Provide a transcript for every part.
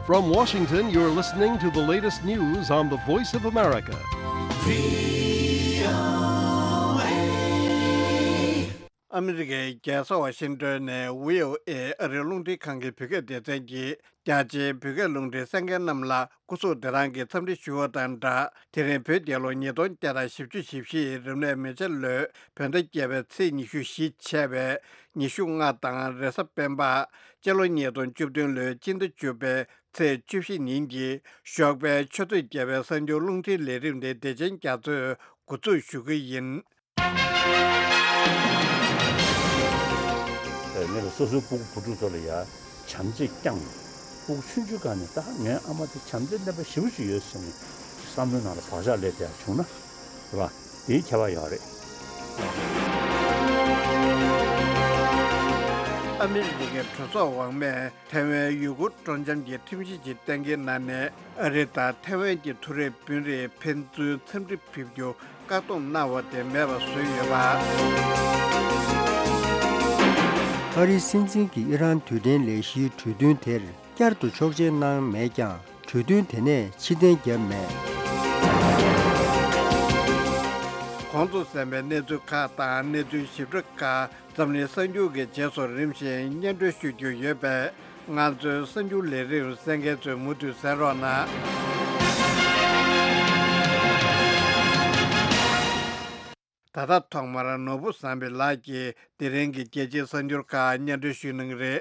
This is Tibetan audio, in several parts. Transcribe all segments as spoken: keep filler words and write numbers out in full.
From Washington, you're listening to the latest news on the Voice of America. ཨ་མི་རི་ཀའི་རྒྱལ་ས་ཝ་ཤིང་ཏོན་ནས་བྷི་ཨོ་ཨེ་ཨ་རིའི་རླུང་འཕྲིན་ཁང་གི་བོད་སྐད་སྡེ་ཚན་གྱིས། རྒྱ་ཆེའི་བོད་སྐད་རླུང་འཕྲིན་གསན་མཁན་རྣམས་ལ་སྐུ་གཟུགས་བདེ་ཐང་གི་འཚམས་འདྲི་ཞུ་བ་དང་སྦྲགས། དེ་རིང་བོད་རྒྱལ་ལོ་ཉིས་སྟོང་བརྒྱ་དང་བཞི་བཅུ་ཞེ་བཞི་ཡི་རིམས་ནད་མེ་བྱ་ལོའི་བོད་ཟླ་བརྒྱད་པའི་ཚེས་ཉི་ཤུ་བཞི་བྱས་པའི་ཉི་ཤུ་ལྔ་དང་རེས་གཟའ་སྤེན་པ། སྤྱི་ལོ་ཉིས་སྟོང་བཅུ་བདུན་ལོའི་སྤྱི་ཟླ་བཅུ་པའི་ཚེས་བཅུ་བཞི་ཉིན་གྱི་ཞོགས་པའི་ཆུ་ཚོད་བརྒྱད་པའི་གསར་འགྱུར་རླུང་འཕྲིན་ལས་རིམ་དེ་བདེ་ཆེན་རྒྱ་མཚོས་འགོ་འཛུགས་ཞུ་གི་ཡིན། ངེད་ལ་སོ་སོའི་སྤུ་གུ་བུ་ཕྲུག་ཚོ་ལ་ཡ་བྱམས་བརྩེ་བསྐྱངས། སྤུ་གུ་ཆུང་ཆུང་སྒང་ནས་ད་ངའི་ཨ་མ་དེ་བྱམས་བརྩེ་ལྡན་པ་ཞེ་པོ་ཞིག་ཡོད་ཟེར་ནས་བསམ་བློའི་ནང་ལ་བག་ཆགས་སླེབས་བསྡད་ཡ་བྱུང་ན་རེད་བ། དེའི་ཁྱད་པར་ཡོད་རེད། ཨ་མི་རི་ཀའི་གྲོས་ཚོགས་འོག་མས་ཐའེ་ཝན་ཡུ་གུར་སྤྲོ་འཆམ་གྱི་ཁྲིམས་གཞི་ཞིག་གཏན་འཁེལ་གནང་ནས། ཨ་རི་དང་ཐའེ་ཝན་གྱི་མཐོ་རིམ་དཔོན་རིགས་ཕན་ཚུན་འཚམས་འདྲི་ཕེབས་རྒྱུ་བཀག་སྡོམ་གནང་བ་དེ་མེད་པ་བཟོས་ཡོད་པ། ཨ་རིའི་སྲིད་འཛིན་གྱིས་ཨི་རན་རྡུལ་ཕྲན་ལས་གཞིའི་གྲོས་མཐུན་དེར་བསྐྱར་དུ་ཆོག་མཆན་གནང་མེད་ཀྱང་། གྲོས་མཐུན་དེ་ནས་ཕྱིར་འཐེན་བརྒྱབ་མེད། གོང་དུ་གསན་པའི་གནས་ཚུལ་ཁག་དང་གནས་ཚུལ་ཞིབ་ཕྲ་ཁག་འཛམ་གླིང་གསར་འགྱུར་གྱི་རྗེས་སུ་རིམ་བཞིན་སྙན་སྒྲོན་ཞུ་རྒྱུ་ཡོད་པས། ང་ཚོའི་གསར་འགྱུར་ལས་རིམ་གསན་མཁན་ཚོས་མུ་མཐུད་གསན་རོགས་གནང་། ད་ལྟ་ཐོག་མར་ནོར་བུ་བཟང་པོ་ལགས་ཀྱིས་དེ་རིང་གི་རྒྱལ་སྤྱིའི་གསར་འགྱུར་ཁག་སྙན་སྒྲོན་ཞུ་གནང་གི་རེད།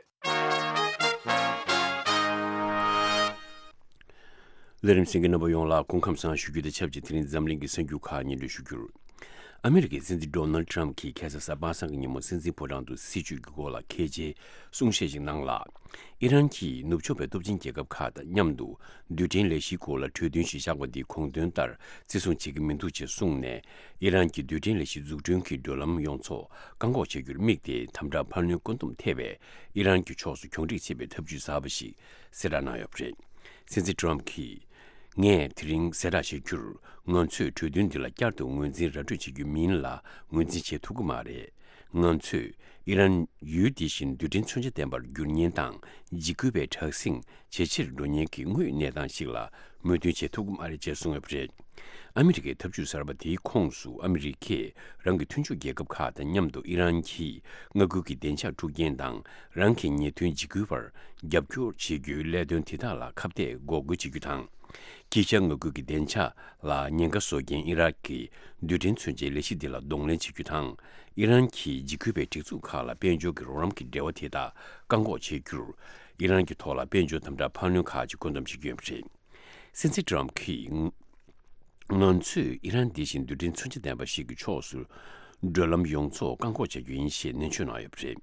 ལས་རིམ་གསན་མཁན་རྣམ་པ་ཡོངས་ལ་སྐུ་ཁམས་བཟང་ཞུ་རྒྱུ་དང་ཆབས་ཅིག་དེ་རིང་འཛམ་གླིང་གི་གསར་འགྱུར་ཁག་སྙན་སྒྲོན་ཞུ་རྒྱུར། ཨ་མི་རི་ཀའི་སྲིད་འཛིན་ཌོ་ནལ་ཊམ་གྱིས་ཁ་སང་གཟའ་པ་སངས་ཀྱི་ཉིན་མོ་སྲིད་འཛིན་ཕོ་བྲང་དུ་སྲིད་བྱུས་ཀྱི་སྐོར་ལ་གལ་ཆེའི་གསུང་བཤད་ཅིག་གནང་ལ། ཨི་རན་གྱིས་ནུབ་ཕྱོགས་པའི་སྟོབས་ཆེན་རྒྱལ་ཁབ་ཁག་དང་མཉམ་དུ་རྡུལ་ཕྲན་ལས་གཞིའི་སྐོར་ལ་གྲོས་མཐུན་ཞིག་བཞག་པ་འདི་གོང་དོན་ལྟར་བརྩི་སྲུང་བྱེད་ཀྱི་མི་འདུག་ཅེས་གསུངས་ནས། ཨི་རན་གྱི་རྡུལ་ཕྲན་ལས་གཞི་འཛུགས་སྐྲུན་གྱི་བགྲོད་ལམ་ཡོངས་རྫོགས་བཀག་འགོག་བྱ་རྒྱུར་དམིགས་ཏེ་དམ་དྲག་འཕར་སྣོན་བཀོད་འདོམས་ཐེབས་པའི་ཨི་རན་གྱི་ཕྱོགས་སུ་གྱོང་རིག་བྱེད་པའི་ཐབས་ཇུས་གསར་པ་ཞིག་གསལ་བསྒྲགས་གནང་ཡོད་པ་རེད། སྲིད་འཛིན་ཊམ་གྱིས། ངས་དེ་རིང་གསལ་བསྒྲགས་བྱ་རྒྱུར། ང་ཚོས་གྲོས་མཐུན་འདི་ལ་བསྐྱར་དུ་ངོས་འཛིན་ར་སྤྲོད་བྱེད་རྒྱུ་མིན་ལ་ངོས་འཛིན་བྱེད་ཐུབ་ཀྱི་མ་རེད། ང་ཚོས་ཨི་རན་ཡུལ་འདི་བཞིན་རྡུལ་ཕྲན་མཚོན་ཆ་ལྡན་པར་འགྱུར་ཉེན་དང་འཇིགས་སྐུལ་བའི་དྲག་ཟིང་ཇེ་ཆེར་འགྲོ་ཉེན་གྱི་དངོས་གནས་སྟངས་ཤིག་ལ་མོས་མཐུན་བྱེད་ཐུབ་ཀྱི་མ་རེད་ཅེས་གསུངས་ཡོད་པ་རེད། ཨ་མི་རི་ཀའི་ཐབས་ཇུས་གསར་པ་དེའི་ཁོངས་སུ་ཨ་མི་རི་ཀས་རང་གི་མཐུན་ཕྱོགས་རྒྱལ་ཁབ་ཁག་དང་མཉམ་དུ་ཨི་རན་གྱིས་མངའ་ཁུལ་གྱི་བདེ་འཇགས་འཁྲུག་རྐྱེན་དང་རང་གི་ཉེས་དོན་འཇིགས་སྐུལ་བར་རྒྱབ་སྐྱོར་བྱེད་རྒྱུའི་ལས་དོན་དེ་དག་ལ་ཁ་གཏད་འགོག་རྒོལ་བྱེད་རྒྱུ་དང་། དཀྱིལ་ཤར་མངའ་ཁུལ་གྱི་བདེ་འཇགས་ལ་ཉེན་ཁ་བཟོ་མཁན་ཨི་རག་གི་རྡུལ་ཕྲན་མཚོན་ཆའི་ལས་གཞི་འདི་ལ་གདོང་ལེན་བྱེད་རྒྱུ་དང་། ཨི་རན་གྱིས་འཇིགས་སྐུལ་བའི་སྒྲིག་འཛུགས་ཁག་ལ་དཔལ་འབྱོར་གྱི་རོགས་རམ་གྱི་འབྲེལ་བ་དེ་དག་བཀག་འགོག་བྱེད་རྒྱུར། ཨི་རན་གྱི་ཐོག་ལ་དཔལ་འབྱོར་དམ་དྲག་འཕར་སྣོན་ཁག་ཅིག་བཀོད་འདོམས་བྱེད་ཀྱི་ཡོད་པ་རེད། སྲིད་འཛིན་ཊམ་གྱིས། ང་ཚོས་ཨི་རན་འདི་བཞིན་རྡུལ་ཕྲན་མཚོན་ཆ་ལྡན་པ་ཞིག་གི་ཕྱོགས་སུ་བགྲོད་ལམ་ཡོངས་རྫོགས་བཀག་འགོག་བྱ་རྒྱུ་ཡིན་ཞེས་ནན་བརྗོད་གནང་ཡོད་པ་རེད།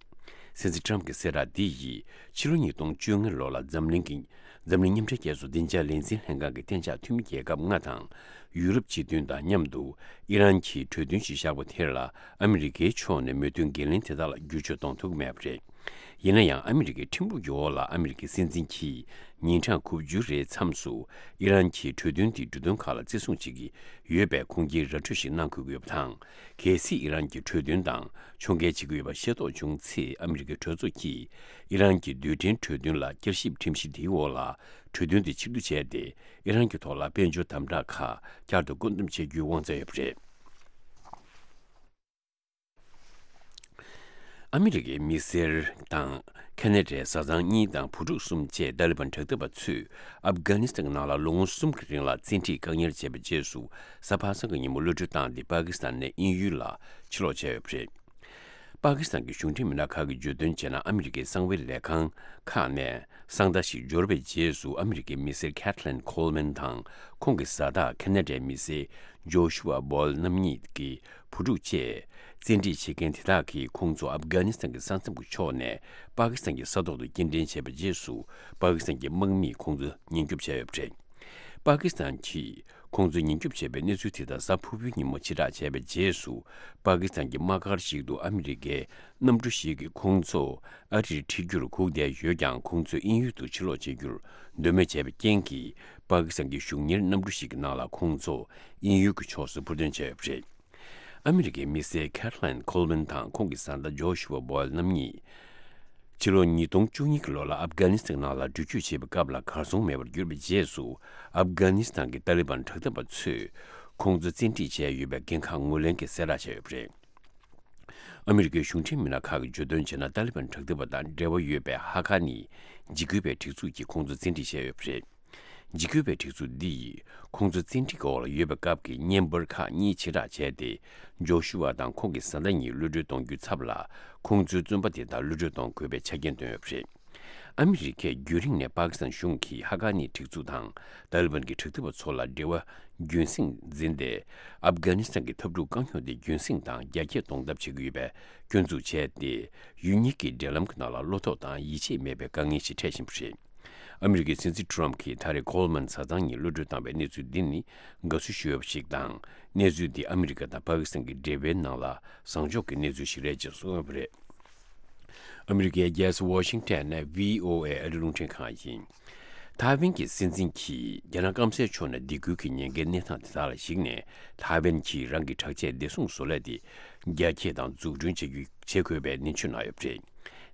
སྲིད་འཛིན་ཊམ་གྱི་གསལ་བསྒྲགས་འདི་ཡིས་ཕྱི་ལོ་ཉིས་སྟོང་བཅོ་ལྔ་ལོ་ལ་འཛམ་གླིང་གི་འཛམ་གླིང་མཉམ་འབྲེལ་རྒྱལ་ཚོགས་བདེ་འཇགས་ལས་འཛིན་ལྷན་ཁང་གི་གཏན་འཇགས་འཐུས་མི་རྒྱལ་ཁབ་ལྔ་དང་། ཡུ་རོབ་སྤྱི་མཐུན་དང་མཉམ་དུ་ཨི་རན་གྱིས་གྲོས་མཐུན་ཞིག་བཞག་པ་དེར་ལ་ཨ་མི་རི་ཀའི་ཕྱོགས་ནས་མོས་མཐུན་འགན་ལེན་དེ་དག་ལ་བསྒྱུར་བཅོས་གཏོང་ཐུབ་ཀྱི་མེད་པ་རེད། ཡིན་ན་ཡང་ཨ་མི་རི་ཀའི་ཁྲིམས་ལུགས་ཀྱི་འོག་ལ་ཨ་མི་རི་ཀའི་སྲིད་འཛིན་གྱིས་ཉིན་གྲངས་དགུ་བཅུ་རེའི་མཚམས་སུ་ཨི་རན་གྱིས་གྲོས་མཐུན་དེའི་འབྲུ་དོན་ཁག་ལ་བརྩི་སྲུང་བྱེད་ཀྱི་ཡོད་པའི་ཁུངས་སྐྱེལ་ར་སྤྲོད་ཞིག་གནང་དགོས་ཀྱི་ཡོད་པ་དང་། གལ་སྲིད་ཨི་རན་གྱིས་གྲོས་མཐུན་དང་ཕྱོགས་འགལ་བྱེད་ཀྱི་ཡོད་པ་ཤེས་རྟོགས་བྱུང་ཚེ་ཨ་མི་རི་ཀའི་གྲོས་ཚོགས་ཀྱིས་ཨི་རན་གྱི་རྡུལ་ཕྲན་གྲོས་མཐུན་ལ་བསྐྱར་ཞིབ་ཁྲིམས་གཞི་དེའི་འོག་ལ་གྲོས་མཐུན་དེ་ཕྱིར་བསྡུ་བྱས་ཏེ་ཨི་རན་གྱི་ཐོག་ལ་དཔལ་འབྱོར་དམ་དྲག་ཁག་བསྐྱར་དུ་བཀོད་འདོམས་བྱེད་རྒྱུའི་དབང་ཆ་ཡོད་པ་རེད། ཨ་མི་རི་ཀའི་མི་སེར་དང་ཁ་ན་ཌའི་བཟའ་ཚང་གཉིས་དང་བུ་ཕྲུག་གསུམ་བཅས་ཏཱ་ལི་བན་དྲག་འཐབ་པ་ཚོས་ཨབ་གྷ་ནི་སི་ཐན་གྱི་ནང་ལ་ལོ་ངོ་གསུམ་གྱི་རིང་ལ་བཙན་ཁྲིད་བཀག་ཉར་བྱས་པའི་རྗེས་སུ་གཟའ་པ་སངས་ཀྱི་ཉིན་མོ་གློད་གྲོལ་བཏང་སྟེ་པ་ཀི་སི་ཐན་ནས་དབྱིན་ཡུལ་ལ་ཕྱིར་ལོག་བྱས་ཡོད་པ་རེད། པ་ཀི་སི་ཐན་གྱི་གཞུང་འབྲེལ་མི་སྣ་ཁག་གིས་བརྗོད་དོན་བྱས་ན། ཨ་མི་རི་ཀའི་གསང་བའི་ལས་ཁང་ཁག་ནས་གསང་བརྡ་ཞིག་འབྱོར་བའི་རྗེས་སུ་ཨ་མི་རི་ཀའི་མི་སེར་ཁེ་ཐི་ལན་ཁོལ་མན་དང་ཁོང་གི་བཟའ་ཟླ་ཁ་ན་ཌའི་མི་སེར་ཇོ་ཤུ་ཨ་བོལ་རྣམ་གཉིས་ཀྱི་བུ་ཕྲུག་བཅས། བཙན་ཁྲིད་བྱེད་མཁན་དེ་དག་གིས་ཁོང་ཚོ་ཨབ་གྷ་ནི་སི་ཐན་གྱི་ས་མཚམས་ཀྱི་ཕྱོགས་ནས་པ་ཀི་སི་ཐན་གྱི་ས་ཐོག་ཏུ་སྐྱེལ་འདྲེན་བྱས་པའི་རྗེས་སུ་པ་ཀི་སི་ཐན་གྱི་དམག་མིས་ཁོང་ཚོ་ཉེན་སྐྱོབ་བྱས་ཡོད་པ་རེད། པ་ཀི་སི་ཐན་གྱིས་ཁོང་ཚོ་ཉེན་སྐྱོབ་བྱས་པའི་གནས་ཚུལ་དེ་དག་གཟའ་ཕུར་བུའི་ཉིན་མོ་ཕྱིར་བསྒྲགས་བྱས་པའི་རྗེས་སུ། པ་ཀི་སི་ཐན་གྱི་དམག་སྒར་ཞིག་ཏུ་ཨ་མི་རི་ཀའི་གནམ་གྲུ་ཞིག་གིས་ཁོང་ཚོ་ཨ་རིར་ཁྲིད་རྒྱུར་སྒུག་བསྡད་ཡོད་ཀྱང་། ཁོང་ཚོས་དབྱིན་ཡུལ་དུ་ཕྱིར་ལོག་བྱེད་རྒྱུར་འདོད་མོས་བྱས་པའི་རྐྱེན་གྱིས། པ་ཀི་སི་ཐན་གྱི་གཞུང་གཉེར་གནམ་གྲུ་ཞིག་གི་ནང་ལ་ཁོང་ཚོ་དབྱིན་ཡུལ་གྱི་ཕྱོགས་སུ་འཕུར་འདོན་བྱས་ཡོད་པ་རེད། ཨ་མི་རི་ཀའི་མི་སེར་ཁེ་ཐི་ལན་ཁོལ་མན་དང་ཁོང་གི་བཟའ་ཟླ་ཇོ་ཤུ་ཨ་བོལ་རྣམ་གཉིས། ཕྱི་ལོ་ཉིས་སྟོང་བཅུ་གཉིས་ཀྱི་ལོ་ལ་ཨབ་གྷ་ནི་སི་ཐན་ནང་ལ་འགྲུལ་སྐྱོད་བྱེད་པའི་སྐབས་ལ་གར་སོང་མེད་པར་གྱུར་པའི་རྗེས་སུ། ཨབ་གྷ་ནི་སི་ཐན་གྱི་ཏཱ་ལི་བན་དྲག་འཐབ་པ་ཚོས་ཁོང་ཚོ་བཙན་ཁྲིད་བྱས་ཡོད་པའི་འགན་ཁག་ངོས་ལེན་གྱིས་གསལ་བསྒྲགས་བྱས་ཡོད་པ་རེད། ཨ་མི་རི་ཀའི་གཞུང་འབྲེལ་མི་སྣ་ཁག་གིས་བརྗོད་དོན་བྱས་ན། ཏཱ་ལི་བན་དྲག་འཐབ་པ་དང་འབྲེལ་བ་ཡོད་པའི་ཧ་ཀ་ནི་འཇིགས་སྐུལ་བའི་སྒྲིག་འཛུགས་ཀྱིས་ཁོང་ཚོ་བཙན་ཁྲིད་བྱས་ཡོད་པ་རེད། འཇིགས་སྐུལ་བའི་སྒྲིག་འཛུགས་འདི་ཡིས་ཁོང་ཚོ་བཙན་ཁྲིད་ཀྱི་འོག་ལ་ཡོད་པའི་སྐབས་ཀྱི་བརྙན་པར་ཁག་གཉིས་ཕྱིར་བསྒྲགས་བྱས་ཏེ། ཇོ་ཤུ་ཝ་དང་ཁོང་གི་བཟའ་ཟླ་གཉིས་གློད་གྲོལ་གཏོང་རྒྱུའི་ཚབ་ལ། ཁོང་ཚོའི་བཙོན་པ་དེ་དག་གློད་གྲོལ་གཏོང་དགོས་པའི་ཆ་རྐྱེན་བཏོན་ཡོད་པ་རེད། ཨ་མི་རི་ཀས་རྒྱུན་རིང་ནས་པ་ཀི་སི་ཐན་གཞུང་གིས་ཧ་ཀ་ནི་སྒྲིག་འཛུགས་དང་ཏཱ་ལི་བན་གྱི་དྲག་འཐབ་པ་ཚོ་ལ་འབྲེལ་བ་རྒྱུན་སྲིང་འཛིན་ཏེ། ཨབ་གྷ་ནི་སི་ཐན་གྱི་འཐབ་འཁྲུག་རྐང་འཁྱོངས་དེ་རྒྱུན་སྲིང་དང་རྒྱ་སྐྱེད་གཏོང་ཐབས་བྱེད་ཀྱི་ཡོད་པའི་སྐྱོན་འཛུགས་བྱས་ཏེ། ཡུལ་གཉིས་ཀྱི་འབྲེལ་ལམ་གྱི་ནང་ལ་བློ་དོགས་དང་ཡིད་ཆེས་མེད་པའི་དཀའ་ངལ་ཞིག་འཕྲད་བཞིན་པ་རེད། ཨ་མི་རི་ཀའི་སྲིད་འཛིན་ཊ་རམ་གྱིས་ད་རེས་གོལ་མན་བཟའ་ཚང་གཉིས་གློད་གྲོལ་བཏང་བའི་གནས་ཚུལ་འདི་ནི་དགའ་བསུ་ཞུ་འོས་པ་ཞིག་དང་། གནས་ཚུལ་འདི་ཨ་མི་རི་ཀ་དང་པ་ཀི་སི་ཐན་གྱི་འབྲེལ་བའི་ནང་ལ་བཟང་ཕྱོགས་ཀྱི་གནས་ཚུལ་ཞིག་རེད་ཅེས་གསུངས་ཡོད་པ་རེད། ཨ་མི་རི་ཀའི་རྒྱལ་ས་ཝ་ཤིང་ཊོན་ནས་ཝི་ཨོ་ཨེ་ཨ་རིའི་རླུང་འཕྲིན་ཁང་ཡིན། ཐའེ་ཝན་གྱི་སྲིད་འཛིན་གྱིས་རྒྱ་ནག་སྐམ་སའི་ཕྱོགས་ནས་སྡིགས་སྐུལ་གྱི་ཉེན་ཁའི་གནས་སྟངས་དེ་དག་ལ་གཞིགས་ནས། ཐའེ་ཝན་གྱིས་རང་གི་དྲག་ཆས་བདེ་སྲུང་བཟོ་ལས་དེ་རྒྱ་སྐྱེད་དང་འཛུགས་སྐྲུན་བྱེད་རྒྱུ་བྱེད་དགོས་པའི་ནན་བརྗོད་གནང་ཡོད་པ་རེད།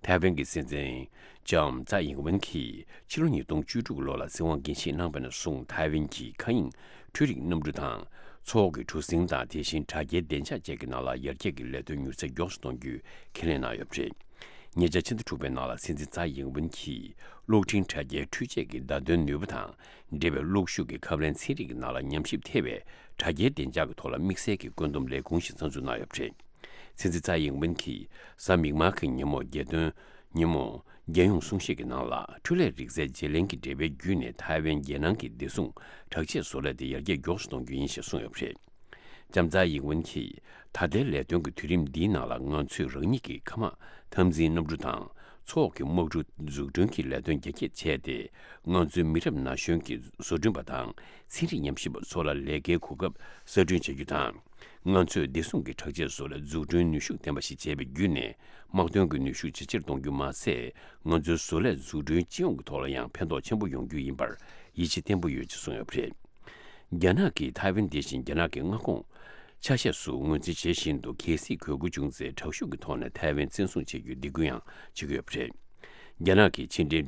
ཐའེ་ཝན་གྱི་སྲིད་འཛིན་ལྕམ་ཙའེ་ཡིང་ཝེན་གྱིས་ཕྱི་ལོ་ཉིས་སྟོང་བཅུ་དྲུག་ལོ་ལ་སྲིད་དབང་འགན་བཞེས་གནང་བ་ནས་བཟུང་། ཐའེ་ཝན་གྱིས་མཁའ་དབྱིངས་འཕྲུལ་རིག་གནམ་གྲུ་དང་། མཚོ་འོག་གི་གྲུ་གཟིངས་དང་། དེ་བཞིན་དྲ་རྒྱའི་བདེ་འཇགས་བཅས་ཀྱི་ནང་ལ་ཡར་རྒྱས་ཀྱི་ལས་དོན་མྱུར་ཚད་མགྱོགས་སུ་གཏོང་རྒྱུའི་ཁས་ལེན་གནང་ཡོད་པ་རེད། ཉེ་ཆར་ཕྱི་ཟླ་དྲུག་པའི་ནང་ལ་སྲིད་འཛིན་ཙའེ་ཡིང་ཝེན་གྱིས་གློག་འཕྲིན་དྲ་རྒྱའི་འཕྲུལ་ཆས་ཀྱི་བརྡ་དོན་ནུས་པ་དང་འབྲེལ་བའི་གློག་ཤུགས་ཀྱི་ཁབ་ལེན་ཚན་རིག་གི་ནང་ལ་ཉམས་ཞིབ་ཐེ་བའི་དྲ་རྒྱའི་བདེ་འཇགས་ཀྱི་ཐོག་ལ་དམིགས་བསལ་གྱི་བཀོད་འདོམས་ལས་ཁུངས་ཤིག་གསར་འཛུགས་གནང་ཡོད་པ་རེད། སྲིད་འཛིན་ཙའེ་ཡིང་ཝེན་གྱིས་གཟའ་མིག་དམར་གྱི་ཉིན་མོ་རྒྱལ་དོན་ཉིན་མོ་རྒྱལ་ཡོངས་གསུང་བཤད་ཀྱི་ནང་ལ། འཕྲུལ་ལས་རིག་རྩལ་བརྗེ་ལེན་གྱི་འབྲེལ་བའི་བརྒྱུད་ནས་ཐའེ་ཝན་རྒྱལ་ནང་གི་བདེ་སྲུང་དྲག་ཆས་བཟོ་ལས་དེ་ཡར་རྒྱས་མགྱོགས་སུ་གཏོང་རྒྱུ་ཡིན་ཞེས་གསུངས་ཡོད་པ་རེད། ལྕམ་ཙའེ་ཡིང་ཝེན་གྱིས། ད་ལྟའི་ལས་དོན་གྱི་དུས་རིམ་འདིའི་ནང་ལ། ང་ཚོས་རང་ཉིད་ཀྱི་མཁའ་དམག་འཐབ་འཛིང་གནམ་གྲུ་དང་། མཚོ་འོག་གི་དམག་གྲུ་འཛུགས་སྐྲུན་གྱི་ལས་དོན་རྒྱ་སྐྱེད་བྱས་ཏེ། ང་ཚོའི་མི་རབས་ན་གཞོན་གྱི་བཟོ་སྐྲུན་པ་དང་ཚན་རིག་ཉམས་ཞིབ་པ་ཚོ་ལ་ལས་ཀའི་གོ་སྐབས་གསར་སྐྲུན་བྱ་རྒྱུ་དང་། ང་ཚོས་བདེ་སྲུང་གི་དྲག་ཆས་བཟོ་ལས་འཛུགས་སྐྲུན་ནུས་ཤུགས་ལྡན་པ་ཞིག་བྱས་པའི་བརྒྱུད་ནས། དམག་དོན་གྱི་ནུས་ཤུགས་ཇེ་ཆེར་གཏོང་རྒྱུ་མ་ཟད། ང་ཚོའི་བཟོ་ལས་འཛུགས་སྐྲུན་སྤྱི་ཡོངས་ཀྱི་ཐོག་ལ་ཡང་ཕན་ཐོགས་ཆེན་པོ་ཡོང་རྒྱུ་ཡིན་པར་ཡིད་ཆེས་བརྟན་པོ་ཡོད་ཅེས་གསུངས་ཡོད་པ་རེད། རྒྱ་ནག་གིས་ཐའེ་ཝན་དེ་བཞིན་རྒྱ་ནག་གི་མངའ་ཁོངས་ཆ་ཤས་སུ་ངོས་འཛིན་བྱེད་བཞིན་དུ། གལ་སྲིད་དགོས་མཁོ་བྱུང་ཚེ། དྲག་ཤུགས་ཀྱི་ཐོག་ནས་ཐའེ་ཝན་བཙན་བཟུང་བྱེད་རྒྱུའི་སྡིགས་སྐུལ་ཡང་བྱེད་ཀྱི་ཡོད་པ་རེད། རྒྱ་ནག་གི་ཕྱི་འབྲེལ་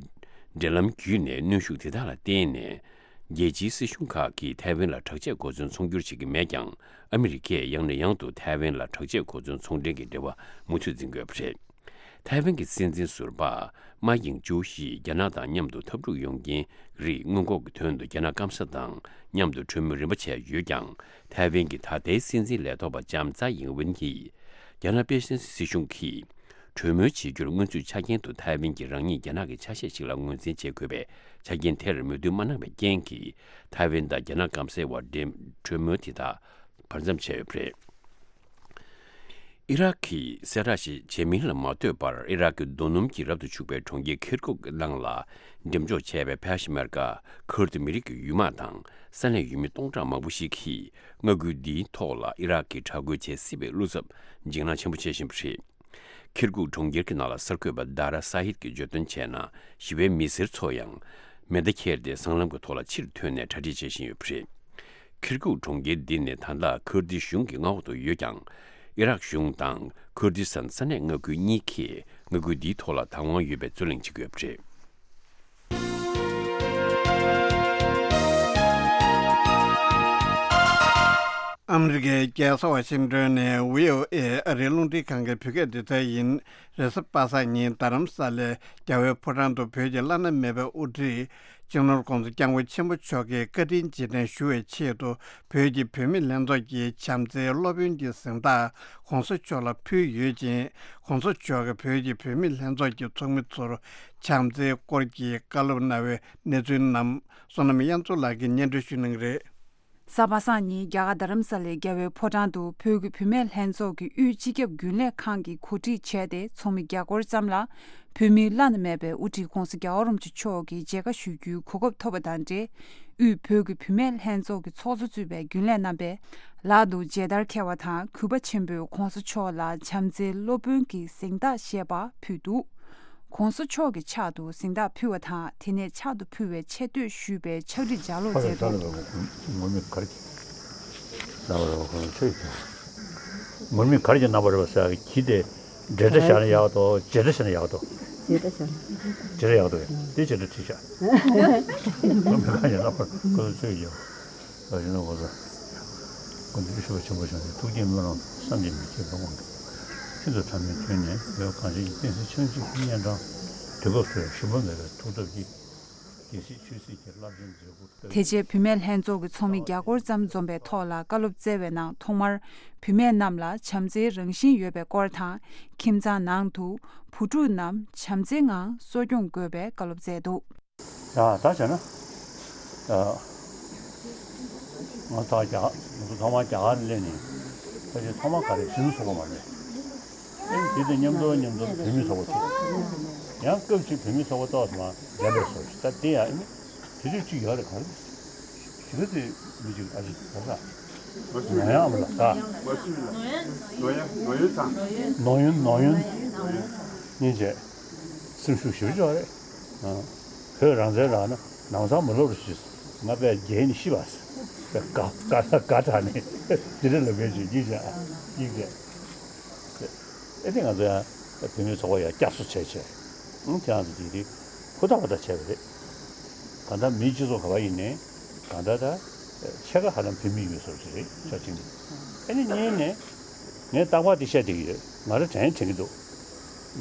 འབྲེལ་ལམ་བརྒྱུད་ནས་གནོན་ཤུགས་དེ་དག་ལ་བརྟེན་ནས། རྒྱལ་སྤྱིའི་སྲིད་གཞུང་ཁག་གིས་ཐའེ་ཝན་ལ་དྲག་ཆས་གོ་མཚོན་ཚོང་སྒྱུར་བྱེད་ཀྱི་མེད་ཀྱང་། ཨ་མི་རི་ཀས་ཡང་ནས་ཡང་དུ་ཐའེ་ཝན་ལ་དྲག་ཆས་གོ་མཚོན་ཚོང་འབྲེལ་གྱི་འབྲེལ་བ་མུ་མཐུད་འཛིན་གྱི་ཡོད་པ་རེད། ཐའེ་ཝན་གྱི་སྲིད་འཛིན་ཟུར་པ་མཱ་ཡིང་ཅུའུ་ཡིས་རྒྱ་ནག་དང་མཉམ་དུ་འཐབ་འཁྲུག་ཡོང་རྐྱེན་རིགས་སྔོན་འགོག་གི་དོན་དུ། རྒྱ་ནག་སྐམ་ས་དང་མཉམ་དུ་གྲོས་མོལ་རིམ་པ་བྱས་ཡོད་ཀྱང་། ཐའེ་ཝན་གྱི་ད་ལྟའི་སྲིད་འཛིན་ལས་ཐོག་པ་ལྕམ་ཙའེ་ཡིང་ཝེན་གྱིས། རྒྱ་ནག་དཔེ་སྲིད་སྲིད་གཞུང་གིས་གྲོས་མོལ་བྱེད་རྒྱུར་སྔོན་ཚུད་ཆ་རྐྱེན་དུ། ཐའེ་ཝན་གྱིས་རང་ཉིད་རྒྱ་ནག་གི་ཆ་ཤས་ཤིག་ལ་ངོས་འཛིན་བྱེད་དགོས་པའི་ཆ་རྐྱེན་དེར་མོས་མཐུན་མ་གནང་བའི་རྐྱེན་གྱིས། ཐའེ་ཝན་དང་རྒྱ་ནག་སྐམ་སའི་བར་འབྲེལ་གྲོས་མོལ་དེ་དག་བར་མཚམས་བཅད་ཡོད་པ་རེད། ཨི་རག་གིས་གསལ་བསྒྲགས་ཤིག་བྱས་མིན་ལ་མ་ལྟོས་པར། ཨི་རག་གི་རྡོ་སྣུམ་གྱིས་རབ་ཏུ་ཕྱུག་པའི་གྲོང་ཁྱེར་ཁིར་ཀུག་ནང་ལ་འགྲེམས་འཇོག་བྱས་པའི་ཕེ་ཤ་མེར་ཀ་ཁུར་དི་མི་རིགས་ཀྱི་ཡུལ་དམག་དང་ས་གནས་ཡུལ་མི་སྟོང་ཕྲག་མང་པོ་ཞིག་གིས་མངའ་ཁུལ་འདིའི་ཐོག་ལ་ཨི་རག་གིས་དྲག་རྒོལ་བྱེད་སྲིད་པའི་བློ་འཚབ་འཇིགས་སྣང་ཆེན་པོ་བྱེད་བཞིན་པ་རེད། ཁིར་ཀུག་གྲོང་ཁྱེར་གྱི་ནང་ལ་གསར་འགོད་པ་དཱ་ར་ས་ཧིད་ཀྱིས་བརྗོད་དོན་བྱས་ན། ཞི་བའི་མི་སེར་ཚོ་ཡང་མེ་མདའ་ཁྱེར་ཏེ་སྲང་ལམ་གྱི་ཐོག་ལ་ཕྱིར་ཐོན་ནས་གྲ་སྒྲིག་བྱེད་བཞིན་ཡོད་པ་རེད། ཁིར་ཀུག་གྲོང་ཁྱེར་འདི་ནི་ད་ལྟ་ཁུར་དི་གཞུང་གི་མངའ་འོག་ཏུ་ཡོད་ཀྱང་། ཨི་རག་གཞུང་དང་ཁུར་དི་སི་ཐན་ས་གནས་མངའ་ཁུལ་གཉིས་ཀས་མངའ་ཁུལ་འདིའི་ཐོག་ལ་བདག་དབང་ཡོད་པའི་རྩོད་གླེང་བྱེད་ཀྱི་ཡོད་པ་རེད། ཨ་མི་རི་ཀའི་རྒྱལ་ས་ཝ་ཤིང་ཏོན་ནས་ཝི་ཨོ་ཨེ་ཨ་རིའི་རླུང་འཕྲིན་ཁང་གི་བོད་སྐད་སྡེ་ཚན་ཡིན། རེས་གཟའ་པ་སངས་ཉིན་རྡ་རམ་ས་ལའི་རྒྱལ་བའི་ཕོ་བྲང་དུ་བོད་ཀྱི་བླ་ན་མེད་པའི་དབུ་ཁྲིད་སྤྱི་ནོར་༧གོང་ས་༧སྐྱབས་མགོན་ཆེན་པོ་མཆོག་གི་བཀའ་དྲིན་རྗེས་དྲན་ཞུ་བའི་ཆེད་དུ། བོད་ཀྱི་བུད་མེད་ལྷན་ཚོགས་ཀྱི་བྱམས་བརྩེའི་སློབ་དཔོན་གྱི་གཟེངས་རྟགས་༧གོང་ས་མཆོག་ལ་ཕུལ་ཡོད་ཅིང་། ༧གོང་ས་མཆོག་གིས་བོད་ཀྱི་བུད་མེད་ལྷན་ཚོགས་ཀྱི་ཚོགས་མི་ཚོར་བྱམས་བརྩེའི་སྐོར་གྱི་བཀའ་སློབ་གནང་བའི་གནས་ཚུལ་རྣམས་བསོད་ནམས་དབྱངས་མཚོ་ལགས་ཀྱིས་སྙན་སྒྲོན་ཞུ་གནང་གི་རེད། གཟའ་པ་སངས་ཉིན་རྒྱ་གར་རྡ་རམ་ས་ལའི་རྒྱལ་བའི་ཕོ་བྲང་དུ་བོད་ཀྱི་བུད་མེད་ལྷན་ཚོགས་ཀྱི་དབུས་སྤྱི་ཁྱབ་རྒྱུན་ལས་ཁང་གིས་གོ་སྒྲིག་བྱས་ཏེ། ཚོགས་མི་བརྒྱ་སྐོར་ཙམ་ལ་བོད་མིའི་བླ་ན་མེད་པའི་དབུ་ཁྲིད་༧གོང་ས་༧རྒྱལ་བ་རིན་པོ་ཆེ་མཆོག་གི་མཇལ་ཁ་ཞུ་རྒྱུའི་གོ་སྐབས་ཐོབ་པ་དང་འབྲེལ། དབུས་བོད་ཀྱི་བུད་མེད་ལྷན་ཚོགས་ཀྱི་ཚོགས་གཙོ་གཙོས་པའི་རྒྱུན་ལས་རྣམ་པས་ལག་ཏུ་མཇལ་དར་འཁྱེར་བ་དང་། གུས་པ་ཆེན་པོས་༧གོང་ས་མཆོག་ལ་བྱམས་བརྩེའི་སློབ་དཔོན་གྱི་གཟེངས་རྟགས་ཞེས་པ་ཕུལ་འདུག ༧གོང་ས་མཆོག་གི་ཕྱག་ཏུ་གཟེངས་རྟགས་ཕུལ་བ་དང་། དེ་ནས་ཕྱག་ཏུ་ཕུལ་བའི་ཆེ་བསྟོད་ཞུས་པའི་ཕྱག་བྲིས་ལྗགས་ཀློག་མཛད་འདུག་ངོ་མི་གར་གྱི་རྣམ་པར་རོལ་པ་ཁོ་ན་ཆོས་ཀྱི་ངོ་མི་གར་གྱི་རྣམ་པར་རོལ་པ་ཟེར་གྱི་དེ་ འབྲེལ་སྒྲ་བཞག་ན་ཡག་འདུག་བྱེད་སྒྲ་བཞག་ན་ཡག་འདུག་བྱེད་སྒྲ་བཞག་ན། བྱེད་སྒྲ་ཡག་འདུག་དེ་བྱེད་སྒྲ་བྲིས་བཞག་མི་གང་ཡིན་ན་ཁོ་ཚོ་ཚོད་ཡོད། ཨ་ཡིན་ན་ཁོ་ཚོ་ཁོ་ཚོ་ཤུགས་ཆེན་པོ་བྱུང་སྟེ། ཐུགས་བསྐྱེད་སྨོན་ལམ་བསམ་གྱིས་མི་ཁྱབ་པ་དབང་གིས་ཤིན་ཏུ་ཕྲ་མོའི་དུས་ནས་འོད་གངས་ཅན་གྱི་བསྟན་སྲིད་ཕྱོགས་གཅིག་གི་གཉན་འཕྲང་དུས་སྐབས་སུ་ཡང་ཞུམ་པ་མེད་པའི་ཐུགས་སྟོབས་ཀྱིས། རྒྱལ་སྲིད་ཆོས་སྲིད་ཀྱི་རླབས་ཆེན་མཛད་ཁུར་བསྟོད། དེ་རྗེས་བུད་མེད་ལྷན་ཚོགས་ཀྱི་ཚོགས་མི་བརྒྱ་སྐོར་ཙམ་འཛོམས་པའི་ཐོག་ལ་བཀའ་སློབ་སྩལ་བའི་ནང་ཐོག་མར་བུད་མེད་རྣམས་ལ་བྱམས་བརྩེའི་རང་བཞིན་ཡོད་པའི་སྐོར་དང་། ཁྱིམ་ཚང་ནང་དུ་བུ་ཕྲུག་རྣམས་བྱམས་བརྩེའི་ངང་གསོ་སྐྱོང་དགོས་པའི་བཀའ་སློབ་སྩལ་འདུག་ཡ་ད་བྱས་ན། ཨ། ང་ད་རྒྱ་ང་ཚོ་ཐོག་མར་རྒྱ་གར་སླེབས་ནས་ཕལ་ཆེར་ཐོག་མར་ག་རེ་གཞོན་ནུ་ཚོགས་པ་མ་རེད། ཨེ་དེ་དང་མཉམ་དུ་མཉམ་དུ་བུད་མེད་ཚོགས་པ་ཚུགས། ཡང་སྐབས་ཅིག་བུད་མེད་ཚོགས་པ་ཏོག་ཙམ་མར་འགྲན་པའི་བཟོ་ཞིག་ད་དེ་ཡང་ཨེ་དེ་དུས་ཅིག་ཡོད་རེད། ག་རེ་ཞིག་དེ་མི་ཅིག་ཨ་ཅིག་ག་ས་ནོ་ཡང་ཨ་མ་ལ་ད་ནོ་ཡོན་ཚང་ནོ་ཡོན་ནོ་ཡོན་སྙིང་རྗེ་སེམས་ཤུགས་ཞེ་པོ་ཅིག་ཡོད་རེད། ཨ། བོད་རང་བཙན་རག་ན་ནང་ཚང་མ་ལོབས་རེ་ཞུས། ང་དཔེ་རྒྱལ་ནི་ཤི་བ་ཟེར། དཔེ་དགའ་དགའ་དགའ་དྲགས་ནས་དེ་འདྲ་ལབ་མཁན་ཞིག་ཡིན་ཀྱང་ཡིན་ཀྱང་། ཨེ་དེ་ང་ཚོ་ཡང་བུད་མེད་ཚོགས་པ་ཡང་བསྐྱར་གསོ་བྱས་བྱས། ཨང་དེ་ཡང་དེ་དེ་ཧུར་ཐག་པ་ད་བྱས་པ་རེད། གང་ལྟར་མིའི་སྤྱི་ཚོགས་ག་པར་ཡིན་ནའི་གང་ལྟར་ད་ཕྱེད་ཀ་ཧ་ལམ་བུད་མེད་ཡོད་བཟོ་ཞིག་རེད་ཕྱོགས་གཅིག་ནས། ཨེ་ནི་གཉིས་ནས་ངས་རྟག་པར་དེ་བཤད་བསྡད་ཀྱི་ཡོད། ང་རང་དྲན་དྲན་གྱི་འདུག་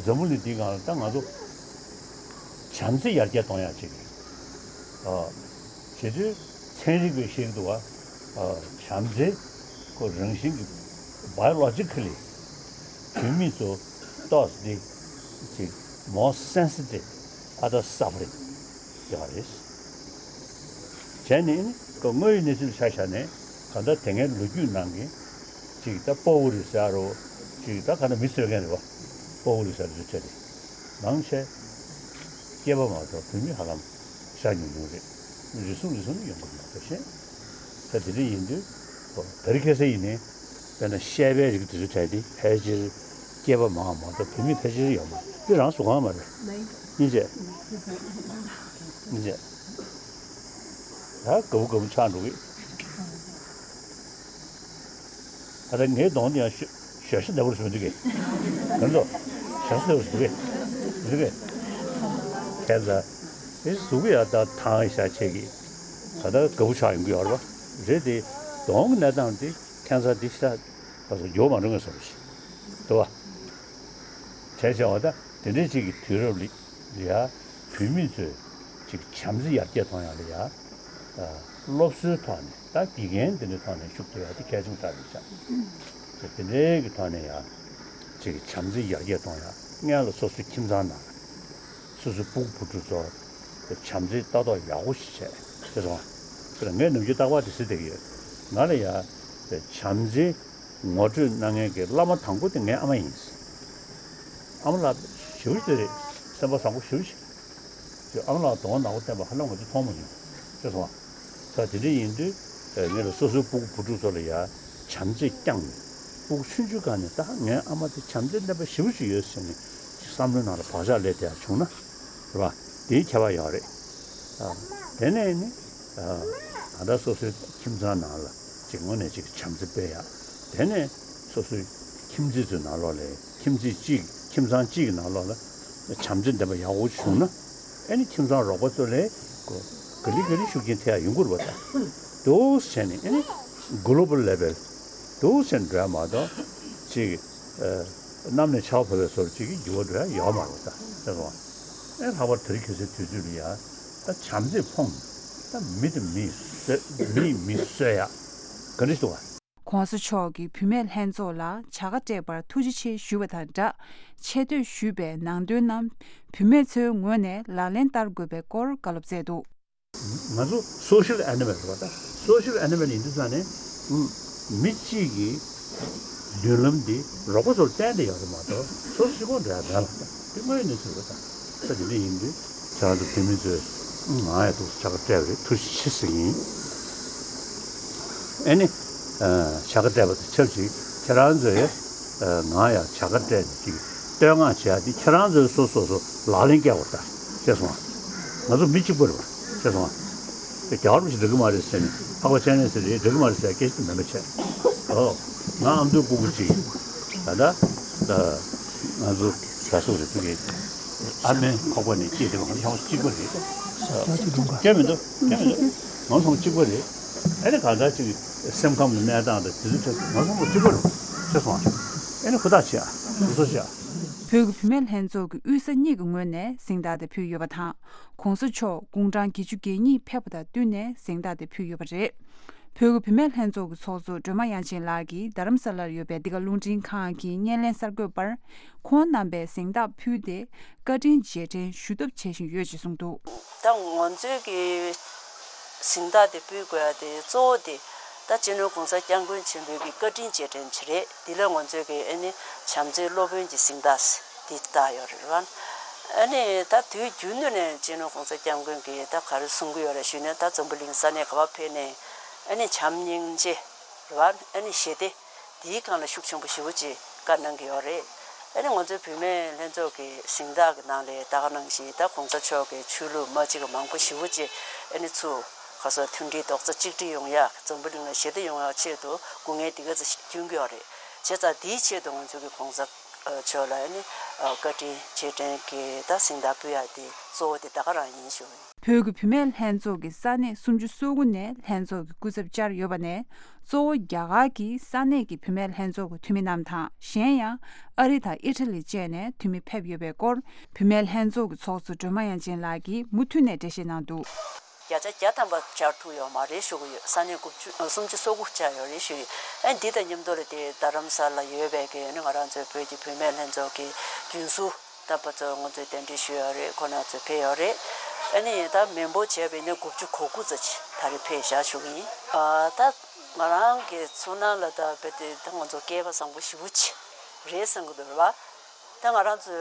འཛམ་བུ་གླིང་འདིའི་སྒང་ལ་ད་ང་ཚོ་བྱམས་བརྩེ་ཡར་རྒྱས་གཏོང་ཡག་ཅིག་ཨ། བྱེད་དུས་ཚན་རིག་པས་བཤད་ཀྱི་འདུག་བ། ཨ། བྱམས་བརྩེ་ཁོ་རང་བཞིན་གྱི་biologically བུད་མེད་ཚོ་ཏོག་ཙམ་འདི་ཅིག་more sensitive other suffering ཡོད་རེད། བྱས་ནས་ནི་ཁོ་དངོས་ཡོད་གནས་ཚུལ་ཆ་བཞག་ནས་གང་ལྟར་དེ་སྔའི་ལོ་རྒྱུས་ནང་གི་ཅིག་ད་ཕོ་བོ་རེད་ཟེར་རོ། ཅིག་ད་ག་ན་མི་གསོད་མཁན་རེད་བ། ཕོ་བོ་རེད་ཟེར་རོ་ཆ་དེ་མང་ཆེ་སྐྱེས་པ་མ་གཏོགས་བུད་མེད་ཧ་ལམ་ཤ་ཉུང་ཉུང་རེད། རེ་ཟུང་རེ་ཟུང་ནས་ཡོང་གི་མ་གཏོགས་ཤེས། ད་དེ་འདྲ་ཡིན་དུས་ཁོ་དེ་རིང་ཁ་སང་ཡིན་ནའི་དཔེར་ན་བཤད་པའི་རིགས་དེ་ཚོ་གྲས་དེ་ཕལ་ཆེར་སྐྱེས་པ་མང་བ་མ་གཏོགས་བུད་མེད་ཕལ་ཆེར་ཡོད་མ་རེད། འདི་རང་གཟུགས་ཁམས་མ་རེད། སྙིང་རྗེ། སྙིང་རྗེ། ད་དགའ་བོ་དགའ་བོ་ཆགས་འགྲོ་གི། ད་ལྟ་ངའི་གདོང་དེ་ཡང་ཞོ་ཞོ་ཤ་འདྲ་པོ་རེད་ཟེར་འདུག་གས། ག་ཚོད་ཞོ་ཤ་འདྲ་པོ་རེད་ཟེར་འདུག་གས། འདུག་གས། ཁྱེད་ཚོ་དེ་གཟུགས་ཡང་ད་ཐང་ཤ་ཆེ་གི། ད་ལྟ་དགའ་བོ་ཆགས་ཡོང་གི་ཡོད་རེད་པ། རེད་དེ་གདོང་གི་གནས་སྟངས་དེ་ཁྱད་མཚར་དེ་ཤ་ད་གཟུགས་འགྱུར་མ་འགྲོ་ངེས་སོ་ཞིག་འདུག་བ། བྱས་བྱས་བ་ད་དེ་འདྲའི་ཅིག་གི་དུས་རབས་ལ་ཡ་བུད་མེད་ཚོས་ཅིག་བྱམས་བརྩེ་ཡར་རྒྱས་གཏོང་ཡག་ལ་ཡ། ཨ། སློབ་གསོའི་ཐོག་ནས་ད་དགེ་རྒན་དེ་འདྲའི་ཐོག་ནས་ཤུགས་རྒྱག་ཡག་དེ་གལ་ཆེན་པོ་ཆགས་ཡོད་ཤག་དེ་འདྲའི་གི་ཐོག་ནས་ཡ་ཅིག་བྱམས་བརྩེ་ཡར་རྒྱས་གཏོང་ཡག་སྔོན་ལ་སོ་སོའི་ཁྱིམ་ཚང་ནང་སོ་སོའི་སྤུ་གུ་བུ་ཕྲུག་ཚོར་བྱམས་བརྩེ་ལྟ་རྟོག་ཡག་པོ་ཞིག་བྱས་ཤེས་སོང་ང་། ངས་ནམ་རྒྱུན་རྟག་པར་དེ་ཟེར་བསྡད་ཀྱི་ཡོད། ང་ལ་ཡ་བྱམས་བརྩེ་ངོ་སྤྲོད་གནང་མཁན་གྱི་བླ་མ་དང་པོ་དེ་ངའི་ཨ་མ་ཡིན། ཨ་མ་ལགས་ཞེ་པོ་ཅིག་རེད། སེམས་པ་བཟང་པོ་ཞེ་པོ་ཅིག་ཅེས་ཨ་མ་ལགས་གདོང་ནག་པོ་བསྟན་པ་ཧ་ལམ་ང་ཚོ་མཐོང་མ་མྱོང་། ཤེས་སོང་ང་། ད་དེ་འདྲ་ཡིན་དུས་ངེད་ལ་སོ་སོའི་སྤུ་གུ་བུ་ཕྲུག་ཚོ་ལ་ཡ་བྱམས་བརྩེ་བསྐྱངས་ནས་སྤུ་གུ་ཆུང་ཆུང་སྒང་ནས་ད་ངའི་ཨ་མ་དེ་བྱམས་བརྩེ་ལྡན་པ་ཞེ་པོ་ཅིག་ཡོད་ཟེར་ནས་བསམ་བློའི་ནང་ལ་བག་ཆགས་སླེབས་བསྡད་ཡག་བྱུང་ན་རེད་པ། དེའི་ཁྱད་པར་ཡོད་རེད། ཨ། དེ་ནས་ནི། ཨ། ད་ལྟ་སོ་སོའི་ཁྱིམ་ཚང་ནང་ལ་ཅིག་དངོས་གནས་ཅིག་བྱམས་བརྩེ་སྤེལ་ཡག་དེ་ནས་སོ་སོའི་ཁྱིམ་མཚེས་ཚོའི་ནང་ལོགས་ལ་ཁྱིམ་མཚེས་གཅིག་ཁྱིམ་ཚང་གཅིག་གི་ནང་ལོགས་ལ་བྱམས་བརྩེ་ལྡན་པ་ཡག་པོ་བྱུང་ན་ཨེ་ནི་ཁྱིམ་ཚང་རོགས་པ་ཚོ་ལ་གོ་ག་ལེ་ག་ལེ་ཤུགས་རྐྱེན་ཐེབས་ཡག་ཡོང་གི་རེད་པ། ད་འདུག་སེ་བྱས་ནས་ཨེ་ནི་གོ་ལོ་བལ་ལེ་བལ་འདུག་སེ་འགྲོ་ཡག་མ་གཏོགས་ཅིག་ཨ། གནམ་ནས་ཆར་པ་བབས་པའི་བཟོ་འདྲ་ཅིག་གི་འགྱུར་བ་འགྲོ་ཡག་ཡོད་མ་རེད་པ། ད་ཤེས་སོང་ང་། ཨེ་ལྷག་པར་དེ་རིང་ཁ་སང་དུས་ཚོད་ལ་ཡ་ད་བྱམས་བརྩེས་ཕོངས་ད་མི་དང་མི་གསོད་མིས་མི་གསོད་ཡག་ག་འདྲ་ཞིག་འདུག་ག། ༸གོང་ས་མཆོག་གིས་བུད་མེད་ལྷན་ཚོགས་ལ་བྱ་དགའ་སྤྲད་པར་ཐུགས་རྗེ་ཆེ་ཞུ་བ་དང་སྦྲགས། ཆེ་བསྟོད་ཞུས་པའི་ནང་དོན་རྣམས་བུད་མེད་ཚོའི་ངོས་ནས་ལག་ལེན་བསྟར་དགོས་པའི་སྐོར་བཀའ་སློབ་སྩལ་འདུག་ང་ཚོ་social animal རེད་པ། ད་social animal ཡིན་དུས་ཙང་ནས་མི་གཅིག་གི་མདུན་ལམ་འདི་རོགས་པ་ཚོར་བརྟེན་ཏེ་ཡོད་རེད་མ་གཏོགས་སོ་སོ་གཅིག་པོ་འགྲོ་ཡག་མེད་པ། ད་དེ་དངོས་ཡོད་གནས་ཚུལ་རེད་པ། ད་ད་དེ་འདྲ་ཡིན་དུས་ཁྱེད་རང་ཚོ་བུད་མེད་ཚོས་ང་ཡང་འདུག་སེ་བྱ་དགའ་སྤྲད་པ་རེད། ཐུགས་རྗེ་ཆེ་ཟེར་གྱི་ཡིན། ཨེ་ནི། བྱ་དགའ་སྤྲད་པ་དང་ཆབས་ཅིག་ཁྱེད་རང་ཚོས་ང་ཡང་བྱ་དགའ་སྤྲད་ནས་ཅིག་བསྟོད་བསྔགས་བྱེད་ཡག་འདི་ཁྱེད་རང་ཚོས་སོ་སོ་སོ་ལག་ལེན་བཀལ་དགོས་ད། ཤེས་སོང་ང་། ང་ཚོ་མི་གཅིག་པ་རེད་པ། ཤེས་སོང་ང་། དེ་རྒྱ་གར་པ་ཞིག་འགྲིག་གི་མ་རེད་ཟེར་ནས་འཕགས་པ་སྤྱན་རས་གཟིགས་རེད་འགྲིག་གི་མ་རེད་ཟེར་ཡག་སྐད་ཆ་དེ་མེད་པ་བྱས། ཨོ། ང་ཨ་མདོའི་སྤུ་གུ་ཅིག་ད་ལྟ་ད་ ང་ཚོ་ག་སོག་རེད་ཚུགས་ཀྱི། ཨ་མའི་ཁོག་པ་ནས་སྐྱེས་དེ་བ་ང་ཚོ་ཚང་མ་གཅིག་པ་རེད། སྐྱེ་མི་འདུག་སྐྱེ་མི་འདུག་ང་ཚོ་ཚང་མ་གཅིག་པ་རེད། ཨ་ནི་གང་ལྟར་ཅིག་སེམས་ཁམས་ཀྱི་གནས་སྟངས་དང་དེ་ཚོ་ཆ་ང་ཚོ་ཚང་མ་གཅིག་པ་རེད། ཤེས་སོང་ཨ། ཨ་ནི་ཧུར་ཐག་བྱེད་ཨ། དུས་ཚོད་བྱེད་ཨ། བོད་ཀྱི་བུད་མེད་ལྷན་ཚོགས་ཀྱི་དབུས་ས་གཉིས་ཀྱི་ངོས་ནས་གཟེངས་རྟགས་དེ་ཕུལ་ཡོད་པ་དང་། གོང་ས་མཆོག་དགུང་གྲངས་བརྒྱད་ཅུ་གྱ་གཉིས་ཕེབས་པ་དང་བསྟུན་ནས་གཟེངས་རྟགས་དེ་ཕུལ་ཡོད་པ་རེད། བོད་ཀྱི་བུད་མེད་ལྷན་ཚོགས་ཀྱི་ཚོགས་གཙོ་སྒྲོལ་མ་དབྱངས་ཅན་ལགས་ཀྱིས་རྡ་རམ་ས་ལར་ཡོད་པའི་འདི་ག་རླུང་འཕྲིན་ཁང་གི་བརྙན་ལེན་གསར་འགོད་པར། ཁོང་རྣམ་པས་གཟེངས་རྟགས་ཕུལ་ཏེ། བཀའ་དྲིན་རྗེས་དྲན་ཞུ་ཐབས་བྱེད་བཞིན་ཡོད་ཅེས་གསུངས་འདུག་ད་ང་ཚོའི་གི་གཟེངས་རྟགས་དེ་ཕུལ་དགོས་ཡ་དེ་གཙོ་བོ་དེ་ད་སྤྱི་ནོར་༸གོང་ས་༸སྐྱབས་མགོན་ཆེན་པོའི་གི་བཀའ་དྲིན་རྗེས་དྲན་ཅིག་རེད། དེ་ལ་ང་ཚོའི་གི་ཨ་ནི་བྱམས་བརྩེའི་སློབ་དཔོན་གྱི་གཟེངས་རྟགས་དེ་བཏགས་ཡོད་རེད་བ། ཨ་ནི་ད་དུས་རྒྱུན་དུ་ནས་སྤྱི་ནོར་༸གོང་ས་༸སྐྱབས་མགོན་གྱིས་ད་ག་རེ་གསུང་གི་ཡོད་རེད་ཞུས་ན། ད་འཛམ་བུ་གླིང་ས་གནས་ག་པར་ཕེབས་ནས་ཨ་ནི་བྱམས་སྙིང་རྗེ་རེད་བ། ཨ་ནི་ཞི་བདེ། དེའི་སྒང་ལ་ཤུགས་ཆེན་པོ་ཞེ་པོ་ཅིག་བཀའ་གནང་གི་ཡོད་རེད། ཨ་ནི་ང་ཚོའི་བུད་མེད་ལྷན་ཚོགས་ཀྱི་གཟེངས་རྟགས་ཀྱི་ནང་ལ་ད་ག་ནང་བཞིན་ད་༸གོང་ས་མཆོག་གི་ཆོས་ལུགས་མ་གཅིག་པ་མང་པོ་ཞེ་པོ་ཅིག་ཨ་ནི་ཚུར་ག་སོགས་མཐུན་སྒྲིལ་རྡོག་རྩ་གཅིག་སྒྲིལ་ཡོང་ཡ། འཛམ་བུ་གླིང་ལ་ཞི་བདེ་ཡོང་ཡ་ཆེད་དུ་སྐུ་ངལ་དེ་ག་ཚོད་ཞིག་སྐྱོན་གྱི་ཡོད་རེད། བྱས་ཙང་དེའི་ཆེད་དུ་ང་ཚོ་གི་༸གོང་ས་མཆོག་ལ་ཨ་ནི་བཀའ་དྲིན་རྗེས་དྲན་གྱི་ད་གཟེངས་རྟགས་ཕུལ་ཡ་དེ་གཙོ་བོ་དེ་ད་ག་རང་ཡིན་ཞུ། བོད་ཀྱི་བུད་མེད་ལྷན་ཚོགས་ཀྱི་ས་གནས་སུམ་ཅུ་སོ་དགུ་ནས་ལྷན་ཚོགས་ཀྱི་སྐུ་ཚབ་བཅར་ཡོད་པ་ནས། གཙོ་བོ་རྒྱ་གར་གྱི་ས་གནས་ཀྱི་བུད་མེད་ལྷན་ཚོགས་ཀྱི་འཐུས་མི་རྣམས་དང་། གཞན་ཡང་ཨ་རི་དང་ཨི་ཊ་ལི་བཅས་ནས་འཐུས་མི་ཕེབས་ཡོད་པའི་སྐོར། བུད་མེད་ལྷན་ཚོགས་ཀྱི་ཚོགས་གཙོ་སྒྲོལ་མ་དབྱངས་ཅན་ལགས་ཀྱིས་མུ་མཐུད་ནས་འགྲེལ་བཤད་གནང་འདུག་བརྒྱ་ཆ་བརྒྱ་ཐམ་པ་བཅར་ཐུབ་ཡོད་མ་རེད་ཞུ་གི་ཡོད། ས་གནས་དགུ་བཅུ་ཨ་སུམ་ཅུ་སོ་དགུ་བཅར་ཡོད་རེད་ཞུ་ཡོད། ཨ་འདི་དང་མཉམ་དུ་ལ་དེ་རྡ་རམ་ས་ལ་ཡོད་པའི་གི་ཨ་ནི་ང་རང་ཚོའི་བོད་ཀྱི་བུད་མེད་ལྷན་ཚོགས་ཀྱི་རྒྱུན་ཟུར་རྣམ་པ་ཚོ་ང་ཚོས་གདན་འདྲེན་ཞུས་ཡོད་རེད། ཁོང་རྣམ་ཚོ་ཕེབས་ཡོད་རེད། ཨ་ནི་ད་མི་འབོར་བྱས་པ་ཡིན་ན་དགུ་བཅུ་གོ་དགུ་ཙམ་ཅིག་ད་རེས་ཕེབས་བཞག་ཞུ་གི་ཡིན། ཨ་ད་ང་རང་གི་ཚོར་སྣང་ལ་ད་རྦད་དེ་ད་ང་ཚོ་སྐལ་པ་བཟང་པོ་ཞེ་པོ་ཅིག་རེད་བསམ་གི་འདུག་རེད་བ། ད་ང་རང་ཚོ་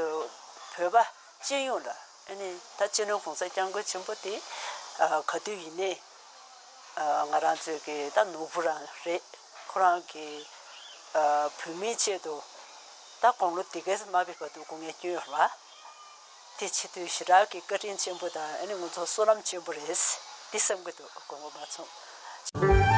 བོད་པ་སྤྱི་ཡོངས་ལ་ཨ་ནི་ད་སྤྱི་ནོར་༸གོང་ས་༸སྐྱབས་མགོན་ཆེན་པོ་དེ་ཨ་ག་དུས་ཡིན་ནའི་ཨ་ང་རང་ཚོའི་གི་ད་ནོར་བུ་རང་རེད། ཁོ་རང་གི་ཨ་བོད་མིའི་ཆེད་དུ་ད་དགུང་ལོ་འདི་གས་མ་ཕེབས་བར་དུ་སྐུ་ངལ་བསྐྱོན་ཡོད་རེད་བ། དེ་བྱེད་དུས་ཞེ་དྲག་གི་བཀའ་དྲིན་ཆེན་པོ་དང་ཨ་ནི་ང་ཚོ་བསོད་ནམས་ཆེན་པོ་རེད་འདི་བསམ་གི་འདུག་དགོངས་པ་མ་ཚོམས།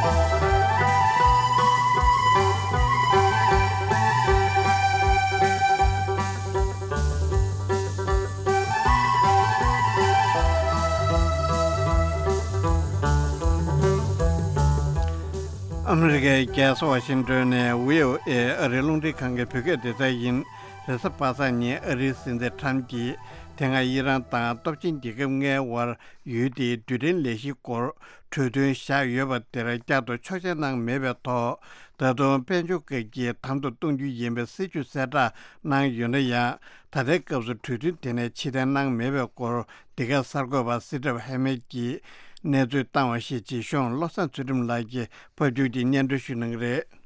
ཨ་མི་རི་ཀའི་རྒྱལ་ས་ཝ་ཤིང་ཏོན་ནས་བྷི་ཨོ་ཨེ་ཨ་རིའི་རླུང་འཕྲིན་ཁང་གི་བོད་སྐད་སྡེ་ཚན་ཡིན། རེས་གཟའ་པ་སངས་ཉིན་ཨ་རིའི་སྲིད་འཛིན་ཁྲམ་གྱིས་དེ་སྔ་ཨི་རན་དང་སྟོབས་ཆེན་རྒྱལ་ཁབ་ལྔའི་དབར་ཡུལ་དེའི་རྡུལ་ཕྲན་ལས་གཞིའི་སྐོར་གྲོས་མཐུན་བཞག་ཡོད་པ་དེར་བསྐྱར་དུ་ཆོག་མཆན་གནང་མེད་པའི་ཐོག་ད་དུང་དཔལ་འབྱོར་བཀག་སྐྱིལ་དམ་དུ་གཏོང་རྒྱུ་ཡིན་པའི་སྲིད་ཇུས་གསལ་བསྒྲགས་གནང་ཡོད་ན་ཡང་། ད་ལྟའི་སྐབས་སུ་གྲོས་མཐུན་དེ་ནས་ཕྱིར་འཐེན་གནང་མེད་པའི་སྐོར་འདི་ག་གསར་འགོད་པ་སི་ཊིབ་ཧེ་མེད་ཀྱིས་གནས་ཚུལ་བཏང་བ་ཞིག་ཅིག་གཞུང་བློ་བཟང་ཚུལ་ཁྲིམས་ལགས་ཀྱིས་ཕབ་སྒྱུར་གྱིས་སྙན་སྒྲོན་ཞུ་གནང་གི་རེད།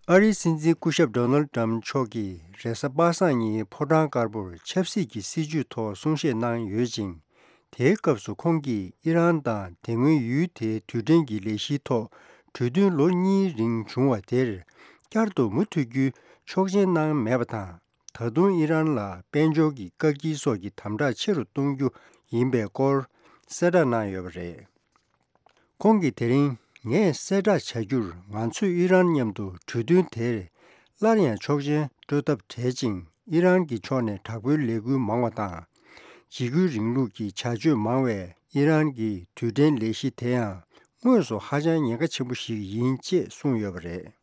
ཨ་རིའི་སྲིད་འཛིན་སྐུ་ཞབས་ཌོ་ནལ་ཌི་ཊམ་མཆོག་གིས་རེས་གཟའ་པ་སངས་ཉིན་ཕོ་བྲང་དཀར་པོར་ཆབ་སྲིད་ཀྱི་སྲིད་བྱུས་ཐོག་གསུང་བཤད་གནང་ཡོད་ཅིང་། དེའི་སྐབས་སུ་ཁོང་གིས་ཨི་རན་དང་དེ་སྔོན་ཡུལ་དེའི་རྡུལ་ཕྲན་གྱི་ལས་གཞིའི་ཐོག་གྲོས་མཐུན་ལོ་གཉིས་རིང་བྱུང་བ་དེར་བསྐྱར་དུ་མུ་མཐུད་རྒྱུའི་ཆོག་མཆན་གནང་མེད་པ་དང་། ད་དུང་ཨི་རན་ལ་དཔལ་འབྱོར་གྱི་བཀག་སྐྱིལ་སོགས་ཀྱི་དམ་དྲག་ཆེ་རུ་གཏོང་རྒྱུ་ཡིན་པའི་སྐོར་གསལ་བསྒྲགས་གནང་ཡོད་པ་རེད། ཁོང་གིས་དེ་རིང་ངས་གསལ་བསྒྲགས་བྱ་རྒྱུར་ང་ཚོས་ཨི་རན་མཉམ་དུ་གྲོས་མཐུན་དེར་སླར་ཡང་ཆོག་མཆན་སྤྲོད་ཐབས་བྲལ་ཅིང་། ཨི་རན་གྱི་ཕྱོགས་ནས་དྲག་པོའི་ལས་འགུལ་མང་བ་དང་། འཇིགས་སྐུལ་རིང་ལུགས་ཀྱི་བྱ་སྤྱོད་མང་བས་ཨི་རན་གྱི་རྡུལ་ཕྲན་ལས་གཞི་དེ་ཡང་དངོས་སུ་ཧ་ཅང་ཉེན་ཁ་ཆེན་པོ་ཞིག་ཡིན་ཅེས་གསུངས་ཡོད་པ་རེད།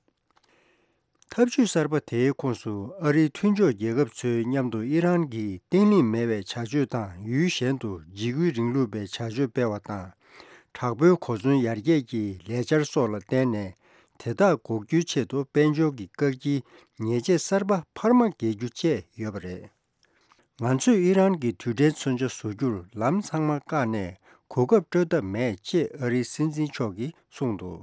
ཐབས་ཇུས་གསར་པ་དེའི་ཁོངས་སུ་ཨ་རིའི་མཐུན་ཕྱོགས་རྒྱལ་ཁབ་ཚོའི་མཉམ་དུ་ཨི་རན་གྱིས་བརྟན་ལྷིང་མེད་པའི་བྱ་སྤྱོད་དང་། ཡུལ་གཞན་དུ་འཇིགས་སྐུལ་རིང་ལུགས་པའི་བྱ་སྤྱོད་སྤེལ་བ་དང་། དྲག་པོའི་གོ་མཚོན་ཡར་རྒྱས་ཀྱི་ལས་འཆར་སོགས་ལ་བརྟེན་ནས་དེ་དག་འགོག་རྒྱུའི་ཆེད་དུ་དཔལ་འབྱོར་གྱི་བཀག་སྐྱིལ་ཉེས་ཆད་གསར་པ་འཕར་མ་འགེལ་རྒྱུ་བཅས་ཡོད་པ་རེད། ང་ཚོས་ཨི་རན་གྱི་རྡུལ་ཕྲན་མཚོན་ཆ་བཟོ་རྒྱུར་ལམ་ཚང་མ་བཀག་ནས་གོ་སྐབས་སྤྲོད་ཐབས་མེད་ཅེས་ཨ་རིའི་སྲིད་འཛིན་མཆོག་གིས་གསུངས་འདུག་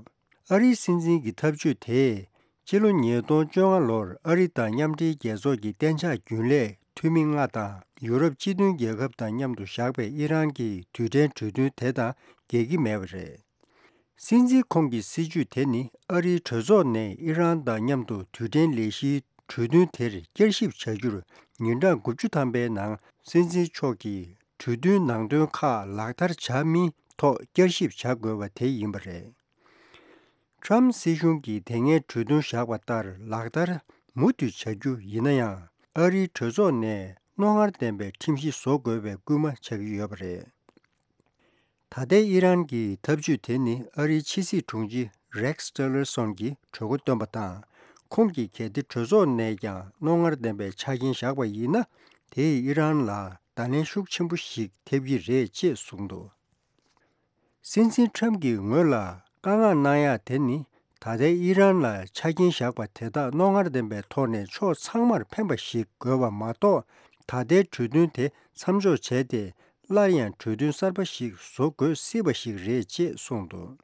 ཨ་རིའི་སྲིད་འཛིན་གྱི་ཐབས་ཇུས་དེས་སྤྱི་ལོ་ཉིས་སྟོང་བཅོ་ལྔ་ལོར་ཨ་རི་དང་མཉམ་འབྲེལ་རྒྱལ་ཚོགས་ཀྱི་གཏན་འཇགས་རྒྱུན་ལས་འཐུས་མི་ལྔ་དང་ཡུ་རོབ་སྤྱི་མཐུན་རྒྱལ་ཁབ་དང་མཉམ་དུ་བཞག་པའི་ཨི་རན་གྱི་རྡུལ་ཕྲན་གྲོས་མཐུན་དེ་དང་འགལ་གྱི་མེད་པ་རེད། སྲིད་འཛིན་ཁོང་གི་སྲིད་ཇུས་དེ་ནི་ཨ་རིའི་གྲོས་ཚོགས་ནས་ཨི་རན་དང་མཉམ་དུ་རྡུལ་ཕྲན་ལས་གཞིའི་གྲོས་མཐུན་དེར་བསྐྱར་ཞིབ་བྱ་རྒྱུར་ཉིན་གྲངས་དགུ་བཅུ་ཐམ་པའི་ནང་སྲིད་འཛིན་མཆོག་གིས་གྲོས་མཐུན་ནང་དོན་ཁག་ལག་བསྟར་བྱ་མིན་ཐོག་བསྐྱར་ཞིབ་བྱ་དགོས་པ་དེ་ཡིན་པ་རེད། ཁྲམ་སྲིད་གཞུང་གིས་དེ་སྔའི་གྲོས་མཐུན་བཞག་པ་ལྟར་ལག་བསྟར་མུ་མཐུད་བྱ་རྒྱུ་ཡིན་ན་ཡང་། ཨ་རིའི་གྲོས་ཚོགས་ནས་རྣོ་ངར་ལྡན་པའི་ཁྲིམས་གཞི་བཟོ་དགོས་པའི་སྐུལ་མ་བྱ་གི་ཡོད་པ་རེད། ད་ལྟའི་ཨི་རན་གྱི་ཐབས་ཇུས་དེ་ནི་ཨ་རིའི་ཕྱི་སྲིད་དྲུང་ཆེ་Rex Tillerson གྱིས་གྲོས་འགོ་བཏོན་པ་དང་། ཁོང་གིས་གལ་ཏེ་གྲོས་ཚོགས་ནས་ཀྱང་རྣོ་ངར་ལྡན་པའི་ཆ་རྐྱེན་བཞག་པ་ཡིན་ན། དེས་ཨི་རན་ལ་བརྡ་ལན་ཤུགས་ཆེན་པོ་ཞིག་ཐེབས་ཀྱི་རེད་ཅེས་གསུངས་འདུག། སྲིད་འཛིན་ཁྲམ་གྱིས་ངོས་ལ་བཀའ་མངགས་གནང་ཡག་དེ་ནི། ད་ལྟའི་ཨི་རན་ལ་ཆ་རྐྱེན་བཞག་པ་དེ་དག་རྣོ་ངར་ལྡན་པའི་ཐོག་ནས་ཕྱོགས་ཚང་མར་ཕན་པ་ཞིག་དགོས་པ་མ་གཏོགས། ད་ལྟའི་གྲོས་མཐུན་དེ་མཚམས་འཇོག་བྱས་ཏེ། སླར་ཡང་གྲོས་མཐུན་གསར་པ་ཞིག་བཟོ་དགོས་སྲིད་པ་ཞིག་རེད་ཅེས་གསུངས་འདུག།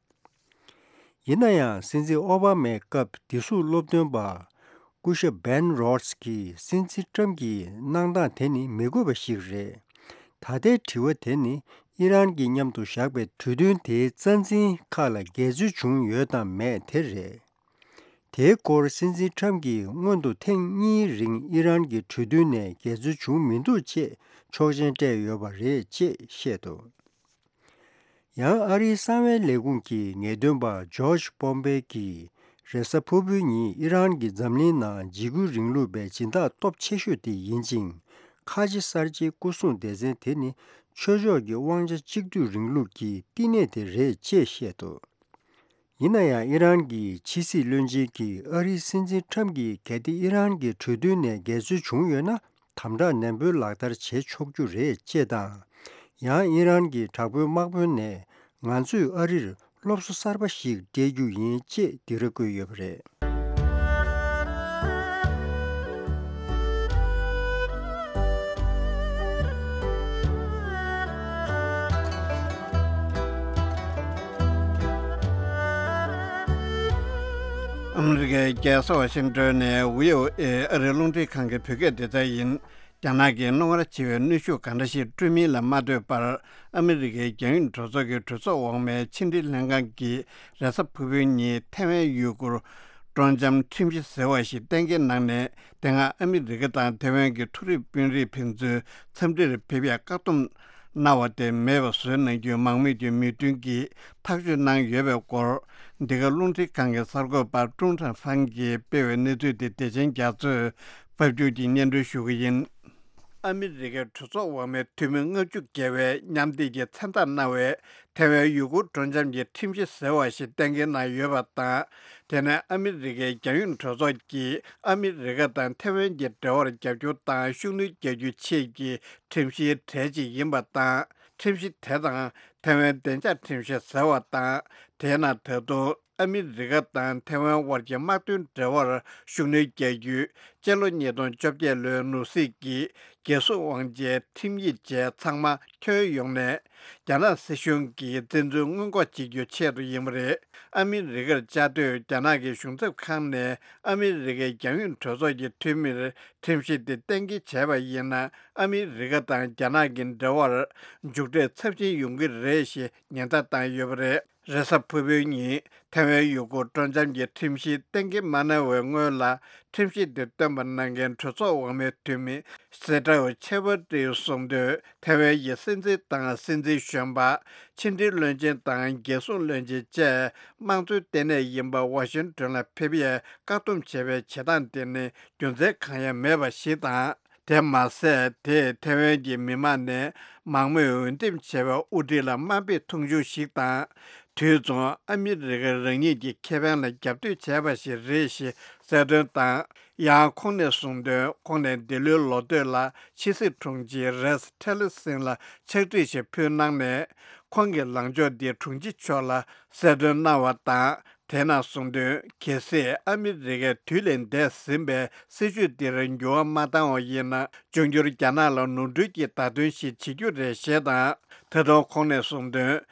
ཡིན་ན་ཡང་། སྲིད་འཛིན་ཨོ་བྷ་མའི་སྐབས་བདེ་སྲུང་སློབ་སྟོན་པ་སྐུ་ཞབས་བན་རོ་ཌི་སི་གིས་སྲིད་འཛིན་ཊྲམ་གྱི་གནང་སྟངས་དེ་ནི་མི་དགོས་པ་ཞིག་རེད། ད་ལྟའི་དྲི་བ་དེ་ནི་ཨི་རན་གྱིས་མཉམ་དུ་བཞག་པའི་གྲོས་མཐུན་དེའི་རྩ་འཛིན་ཁག་ལ་འགལ་འཛོལ་བྱུང་ཡོད་དམ་མེད་དེ་རེད། དེའི་སྐོར་སྲིད་འཛིན་ཊྲམ་གྱིས་སྔོན་དུ་ཐེངས་གཉིས་རིང་ཨི་རན་གྱི་གྲོས་མཐུན་ནས་འགལ་འཛོལ་བྱུང་མི་འདུག་ཅེས་ཆོག་མཆན་སྤྲད་ཡོད་པ་རེད་ཅེས་བཤད་འདུག། ཡང་ཨ་རིའི་གསང་བའི་ལས་ཁུངས་ཀྱི་ངེས་སྟོན་པ་ཇོརྗ་པོམ་པེ་གྱིས། རེས་གཟའ་ཕུར་བུའི་ཉིན་ཨི་རན་གྱིས་འཛམ་གླིང་ནང་འཇིགས་སྐུལ་རིང་ལུགས་པའི་སྦྱིན་བདག་སྟོབས་ཆེ་ཤོས་དེ་ཡིན་ཅིང་། ཁ་ཆེ་གསར་བརྗེའི་སྐུ་སྲུང་སྡེ་ཚན་དེ་ནི་ཆོས་ཕྱོགས་ཀྱི་དབང་ཆ་གཅིག་སྡུད་རིང་ལུགས་ཀྱི་བསྟི་གནས་དེ་རེད་ཅེས་བཤད་འདུག། ཡིན་ན་ཡང་། ཨི་རན་གྱི་ཕྱི་སྲིད་བློན་ཆེན་གྱིས་ཨ་རིའི་སྲིད་འཛིན་ཁྲམ་གྱིས་གལ་ཏེ་ཨི་རན་གྱི་གྲོས་མཐུན་ནས་འགལ་འཛོལ་བྱུང་ཡོད་ན། དམ་དྲག་ནན་པོའི་ལག་བསྟར་བྱེད་ཆོག་རྒྱུ་རེད་ཅེས་དང་། ཡང་ཨི་རན་གྱི་དྲག་པོའི་དམག་དཔོན་ནས། ང་ཚོས་ཨ་རིར་སློབ་གསོ་གསར་པ་ཞིག་སྤྲད་རྒྱུ་ཡིན་ཅེས་འདི་རུ་བཀོད་ཡོད་པ་རེད། ཨ་མི་རི་ཀའི་རྒྱལ་ས་ཝ་ཤིང་ཏོན་ནས་བྷི་ཨོ་ཨེ་ཨ་རིའི་རླུང་འཕྲིན་ཁང་གི་བོད་སྐད་སྡེ་ཚན་ཡིན། རྒྱ་ནག་གིས་རྣོ་ངར་ཆེ་བའི་གནོན་ཤུགས་ག་འདྲ་ཞིག་སྤྲོད་མིན་ལ་མ་ལྟོས་པར། ཨ་མི་རི་ཀའི་རྒྱང་ཡོད་གྲོས་ཚོགས་ཀྱི་གྲོས་ཚོགས་འོག་མའི་ཕྱི་འབྲེལ་ལྷན་ཁང་གིས་རེས་གཟའ་ཕུར་བུའི་ཉིན་ཐའེ་ཝན་ཡུ་གུར་སྤྲོ་འཆམ་ཁྲིམས་གཞི་ཟེར་བ་ཞིག་གཏན་འཁེལ་གནང་ནས། དེ་སྔ་ཨ་མི་རི་ཀ་དང་ཐའེ་ཝན་གྱི་མཐོ་རིམ་དཔོན་རིགས་ཕན་ཚུན་འཚམས་འདྲིར་ཕེབས་ཡག་བཀག་སྡོམ་གནང་བ་དེ་མེད་པ་བཟོས་གནང་རྒྱུའི་མང་མོས་ཀྱི་མོས་མཐུན་གྱིས་ཐག་གཅོད་གནང་ཡོད་པའི་སྐོར། འདི་ག་རླུང་འཕྲིན་ཁང་གི་གསར་འགོད་པ་ཀྲུང་ཧྲན་ཧྥང་གིས་སྤེལ་བའི་གནས་ཚུལ་དེ་བདེ་ཆེན་རྒྱ་མཚོས་ཕབ་སྒྱུར་གྱིས་སྙན་སྒྲོན་ཞུ་གི་ཡིན། ཨ་མི་རི་ཀའི་གྲོས་ཚོགས་འོག་མའི་འཐུས་མི་ལྔ་བཅུ་བརྒལ་བས་མཉམ་འདེགས་ཀྱིས་མཚན་རྟགས་གནང་བའི་ཐའེ་ཝན་ཡུ་གུར་སྤྲོ་འཆམ་གྱི་ཁྲིམས་གཞི་ཟེར་བ་ཞིག་གཏན་འཁེལ་གནང་ཡོད་པ་དང་། དེ་ནི་ཨ་མི་རི་ཀའི་རྒྱང་ཡོད་གྲོས་ཚོགས་ཀྱིས་ཨ་མི་རི་ཀ་དང་ཐའེ་ཝན་གྱི་འབྲེལ་བར་རྒྱབ་སྐྱོར་དང་ཤུགས་སྣོན་རྒྱག་རྒྱུའི་ཆེད་ཀྱི་ཁྲིམས་གཞིའི་གྲས་གཅིག་ཡིན་པ་དང་། ཁྲིམས་གཞི་དེ་དང་ཐའེ་ཝན་བདེ་འཇགས་ཁྲིམས་གཞི་ཟེར་བ་དང་། དེས་ན་ད་དུང་ཨ་མི་རི་ཀ་དང་ཐའེ་ཝན་དབར་གྱི་དམག་དོན་འབྲེལ་བར་ཤུགས་སྣོན་རྒྱག་རྒྱུའི་སྤྱི་ལོ་ཉིས་སྟོང་བཅོ་བརྒྱད་ལོའི་ནོར་སྲིད་ཀྱི་རྒྱལ་སྲུང་དབང་ཆའི་ཁྲིམས་ཡིག་བཅས་ཚང་མ་ཐོན་ཡོང་ནས། རྒྱ་ནག་སྲིད་གཞུང་གིས་བཙན་འཛུལ་སྔོན་འགོག་བྱེད་རྒྱུའི་ཆེད་དུ་ཡིན་པ་རེད། ཨ་མི་རི་ཀར་བཅའ་སྡོད་རྒྱ་ནག་གི་གཞུང་ཚབ་ཁང་ནས་ཨ་མི་རི་ཀའི་རྒྱང་ཡོད་གྲོས་ཚོགས་ཀྱི་འཐུས་མིར་ཁྲིམས་གཞི་དེ་གཏན་འཁེལ་བྱས་པ་ཡིན་ན། ཨ་མི་རི་ཀ་དང་རྒྱ་ནག་གི་འབྲེལ་བར་མཇུག་འབྲས་ཚབས་ཆེན་ཡོང་གི་རེད་ཞེས་ཉེན་བརྡ་བཏང་ཡོད་པ་རེད། རེས་གཟའ་ཕུར་བུའི་ཉིན་ཐའེ་ཝན་ཡུ་གུར་སྤྲོ་འཆམ་གྱི་ཁྲིམས་གཞི་གཏན་འཁེལ་མ་གནང་བའི་སྔོན་ལ། ཁྲིམས་གཞི་དེ་བཏོན་པ་གནང་མཁན་གྲོས་ཚོགས་འོག་མའི་འཐུས་མི་སེ་ཏྲའོ་ཆེ་ཝར་ཏིས་གསུངས་དོན། ཐའེ་ཝན་གྱི་སྲིད་འཛིན་དང་སྲིད་འཛིན་གཞོན་པ། ཕྱི་འབྲེལ་བློན་ཆེན་དང་རྒྱལ་སྲུང་བློན་ཆེན་བཅས་དམངས་གཙོའི་ལྟེ་གནས་ཡིན་པ་ཝ་ཤིང་ཏོན་ལ་ཕེབས་ཡས་བཀག་སྡོམ་བྱས་པའི་བྱེད་སྟངས་དེ་ནི་རྒྱུ་མཚན་གང་ཡང་མེད་པ་ཞིག་དང་། དེ་མ་ཟད། དེས་ཐའེ་ཝན་གྱི་མི་མང་ནས་མང་མོས་འོས་འདེམས་བྱས་པའི་དབུ་ཁྲིད་ལ་དམའ་འབེབས་མཐོང་ཆུང་ཞིག་དང་། དུས་མཚུངས་ཨ་མི་རི་ཀ་རང་ཉིད་ཀྱི་ཁེ་ཕན་ལ་རྒྱབ་གཏོད་བྱས་པ་ཞིག་རེད་ཞེས་གསལ་སྟོན་དང་། ཡང་ཁོང་ནས་གསུངས་དོན། ཁོང་ནས་འདི་ལོའི་ལོ་སྟོད་ལ་ཕྱི་སྲིད་དྲུང་ཆེ་རེས་ཊི་ལར་སན་ལ་ཕྱག་བྲིས་ཤིག་ཕུལ་གནང་ནས། ཁོང་གི་ལངས་ཕྱོགས་འདི་དྲུང་ཆེ་མཆོག་ལ་གསལ་སྟོན་གནང་བ་དང་། དེ་ནང་གསུངས་དོན། གལ་སྲིད་ཨ་མི་རི་ཀས་དུས་ལས་འདས་ཟིན་པའི་སྲིད་བྱུས་འདིར་འགྱུར་བ་མ་བཏང་བ་ཡིན་ན། འབྱུང་འགྱུར་རྒྱ་ནག་ལ་ནོར་འཁྲུལ་གྱི་བརྡ་སྟོན་ཞིག་བྱེད་རྒྱུ་རེད་ཞེས་དང་། ད་དུང་ཁོང་ནས་གསུངས་དོན།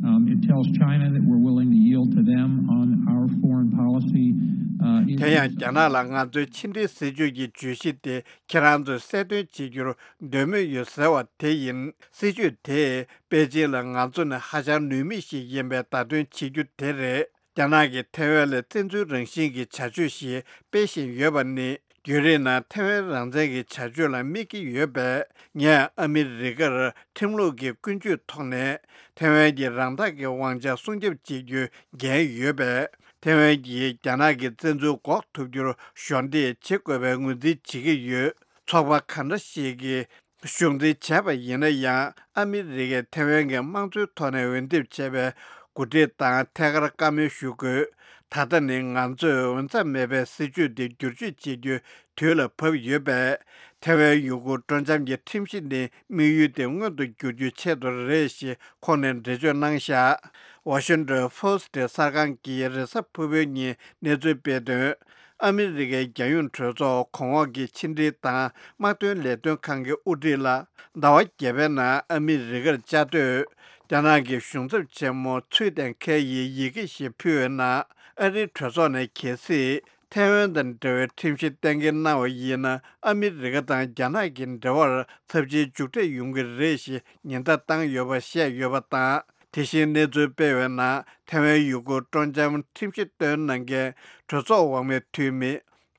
Um, it tells China that we're willing to yield to them on our foreign policy. Uh, in དེ་ཡང་རྒྱ་ནག་ལ་ང་ཚོའི་ཕྱི་འབྲེལ་སྲིད་བྱུས་ཀྱི་བརྗོད་གཞི་དེ་ཁྱེད་རང་ཚོས་གསལ་སྟོན་བྱེད་རྒྱུར་འདོད་མོས་ཡོད་ཟེར་བ་དེ་ཡིན། སྲིད་བྱུས་དེས་པེ་ཅིན་ལ་ང་ཚོ་ནི་ཧ་ཅང་ནུས་མེད་ཞིག་ཡིན་པའི་བརྡ་སྟོན་བྱེད་རྒྱུ་དེ་རེད། རྒྱ་ནག་གིས་ཐའེ་ཝན་ལ་བཙན་འཛུལ་རང་བཞིན་གྱི་བྱ་སྤྱོད་ཞིག་སྤེལ་བཞིན་ཡོད་པ་ནི། རྒྱུན་རིང་ནང་ཐའེ་ཝན་རང་བཙན་གྱི་བྱ་སྤྱོད་ལ་དམིགས་ཀྱི་ཡོད་པས། ངས་ཨ་མི་རི་ཀར་ཁྲིམས་ལུགས་ཀྱི་ཀུན་སྤྱོད་ཐོག་ནས་ཐའེ་ཝན་གྱི་རང་ཐག་གི་དབང་ཆ་སྲུང་སྐྱོབ་བྱེད་རྒྱུའི་འགན་ཡོད་པས། ཐའེ་ཝན་གྱིས་རྒྱ་ནག་གི་བཙན་འཛུལ་འགོག་ཐུབ་རྒྱུར་གཞོགས་འདེགས་བྱེད་དགོས་པའི་ངོས་འཛིན་བྱེད་ཀྱི་ཡོད། ཚོགས་པ་ག་འདྲ་ཞིག་གིས་གཞུང་འཛིན་བྱས་པ་ཡིན་ན་ཡང་། ཨ་མི་རི་ཀས་ཐེ་ཝན་གྱི་དམངས་གཙོའི་ཐོག་ནས་འོས་འདེམས་བྱས་པའི་འགོ་ཁྲིད་དང་ཐད་ཀར་བཀའ་མོལ་ཞུ་དགོས། ད་ལྟ་ནི་ང་ཚོས་འོས་འཚམ་མེད་པའི་སྲིད་བྱུས་འདི་བསྒྱུར་བཅོས་བྱེད་རྒྱུའི་དུས་ལ་བབ་ཡོད་པས། ཐེ་ཝན་ཡུ་གུར་སྤྲོ་འཆམ་གྱི་ཁྲིམས་གཞི་ནི་དམིགས་ཡུལ་དེ་མངོན་དུ་འགྱུར་རྒྱུའི་ཆེད་དུ་རེད་ཞེས་ཁོང་ནས་འགྲེལ་བརྗོད་གནང་བཞག་ཝ་ཤིང་ཏོན་ཕོ་སི་ཊི་གསར་ཁང་གིས་རེས་གཟའ་ཕུར་བུའི་ཉིན་གནས་ཚུལ་སྤེལ་དོན། ཨ་མི་རི་ཀའི་རྒྱལ་ཡོངས་གྲོས་ཚོགས་གོང་འོག་གི་ཕྱི་འབྲེལ་དང་དམག་དོན་ལས་དོན་ཁང་གི་དབུ་ཁྲིད་ལ། ཟླ་བ་བརྒྱད་པའི་ནང་ཨ་མི་རི་ཀར་བཅའ་སྡོད། རྒྱ་ནག་གི་གཞུང་ཚབ་ཆེན་མོ་ཚུའེ་ཏེང་ཁེ་ཡིས་ཡི་གེ་ཞིག་ཕུལ་བའི་ནང་། ཨ་རིའི་གྲོས་ཚོགས་ནས་གལ་སྲིད་ཐེ་ཝན་དང་འབྲེལ་བའི་ཁྲིམས་གཞི་གཏན་འཁེལ་གནང་བ་ཡིན་ན། ཨ་མི་རི་ཀ་དང་རྒྱ་ནག་གི་འབྲེལ་བར་ཚབས་ཆེའི་མཇུག་འབྲས་ཡོང་གི་རེད་ཞེས་ཉེན་བརྡ་བཏང་ཡོད་པ་བཤད་ཡོད་པ་དང་། དེ་བཞིན་གནས་ཚུལ་སྤེལ་བའི་ནང་། ཐེ་ཝན་ཡུ་གུར་སྤྲོ་འཆམ་ཁྲིམས་གཞི་བཏོན་གནང་མཁན་གྲོས་ཚོགས་འོག་མའི་འཐུས་མི་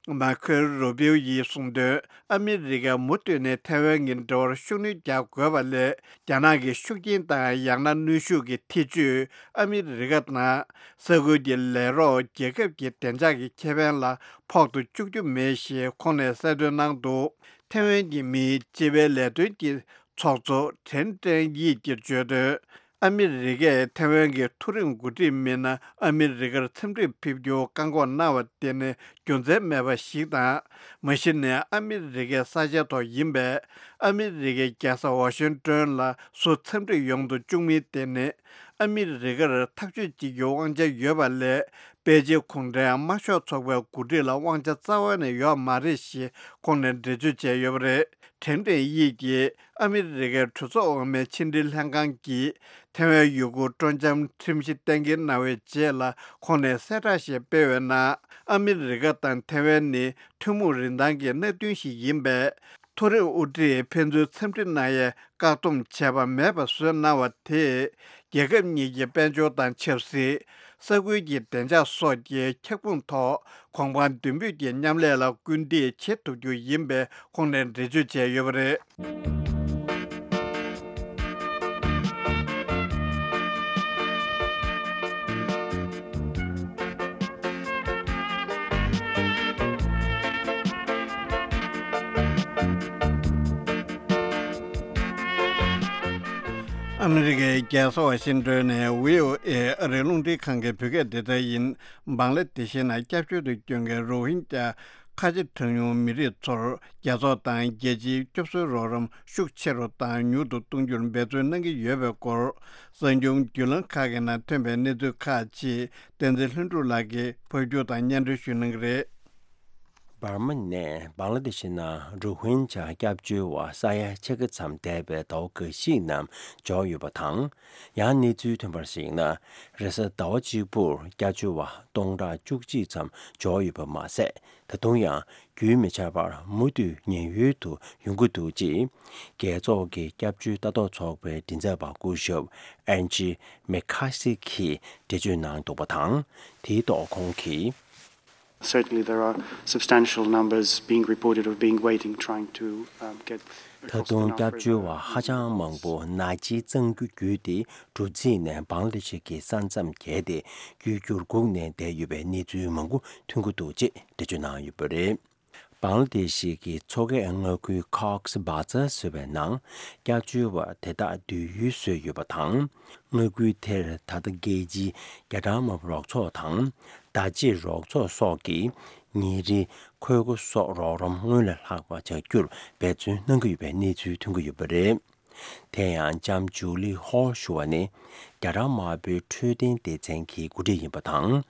མར་ཁོ་རུ་བིའུ་ཡིས་གསུངས་དོན། ཨ་མི་རི་ཀས་མུ་མཐུད་ནས་ཐེ་ཝན་གྱི་འབྲེལ་བར་ཤུགས་སྣོན་རྒྱག་དགོས་པ་ལས། རྒྱ་ནག་གི་ཤུགས་རྐྱེན་དང་ཡང་ན་གནོན་ཤུགས་ཀྱི་ཐེ་ཇུས་ཨ་མི་རི་ཀ་དང་ས་ཁུལ་གྱི་ལས་རོགས་རྒྱལ་ཁབ་ཀྱི་བདེ་འཇགས་ཀྱི་ཁེ་ཕན་ལ་ཕོག་ཐུག་བཅུག་རྒྱུ་མེད་ཞེས་ཁོང་ནས་གསལ་སྟོན་གནང་འདུག་ཐེ་ཝན་གྱི་མིའི་སྤྱི་པའི་ལས་དོན་གྱི་ཚོགས་གཙོ་ཁྲེན་ཀྲེན་དབྱིས་ཀྱིས་བརྗོད་དོན། ཨ་མི་རི་ཀས་ཐེ་ཝན་གྱི་མཐོ་རིམ་འགོ་ཁྲིད་མི་སྣ་ཨ་མི་རི་ཀར་འཚམས་འདྲིར་ཕེབས་རྒྱུར་བཀག་འགོག་གནང་བ་དེ་ནི་རྒྱུ་མཚན་མེད་པ་ཞིག་དང་། མ་གཞི་ནས་ཨ་མི་རི་ཀའི་ས་ཆའི་ཐོག་ཡིན་པས། ཨ་མི་རི་ཀའི་རྒྱལ་ས་ཝ་ཤིང་ཏོན་ལ་སུ་འཚམས་འདྲིར་ཡོང་དུ་བཅུག་མིན་དེ་ནི་ཨ་མི་རི་ཀར་ཐག་གཅོད་བྱེད་རྒྱུའི་དབང་ཆ་ཡོད་པ་ལས། པེ་ཅིན་གུང་ཁྲན་དམར་ཤོག་ཚོགས་པའི་འགོ་ཁྲིད་ལ་དབང་ཆ་རྩ་བ་ནས་ཡོད་མ་རེད་ཞེས་ཁོང་ནས་འགྲེལ་བརྗོད་བྱས་ཡོད་པ་རེད། ཁྲེན་ཀྲེན་དབྱིས་ཀྱིས་ཨ་མི་རི་ཀའི་གྲོས་ཚོགས་འོག་མའི་ཕྱི་འབྲེལ་ལྷན་ཁང་གིས་ཐེ་ཝན་ཡུ་གུར་སྤྲོ་འཆམ་ཁྲིམས་གཞི་གཏན་འཁེལ་གནང་བའི་རྗེས་ལ། ཁོང་ནས་གསལ་བསྒྲགས་ཤིག་སྤེལ་བའི་ནང་། ཨ་མི་རི་ཀ་དང་ཐེ་ཝན་ནི་ཐུན་མོང་རིན་ཐང་གི་གནད་དོན་ཞིག་ཡིན་པས། མཐོ་རིམ་དབུ་ཁྲིད་ཕན་ཚུན་འཚམས་འདྲི་གནང་ཡའི་བཀག་སྡོམ་བྱས་པ་མེད་པ་བཟོས་གནང་བ་དེས། རྒྱལ་ཁབ་གཉིས་ཀྱི་དཔལ་འབྱོར་དང་ཆབ་སྲིད། ས་ཁུལ་གྱི་བདེ་འཇགས་སོགས་ཀྱི་ཁྱབ་ཁོངས་ཐོག་གོང་འཕེལ་མདུན་སྤོས་ཀྱི་མཉམ་ལས་ལ་སྐུལ་འདེད་བྱེད་ཐུབ་རྒྱུ་ཡིན་པའི་ཁོང་ནས་འགྲེལ་བརྗོད་བྱས་ཡོད་པ་རེད། ཨ་མི་རི་ཀའི་རྒྱལ་ས་ཝ་ཤིང་ཏོན་ནས་བྷི་ཨོ་ཨེ་ཨ་རིའི་རླུང་འཕྲིན་ཁང་གི་བོད་སྐད་སྡེ་ཚན་ཡིན། བང་ལ་དེ་ཤི་ནང་སྐྱབས་བཅོལ་དུ་བསྐྱོད་མཁན་རོ་ཧིན་ཀྱ་ཁ་ཆེ་གྲངས་ཉུང་མི་རིགས་ཚོར་རྒྱལ་ཚོགས་དང་རྒྱལ་སྤྱིའི་སྐྱོབ་གསོའི་རོགས་རམ་ཤུགས་ཆེ་རུ་དང་མྱུར་དུ་གཏོང་རྒྱུར་འབད་བརྩོན་གནང་གི་ཡོད་པའི་སྐོར། གསར་འགྱུར་བརྒྱུད་ལམ་ཁག་གི་ནང་ཐོན་པའི་གནས་ཚུལ་ཁག་ཅིག་བསྟན་འཛིན་ལྷུན་གྲུབ་ལགས་ཀྱིས་ཕབ་སྒྱུར་དང་སྙན་སྒྲོན་ཞུ་གནང་གི་རེད། འབར་མ་ནས་བང་ལ་དེ་ཤི་ནང་རོ་ཧིན་ཇཱ་སྐྱབས་བཅོལ་བ་ས་ཡ་ཕྱེད་ཀ་ཙམ་འདས་པའི་ཟླ་བ་འགའ་ཞིག་ནང་འབྱོར་ཡོད་པ་དང་། ཡང་གནས་ཚུལ་ཐོན་པར་གཞིགས་ན། རེས་གཟའ་ཟླ་བ་གཅིག་པུར་སྐྱབས་བཅོལ་བ་སྟོང་ཕྲག་བཅུ་གཅིག་ཙམ་འབྱོར་ཡོད་པ་མ་ཟད། ད་དུང་ཡང་རྒྱུན་མི་ཆད་པར་མུ་མཐུད་ཉེན་གཡོལ་དུ་ཡོང་གི་འདུག་ཅེས། རྒྱལ་ཚོགས་ཀྱི་སྐྱབས་བཅོལ་ལྟ་རྟོག་ཚོགས་པའི་མགྲིན་ཚབ་པ་སྐུ་ཞབས་ཨན་ཇི་མེ་ཁ་སི་གིས་འགྲེལ་བརྗོད་གནང་འདུག་པ་དང་། དེའི་ཐོག་ཁོང་གིས། Certainly, there are substantial numbers being reported of being waiting, trying to, um, get ད་དུང་སྐྱབས་བཅོལ་བ་ཧ་ཅང་མང་པོ་ནག་ཅིག་གཙང་རྒྱུ་བརྒྱུད་དེ་འབྲུ་རྩིས་ནས་བང་ལ་དེ་ཤི་གི་ས་མཚམས་བརྒལ་ཏེ་རྒྱུ་འགྱུར་སྒུག་ནས་བསྡད་ཡོད་པའི་གནས་ཚུལ་མང་པོ་ཐོན་གྱི་འདུག་ཅེས་འགྲེལ་བརྗོད་གནང་ཡོད་པ་རེད། བང་ལ་དེ་ཤི་གི་མཚོ་ཁའི་མངའ་ཁུལ་ཁོག་སི་བྷ་ཛར་ཟེར་བའི་ནང་སྐྱབས་བཅོལ་བ་དེ་དག་སྡོད་ཡུལ་བཟོས་ཡོད་པ་དང་། མངའ་ཁུལ་དེར་ད་ལྟ་རྒྱལ་སྤྱིའི་རྒྱ་གྲམ་དམག་རོགས་ཚོགས་དང་། བརྡ་ཆད་རོགས་ཚོགས་སོགས་ཀྱིས་ཉིན་རེའི་ཁོལ་སྒོ་སོགས་རོགས་རམ་སྔོན་ལས་ལྷག་པ་བྱ་རྒྱུར་འབད་བརྩོན་གནང་གི་ཡོད་པའི་གནས་ཚུལ་ཐོན་གྱི་ཡོད་པ་རེད། དེ་ཡང་ལྕམ་ཇུ་ལི་ཧོལ་ཞུ་བ་ནི་རྒྱ་གྲམ་དམར་པོའི་འཕྲོད་བསྟེན་སྡེ་ཚན་གྱི་འགོ་ཁྲིད་ཡིན་པ་དང་།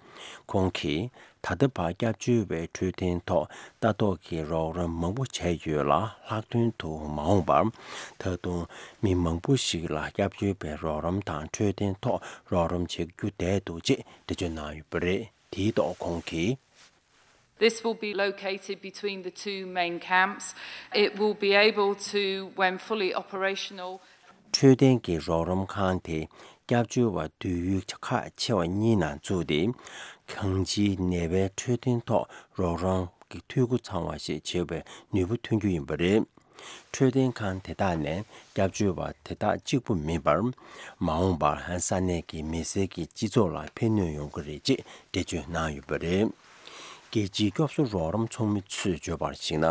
ཁོང་གིས་ད་ལྟ་བར་སྐྱབས་བཅོལ་བའི་འཕྲོད་བསྟེན་ཐོག་ལྟ་རྟོག་གི་རོགས་རམ་མང་པོ་བྱས་ཡོད་ལ། ལྷག་དོན་དུ་མ་འོངས་པར་ད་དུང་མི་མང་པོ་ཞིག་ལ་སྐྱབས་བཅོལ་བའི་རོགས་རམ་དང་འཕྲོད་བསྟེན་ཐོག་རོགས་རམ་བྱེད་རྒྱུ་བསྡད་འདུག་ཅེས་འགྲེལ་བརྗོད་གནང་ཡོད་པ་རེད། དེའི་ཐོག་ཁོང་གིས། This will be located between the two main camps. It will be able to, when fully operational, འཕྲོད་བསྟེན་གྱི་རོགས་རམ་ཁང་དེ་སྐྱབས་བཅོལ་བ་སྡོད་ཡུལ་ཁག་ཆེ་བ་གཉིས་ནང་བཙུགས་ཏེ། གང་ཅིའི་ནད་པའི་འཕྲོད་བསྟེན་ཐོག་རོགས་རམ་གྱི་འཐུས་སྒོ་ཚང་བ་ཞིག་བྱེད་པའི་ནུས་པ་ཐོན་རྒྱུ་ཡིན་པ་རེད། འཕྲོད་བསྟེན་ཁང་དེ་དག་ནས་སྐྱབས་བཅོལ་བ་དེ་དག་གཅིག་པུ་མིན་པར། མ་འོངས་པར་ས་གནས་ཀྱི་མི་སེར་གྱི་སྤྱི་ཚོགས་ལ་ཕན་ནུས་ཡོང་གི་རེད་ཅེས་འགྲེལ་བརྗོད་གནང་ཡོད་པ་རེད། རྒྱལ་སྤྱིའི་སྐྱོབ་གསོ་རོགས་རམ་ཚོགས་མི་ཚོས་བརྗོད་པར་གཞིགས་ན།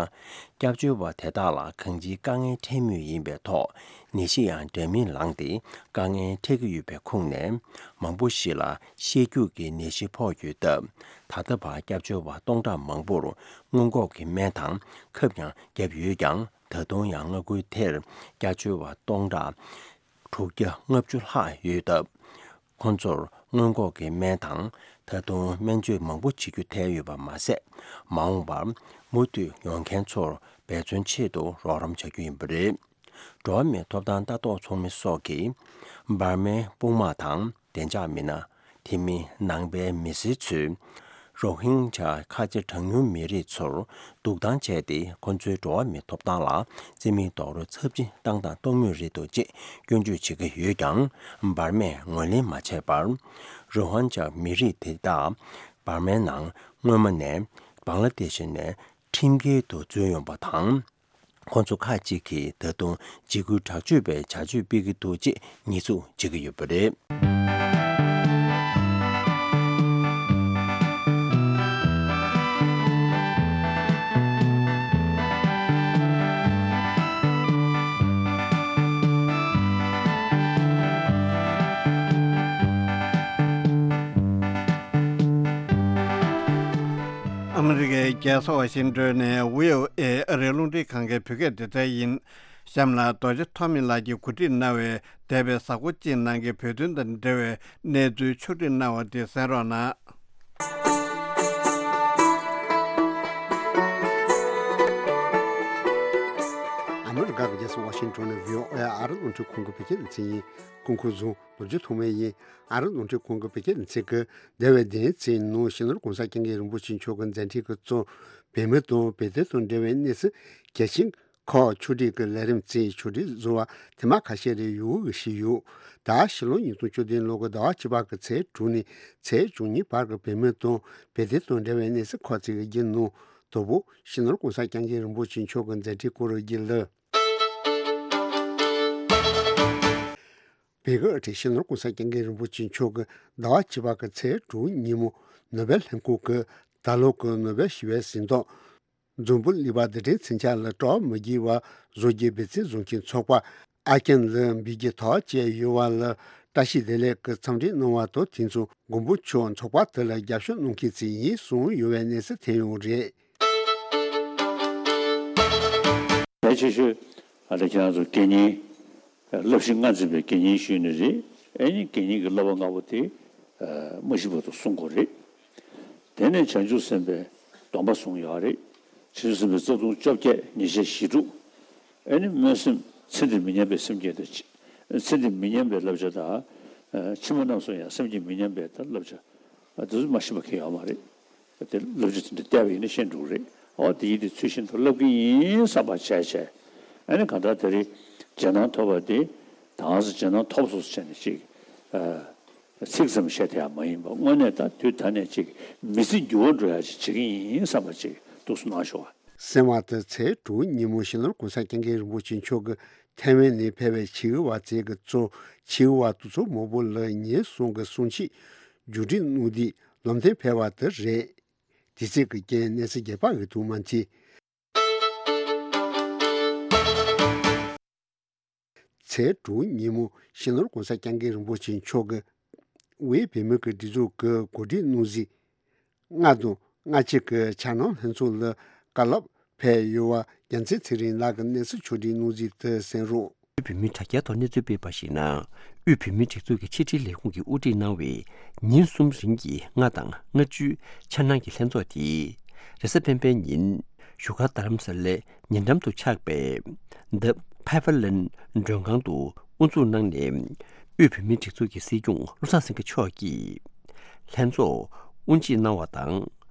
སྐྱབས་བཅོལ་བ་དེ་དག་ལ་གང་ཅིའི་དཀའ་ངལ་འཕྲད་མུས་ཡིན་པའི་ཐོག་ནད་གཞི་ཡང་འདྲ་མིན་ལངས་ཏེ་དཀའ་ངལ་འཕྲད་ཀྱི་ཡོད་པའི་ཁུངས་ནས། མང་པོ་ཞིག་ལ་བཤལ་སྐྱུག་གི་ནད་གཞི་ཕོག་ཡོད་སྟབས། ད་ལྟ་བར་སྐྱབས་བཅོལ་བ་སྟོང་ཕྲག་མང་པོར་སྔོན་འགོག་གི་སྨན་དང་ཁབ་ཀྱང་བརྒྱབ་ཡོད་ཀྱང་། ད་དུང་ཡང་མངའ་ཁུལ་དེར་སྐྱབས་བཅོལ་བ་སྟོང་ཕྲག་དྲུག་བརྒྱ་ལྔ་བཅུ་ལྷག་ཡོད་སྟབས། ཁོང་ཚོར་སྔོན་འགོག་གི་སྨན་དང་། ད་དུང་སྨན་བཅོས་མང་པོ་བྱེད་རྒྱུ་ཐལ་ཡོད་པ་མ་ཟད། མ་འོངས་པར་མུ་མཐུད་ཡོང་མཁན་ཚོར་འབད་བརྩོན་ཆེད་དུ་རོགས་རམ་བྱ་རྒྱུ་ཡིན་པ་རེད། འགྲོ་བ་མིའི་ཐོབ་ཐང་ལྟ་རྟོག་ཚོགས་མི་སོགས་ཀྱིས། འབར་མའི་དཔུང་དམག་དང་བདེ་འཇགས་མི་སྣ། དེ་མིན་ནང་པའི་མི་སེར་ཚོས། རོ་ཧིན་ཇཱ་ཁ་ཆེ་གྲངས་ཉུང་མི་རིགས་ཚོར་སྡུག་བཏང་བྱས་ཏེ། ཁོ་ཚོའི་འགྲོ་བ་མིའི་ཐོབ་ཐང་ལ་བརྩི་མེད་རྡོག་རོལ་ཚབས་ཆེ་བཏང་དང་གཏོང་མུས་རེད་འདུག་ཅེས་སྐྱོན་བརྗོད་བྱེད་ཀྱི་ཡོད་ཀྱང་། འབར་མས་ངོས་ལེན་མ་བྱས་པར། རོ་ཧིན་ཇཱ་མི་རིགས་དེ་དག་འབར་མའི་ནང་སྔོན་མ་ནས་བང་ལ་དེ་ཤི་ནས་ཁྲིམས་འགལ་དུ་འཛུལ་ཡོང་པ་དང་། ཁོ་ཚོ་ཁག་ཅིག་གིས་ད་དུང་འཇིགས་སྐུལ་དྲག་སྤྱོད་པའི་བྱ་སྤྱོད་སྤེལ་གྱི་འདུག་ཅེས་ཉེས་འཛུགས་བྱེད་ཀྱི་ཡོད་པ་རེད། ཨ་མི་རི་ཀའི་རྒྱལ་ས་ཝ་ཤིང་ཏོན་ནས་བྷི་ཨོ་ཨེ་ཨ་རིའི་རླུང་འཕྲིན་ཁང་གི་བོད་སྐད་སྡེ་ཚན་ཡིན། གཤམ་ལ་རྡོ་རྗེ་ཐོགས་མེད་ལགས་ཀྱིས་གོ་སྒྲིག་གནང་བའི་འདས་པའི་གཟའ་འཁོར་གཅིག་ནང་གི་བོད་དོན་དང་འབྲེལ་བའི་གནས་ཚུལ་ཕྱོགས་སྒྲིག་གནང་བ་དེ་གསན་རོགས་གནང་། ཨ་མི་རི་ཀ་གི་རྒྱལ་ས་ཝ་ཤིང་ཏོན་ནས་བྷི་ཨོ་ཨེ་ཨ་རིའི་རླུང་འཕྲིན་ཁང་གི་བོད་སྐད་སྡེ་ཚན་ཡིན། སྐུ་ཁམས་བཟང་། རྡོ་རྗེ་ཐོགས་མེད་ཡིན། ཨ་རིའི་རླུང་འཕྲིན་ཁང་གི་བོད་སྐད་སྡེ་ཚན་གྱིས་འདས་པའི་བདུན་ཕྲག་གི་ནང་སྤྱི་ནོར་གོང་ས་སྐྱབས་མགོན་རིན་པོ་ཆེ་མཆོག་གི་མཛད་འཕྲིན་གྱི་གཙོ། བོད་མི་དང་བོད་དོན་དང་འབྲེལ་བའི་གནས་ཚུལ་གལ་ཆེན་ཁག་ཕྱོགས་སྒྲིག་གི་ལས་རིམ་བཅས་ཕྱོགས་སྒྲིག་བཟོ་བ་ཐེངས་མ་ཁ་ཤས་རེ་ཡོང་གི་བཞིན་ཡོད། ད་ཕྱི་ལོ་ཉིས་སྟོང་བཅུ་བདུན་ལོ་གི་ཟླ་བ་བཅུ་པ་གི་ཚེས་དྲུག་ནས་ཚེས་བཅུ་གཉིས་བར་གྱི་བོད་མི་དང་བོད་དོན་དང་འབྲེལ་བའི་གནས་ཚུལ་ཁག་ཅིག་གི་བརྒྱུད་ནང་། དང་པོ། སྤྱི་ནོར་གོང་ས་སྐྱབས་མགོན་རིན་པོ་ཆེ་མཆོག་གི་མཛད་འཕྲིན་སྐོར་བརྒྱུད་ལ། བོད་ཀྱི་སྤྱི་ནོར་གོང་ས་སྐྱབས་མགོན་རིན་པོ་ཆེ་མཆོག་གིས་ཟླ་བ་བཅུ་པ་གི་ཚེས་དྲུག་ཉིན་མོ་ནོ་བེལ་ལྷན་ཁང་གི་ད་ལོ་གི་ནོ་བེལ་ཞི་བའི་གཟེངས་རྟགས། འཛམ་བུ་གླིང་པ་རྡུལ་ཕྲན་མཚོན་ཆ་ལ་སྤྲོ་བ་མི་དགེ་བ་བཟོ་རྒྱུའི་འབད་བརྩོན་བཟུང་མཁན་ཚོགས་པ་ཨར་ཀན་ལ་འབུལ་རྒྱུའི་ཐག་བཅད་ཡོད་པ་ལ་བཀྲ་ཤིས་བདེ་ལེགས་ཀྱི་འཚམས་འདྲི་གནང་བ་དང་། དེ་མཚུངས་མགོན་པོ་མཆོག་ཚོགས་པ་དེ་ལ་རྒྱབ་སྐྱོར་གནང་མཁན་ཞིག་ཡིན་གསུངས་ཡོད་པའི་གནས་ཚུལ་ཐོན་ཡོད་རེད། གལ་ཆེ་ཤོས་ཨ་ནི་ཁྱེད་རང་ཚོ་དགེ་བསྙེན། བསླབ་གཞི་ལྔ་འཛིན་པའི་དགེ་བསྙེན་ཞུས་ནི་རེད། ཨེ་ནི་དགེ་བསྙེན་གྱི་བསླབ་པ་ལྔ་པོ་དེ་མ་ཤི་བར་དུ་སྲུང་དགོས་རེད། དེ་ནས་བྱང་ཆུབ་སེམས་དཔའི་སྡོམ་པ་སྲུང་ཡོད་རེད། བྱང་ཆུབ་སེམས་དཔའི་རྩ་ལྟུང་བཅོ་བརྒྱད་ཉེས་བྱས་ཞི་དྲུག་ཨེ་ནི་སྨོན་སེམས་ཚེ་འདིར་མི་ཉམས་པའི་སེམས་བསྐྱེད་དང་། ཚེ་འདིར་མི་ཉམས་པའི་བསླབ་བྱ་དང་། ཕྱི་མ་རྣམས་སུ་ཡང་སེམས་བསྐྱེད་མི་ཉམས་པའི་བསླབ་བྱ་དེ་ཚོ་མ་ཤེས་པ་གང་ཡང་ཡོད་མ་རེད། དེ་བསླབ་བྱ་དེ་འདྲ་བལྟས་པ་ཡིན་ན་ཤེས་འགྲོ་གི་རེད། ཨོ་དེ་ཡིན་དེ་ཚུལ་བཞིན་དུ་བསླབ་ཀྱི་ཡིན་བསམ་པ་བྱས་བྱས། ཨ་ནི་གང་ལྟར་དེ་རིང་རྗེས་གནང་ཐོབ་པ་དེ་ད་ག་ཚོད་རྗེས་གནང་ཐོབ་སོང་ཟེར་ནས་ཅིག་ཚིག་ཙམ་བཤད་དེ་ཡང་མ་ཡིན་པ། དངོས་གནས་ད་དུས་ད་ནས་ཅིག་མི་ཚེ་འགྱུར་བ་འགྲོ་ཡ་ཅིག་བྱེད་ཀྱི་ཡིན་བསམ་པ་ཅིག་ཏོག་ཙམ་གནང་ཤོག་ཨ། གསན་པ་དེ་ཚེས་དྲུག་ཉིན་མོ་སྤྱི་ནོར་གོང་ས་སྐྱབས་མགོན་རིན་པོ་ཆེ་མཆོག་གིས་ཐའེ་ཝན་ནས་ཕེབས་པའི་ཆེད་དབུ་བ་ཚོས་ཀྱི་གཙོ་ཆེད་དབུ་བ་དེ་ཚོ་མང་པོ་ལ་ཉིན་གསུམ་གྱི་གསུང་ཆོས་མཇུག་སྒྲིལ་གནང་དུས་ལམ་སྟོན་ཕེབས་པ་དེ་རེད། དུས་ཚོད་ཀྱི་རྐྱེན་གནས་ཚུལ་རྒྱས་པ་ཡོད་དུ་མ་མཆིས། ཚེས་དྲུག་ཉིན་མོ་སྤྱི་ནོར་གོང་ས་སྐྱབས་མགོན་རིན་པོ་ཆེ་མཆོག་གིས་དབུས་བོད་མིའི་སྒྲིག་འཛུགས་ཀྱི་གོ་སྒྲིག་གནང་གཟིགས། ལྔ་དང་ལྔ་གཅིག་གི་འཆར་སྣང་ལྷན་ཚོགས་ལ་བཀའ་སློབ་ཕེབས་ཡོད་པ་རྒྱལ་མཚན་ཚེ་རིང་ལགས་ཀྱིས་གནས་ཚུལ་ཕྱོགས་སྒྲིག་གནང་གཟིགས་དེ་གསན་རོགས། དབུས་བོད་མིའི་དྲ་རྒྱའི་ཐོག་གནས་ཚུལ་སྤེལ་བར་གཞིགས་ན། དབུས་བོད་མིའི་སྒྲིག་འཛུགས་ཀྱི་ཕྱི་དྲིལ་ལས་ཁུངས་ཀྱིས་དབུ་ཁྲིད་གནང་བའི་ཉིན་གསུམ་རིང་གི་ལྔ་དང་ལྔ་བཅུའི་འཆར་སྣང་གི་ལྷན་ཚོགས་དེ། རེས་གཟའ་སྤེན་པའི་ཉིན་བཞུགས་སྒར་རྡ་རམ་ས་ལའི་ཉེ་འགྲམ་དུ་ཆགས་པའི་The Pavilion མགྲོན་ཁང་དུ་དབུ་འཛུགས་གནང་ནས། དབུས་བོད་མིའི་སྒྲིག་འཛུགས་ཀྱི་སྲིད་སྐྱོང་བློ་བཟང་སེང་གེ་མཆོག་གིས་ལྷན་ཚོགས་དབུ་འབྱེད་གནང་བ་དང་།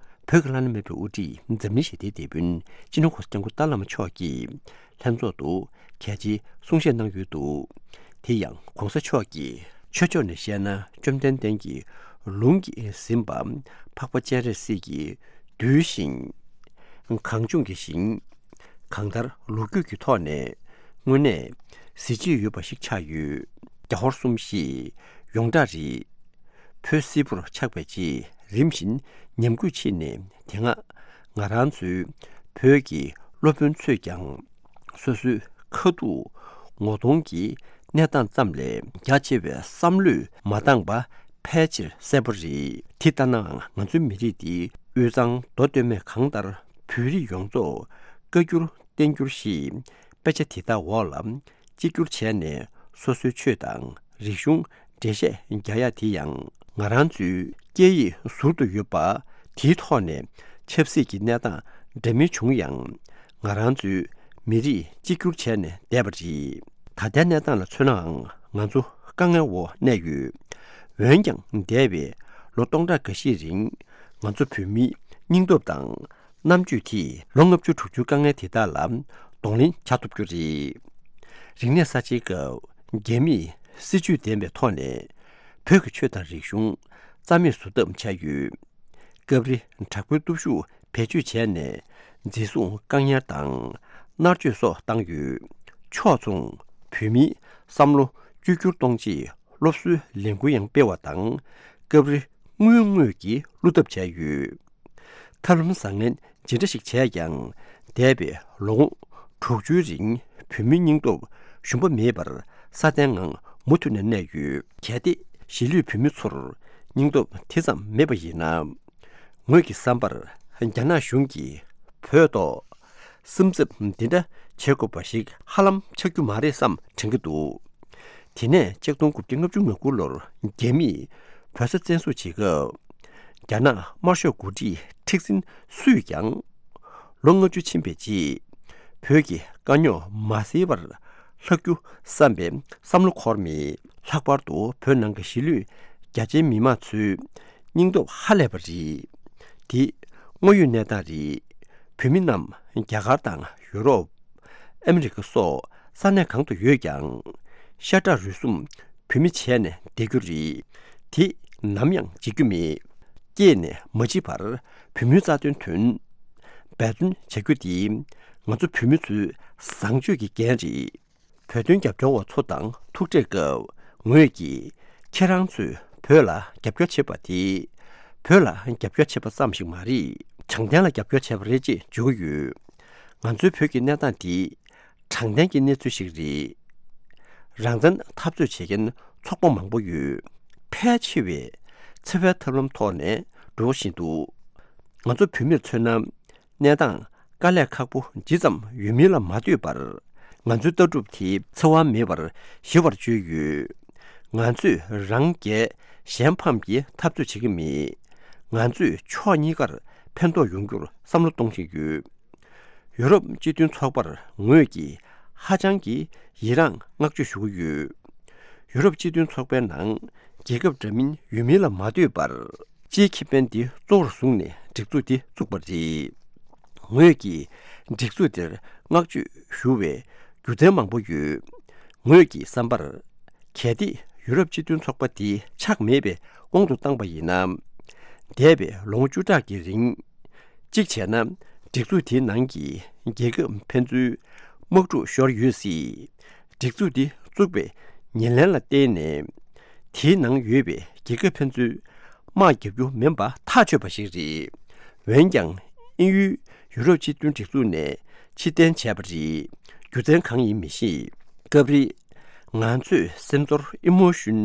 བོད་ཀྱི་བླ་ན་མེད་པའི་དབུ་ཁྲིད་འཛམ་གླིང་ཞི་བདེའི་དེད་དཔོན་སྤྱི་ནོར་༸གོང་ས་༸སྐྱབས་མགོན་ཏཱ་བླ་མ་མཆོག་གིས་ལྷན་ཚོགས་དུ་གལ་ཆེའི་གསུང་བཤད་གནང་ཡོད་འདུག་དེ་ཡང་༸གོང་ས་མཆོག་གིས་ཆོས་ཕྱོགས་ནས་བཤད་ན། བཅོམ་ལྡན་འདས་ཀྱིས་ལུང་གིས་ཟིན་པ་འཕགས་པ་སྤྱན་རས་གཟིགས་ཀྱི་གདུལ་ཞིང་། གངས་ལྗོངས་ཀྱི་ཞིང་། གང་ལྟར་ལོ་རྒྱུས་ཀྱི་ཐོག་ནས་དངོས་གནས་གཟི་བརྗིད་ཡོད་པ་ཞིག་ཆགས་ཡོད། རྒྱ་ཧོར་གསུམ་ཞེས་ཡོངས་གྲགས་རེད། བོད་སིལ་བུར་ཆགས་པའི་རྗེས་ རིམ་བཞིན་ཉམས་རྒུད་ཕྱིན་ནས། དེ་སྔ་ང་རང་ཚོའི་བོད་ཀྱི་སློབ་དཔོན་ཚོས་ཀྱང་སོ་སོའི་ཁ་ཐུག་ངོ་གདོང་གི་གནས་སྟངས་ཙམ་ལས་རྒྱ་ཆེ་བའི་བསམ་བློས་མ་འདང་པ་ཕལ་ཆེར་གསལ་པོ་རེད། དེ་ལྟ་ནའང་ང་ཚོའི་མི་རིགས་འདི་དབུས་གཙང་མདོ་སྟོད་སྨད་གང་ལྟར་བོད་རིགས་ཡོངས་རྫོགས་བཀའ་འགྱུར་བསྟན་འགྱུར་ཞེས་དཔེ་ཆ་དེ་དག་འོག་ལ་གཅིག་གྱུར་བྱས་ནས་སོ་སོའི་ཆོས་དང་རིག་གཞུང་འགྲེལ་བཤད་རྒྱག་ཡ་དེ་ཡང་ང་རང་ཚོའི་སྐད་ཡིག་ཟུར་དུ་ཡོད་པ་དེའི་ཐོག་ནས་ཆབ་སྲིད་ཀྱི་གནས་སྟངས་འདྲ་མིན་བྱུང་ཡང་། ང་རང་ཚོའི་མི་རིགས་གཅིག་གྱུར་བྱས་ནས་བསྡད་པ་རེད། ད་ལྟའི་གནས་སྟངས་ལ་མཚོན་ནའང་ང་ཚོ་དཀའ་ངལ་འོག་གནས་ཡོད། འོན་ཀྱང་འདས་པའི་ལོ་སྟོང་ཕྲག་འགའ་ཤས་རིང་ང་ཚོ་བོད་མིའི་སྙིང་སྟོབས་དང་རྣམ་དཔྱོད་དེས་ལོ་ལྔ་བཅུ་དྲུག་ཅུའི་དཀའ་ངལ་དེ་དག་ལ་གདོང་ལེན་བྱ་ཐུབ་རྒྱུ་རེད། རིག་གནས་གསར་བརྗེའི་སྐབས་རྒྱ་མིས་སྲིད་ཇུས་ལྡན་པའི་ཐོག་ནས་བོད་ཀྱི་ཆོས་དང་རིག་གཞུང་རྩ་མེད་བཟོ་ཐབས་བྱས་ཡོད། སྐབས་རེ་དྲག་པོའི་སྟོབས་ཤུགས་བེད་སྤྱོད་བྱས་ནས་འཛིན་བཟུང་བཀག་ཉར་དང་མནར་གཅོད་སོགས་བཏང་ཡོད། ཕྱོགས་མཚུངས་བོད་མིའི་བསམ་བློ་བཅོས་བསྒྱུར་གཏོང་ཆེད་སློབ་གསོའི་ལས་འགུལ་ཡང་སྤེལ་བ་དང་། སྐབས་རེ་དངུལ་དངོས་ཀྱིས་བསླུ་ཐབས་བྱས་ཡོད། ཐབས་ལམ་བཟང་ངན་ཇི་འདྲ་ཞིག་བྱས་ཀྱང་འདས་པའི་ལོ་ངོ་དྲུག་ཅུའི་རིང་བོད་མིའི་སྙིང་སྟོབས་ཞུམ་པ་མེད་པར་སྲ་བརྟན་ངང་མུ་མཐུད་ནས་གནས་ཡོད། གལ་ཏེ་གཞིས་ལུས་བོད་མི་ཚོར་སྙིང་སྟོབས་དེ་ཙམ་མེད་པ་ཡིན་ན། ངོས་ཀྱི་བསམ་པར་རྒྱ་ནག་གཞུང་གིས་བོད་ཐོག་སེམས་འཚབ་འདི་འདྲ་བྱེད་དགོས་པ་ཞིག་ཧ་ལམ་ཆགས་རྒྱུ་མ་རེད་བསམ་དྲན་གྱི་འདུག་དེ་ནས་ཆིག་སྟོང་དགུ་བརྒྱ་ལྔ་བཅུ་ང་དགུ་ལོར་རྒྱ་མིས་བོད་ས་བཙན་བཟུང་བྱེད་སྐབས། རྒྱ་ནག་དམར་ཤོག་འགོ་ཁྲིད་མཁྲེགས་འཛིན་སུས་ཀྱང་། ལོ་ལྔ་བཅུ་ཕྱིན་པའི་རྗེས། བོད་ཀྱི་དཀའ་རྙོག་མ་སེལ་བར་ལྷག་རྒྱུ་བསམ་པའི་བསམ་བློ་འཁོར་མེད། ལྷག་པར་དུ་བོད་ནང་གི་གཞིས་ལུས་རྒྱ་ཆེའི་མི་མང་ཚོའི་སྙིང་སྟོབས་ཧ་ལས་པ་རེད། དེ་དངོས་ཡོད་གནས་སྟངས་རེད། བོད་མི་རྣམས་རྒྱ་གར་དང་ཡུ་རོབ། ཨ་མི་རི་ཀ་སོགས་ས་གནས་གང་དུ་ཡོད་ཀྱང་། ཤ་ཁྲག་རུས་གསུམ་བོད་མི་བྱས་ནས་བསྡད་རྒྱུ་རེད། དེ་ནམ་ཡང་བརྗེད་རྒྱུ་མེད། སྐྱེས་ནས་མ་འཆི་བར་བོད་མིའི་རྩ་དོན་དོན་འབད་བརྩོན་བྱ་རྒྱུ་དེ་ང་ཚོ་བོད་མི་ཚོའི་བཟང་སྤྱོད་ཀྱི་འགན་རེད། བོད་དོན་རྒྱབ་སྐྱོར་བ་ཚོ་དང་ཐུག་འཕྲད་སྐབས་ངོས་ཀྱིས་ཁྱེད་རང་ཚོས་བོད་ལ་རྒྱབ་སྐྱོར་བྱེད་པ་དེ་བོད་ལ་རྒྱབ་སྐྱོར་བྱེད་པ་ཙམ་ཞིག་མ་རེད། དྲང་བདེན་ལ་རྒྱབ་སྐྱོར་བྱས་པ་རེད་ཅེས་བརྗོད་ཀྱི་ཡོད། ང་ཚོའི་བོད་ཀྱི་གནས་སྟངས་འདི་དྲང་བདེན་གྱི་གནས་ཚུལ་ཞིག་རེད། རང་བཙན་འཐབ་རྩོད་བྱེད་མཁན་ཚོགས་པ་མང་པོ་ཡོད། ཕལ་ཆེ་བས་འཚེ་བའི་ཐབས་ལམ་ཐོག་ནས་འགྲོ་བཞིན་འདུག་ང་ཚོ་བོད་མིར་མཚོན་ན། གནས་སྟངས་དཀའ་ལས་ཁག་པོ་ཇི་ཙམ་ཡོད་མིན་ལ་མ་ལྟོས་པར། ང་ཚོའི་ལྟ་གྲུབ་དེ་འཚེ་བ་མེད་པར་ཞི་བར་བཅོས་ཡོད། ང་ཚོས་རང་རྒྱལ་གཞན་ཕམ་གྱི་འཐབ་རྩོད་བྱེད་ཀྱི་མེད། ང་ཚོས་ཕྱོགས་གཉིས་ཀར་ཕན་ཐོགས་ཡོང་རྒྱུར་བསམ་བློ་གཏོང་བཞིན་ཡོད། ཡུ་རོབ་སྤྱི་མཐུན་ཚོགས་པར་ངོས་ཀྱིས་ཧ་ཅང་གི་ཡི་རངས་བསྔགས་བརྗོད་ཞུ་གི་ཡོད། ཡུ་རོབ་སྤྱི་མཐུན་ཚོགས་པའི་ནང་རྒྱལ་ཁབ་འདྲ་མིན་ཡོད་མིན་ལ་མ་ལྟོས་པར། སྤྱིའི་ཁེ་ཕན་འདི་གཙོ་བོར་བཟུང་ནས་སྒྲིག་འཛུགས་འདི་བཙུགས་པ་རེད། ངོས་ཀྱིས་སྒྲིག་འཛུགས་འདིར་བསྔགས་བརྗོད་ཞུ་བའི་རྒྱུ་མཚན་མང་པོ་ཡོད། ངོས་ཀྱི་བསམ་པར། གལ་ཏེ་ཡུ་རོབ་སྤྱི་མཐུན་ཚོགས་པ་འདི་ཆགས་མེད་པའི་དབང་དུ་བཏང་པ་ཡིན་ན། འདས་པའི་ལོ་ངོ་བཅུ་ཕྲག་གི་རིང་། གཅིག་བྱས་ན། སྒྲིག་འཛུགས་དེའི་ནང་གི་རྒྱལ་ཁབ་ཕན་ཚུན་དམག་འཁྲུག་ཤོར་ཡོད་སྲིད། སྒྲིག་འཛུགས་འདི་བཙུགས་པའི་ཉེར་ལེན་ལ་བརྟེན་ནས། དེའི་ནང་ཡོད་པའི་རྒྱལ་ཁབ་ཕན་ཚུན་དམག་རྒྱག་རྒྱུ་མིན་པ་ཐག་ཆོད་པ་ཞིག་རེད། འོན་ཀྱང་། དབྱིན་ཡུལ་ཡུ་རོབ་སྤྱི་མཐུན་སྒྲིག་འཛུགས་ནས་ཕྱིར་འཐེན་བྱས་པ་རེད། རྒྱུ་མཚན་གང་ཡིན་མི་ཤེས། སྐབས་རེ། ང་ཚོས་སེམས་ཚོར་ཨི་མོ་ཤུན་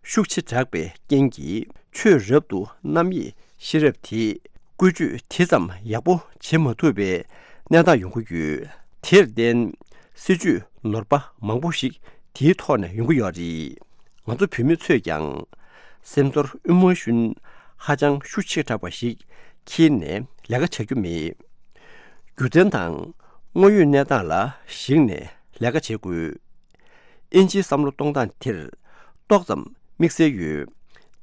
ཤུགས་ཆེ་དྲགས་པའི་རྐྱེན་གྱིས། ཆོས་རབ་ཏུ་རྣམ་དབྱེ་ཤེས་རབ་དེས་བཀོལ་སྤྱོད་དེ་ཙམ་ཡག་པོ་བྱེད་མ་ཐུབ་པའི་གནས་སྟངས་ཡོང་གི་ཡོད། དེར་བརྟེན། སྲིད་ཇུས་ནོར་བ་མང་པོ་ཞིག་དེའི་ཐོག་ནས་ཡོང་གི་ཡོད་རེད། ང་ཚོ་བོད་མི་ཚོས་ཀྱང་། སེམས་ཚོར་ཨི་མོ་ཤུན་ཧ་ཅང་ཤུགས་ཆེ་དྲགས་པ་ཞིག་འཁྱེར་ནས་ལས་ཀ་བྱ་རྒྱུ་མེད། རྒྱུ་མཚན་དང་དངོས་ཡོད་གནས་སྟངས་ལ་གཞིགས་ནས་ལས་ཀ་བྱེད་དགོས། དབྱིན་ཇིའི་བསམ་བློ་གཏོང་སྟངས་དེར་ཏོག་ཙམ་དམིགས་བསལ་ཡོད།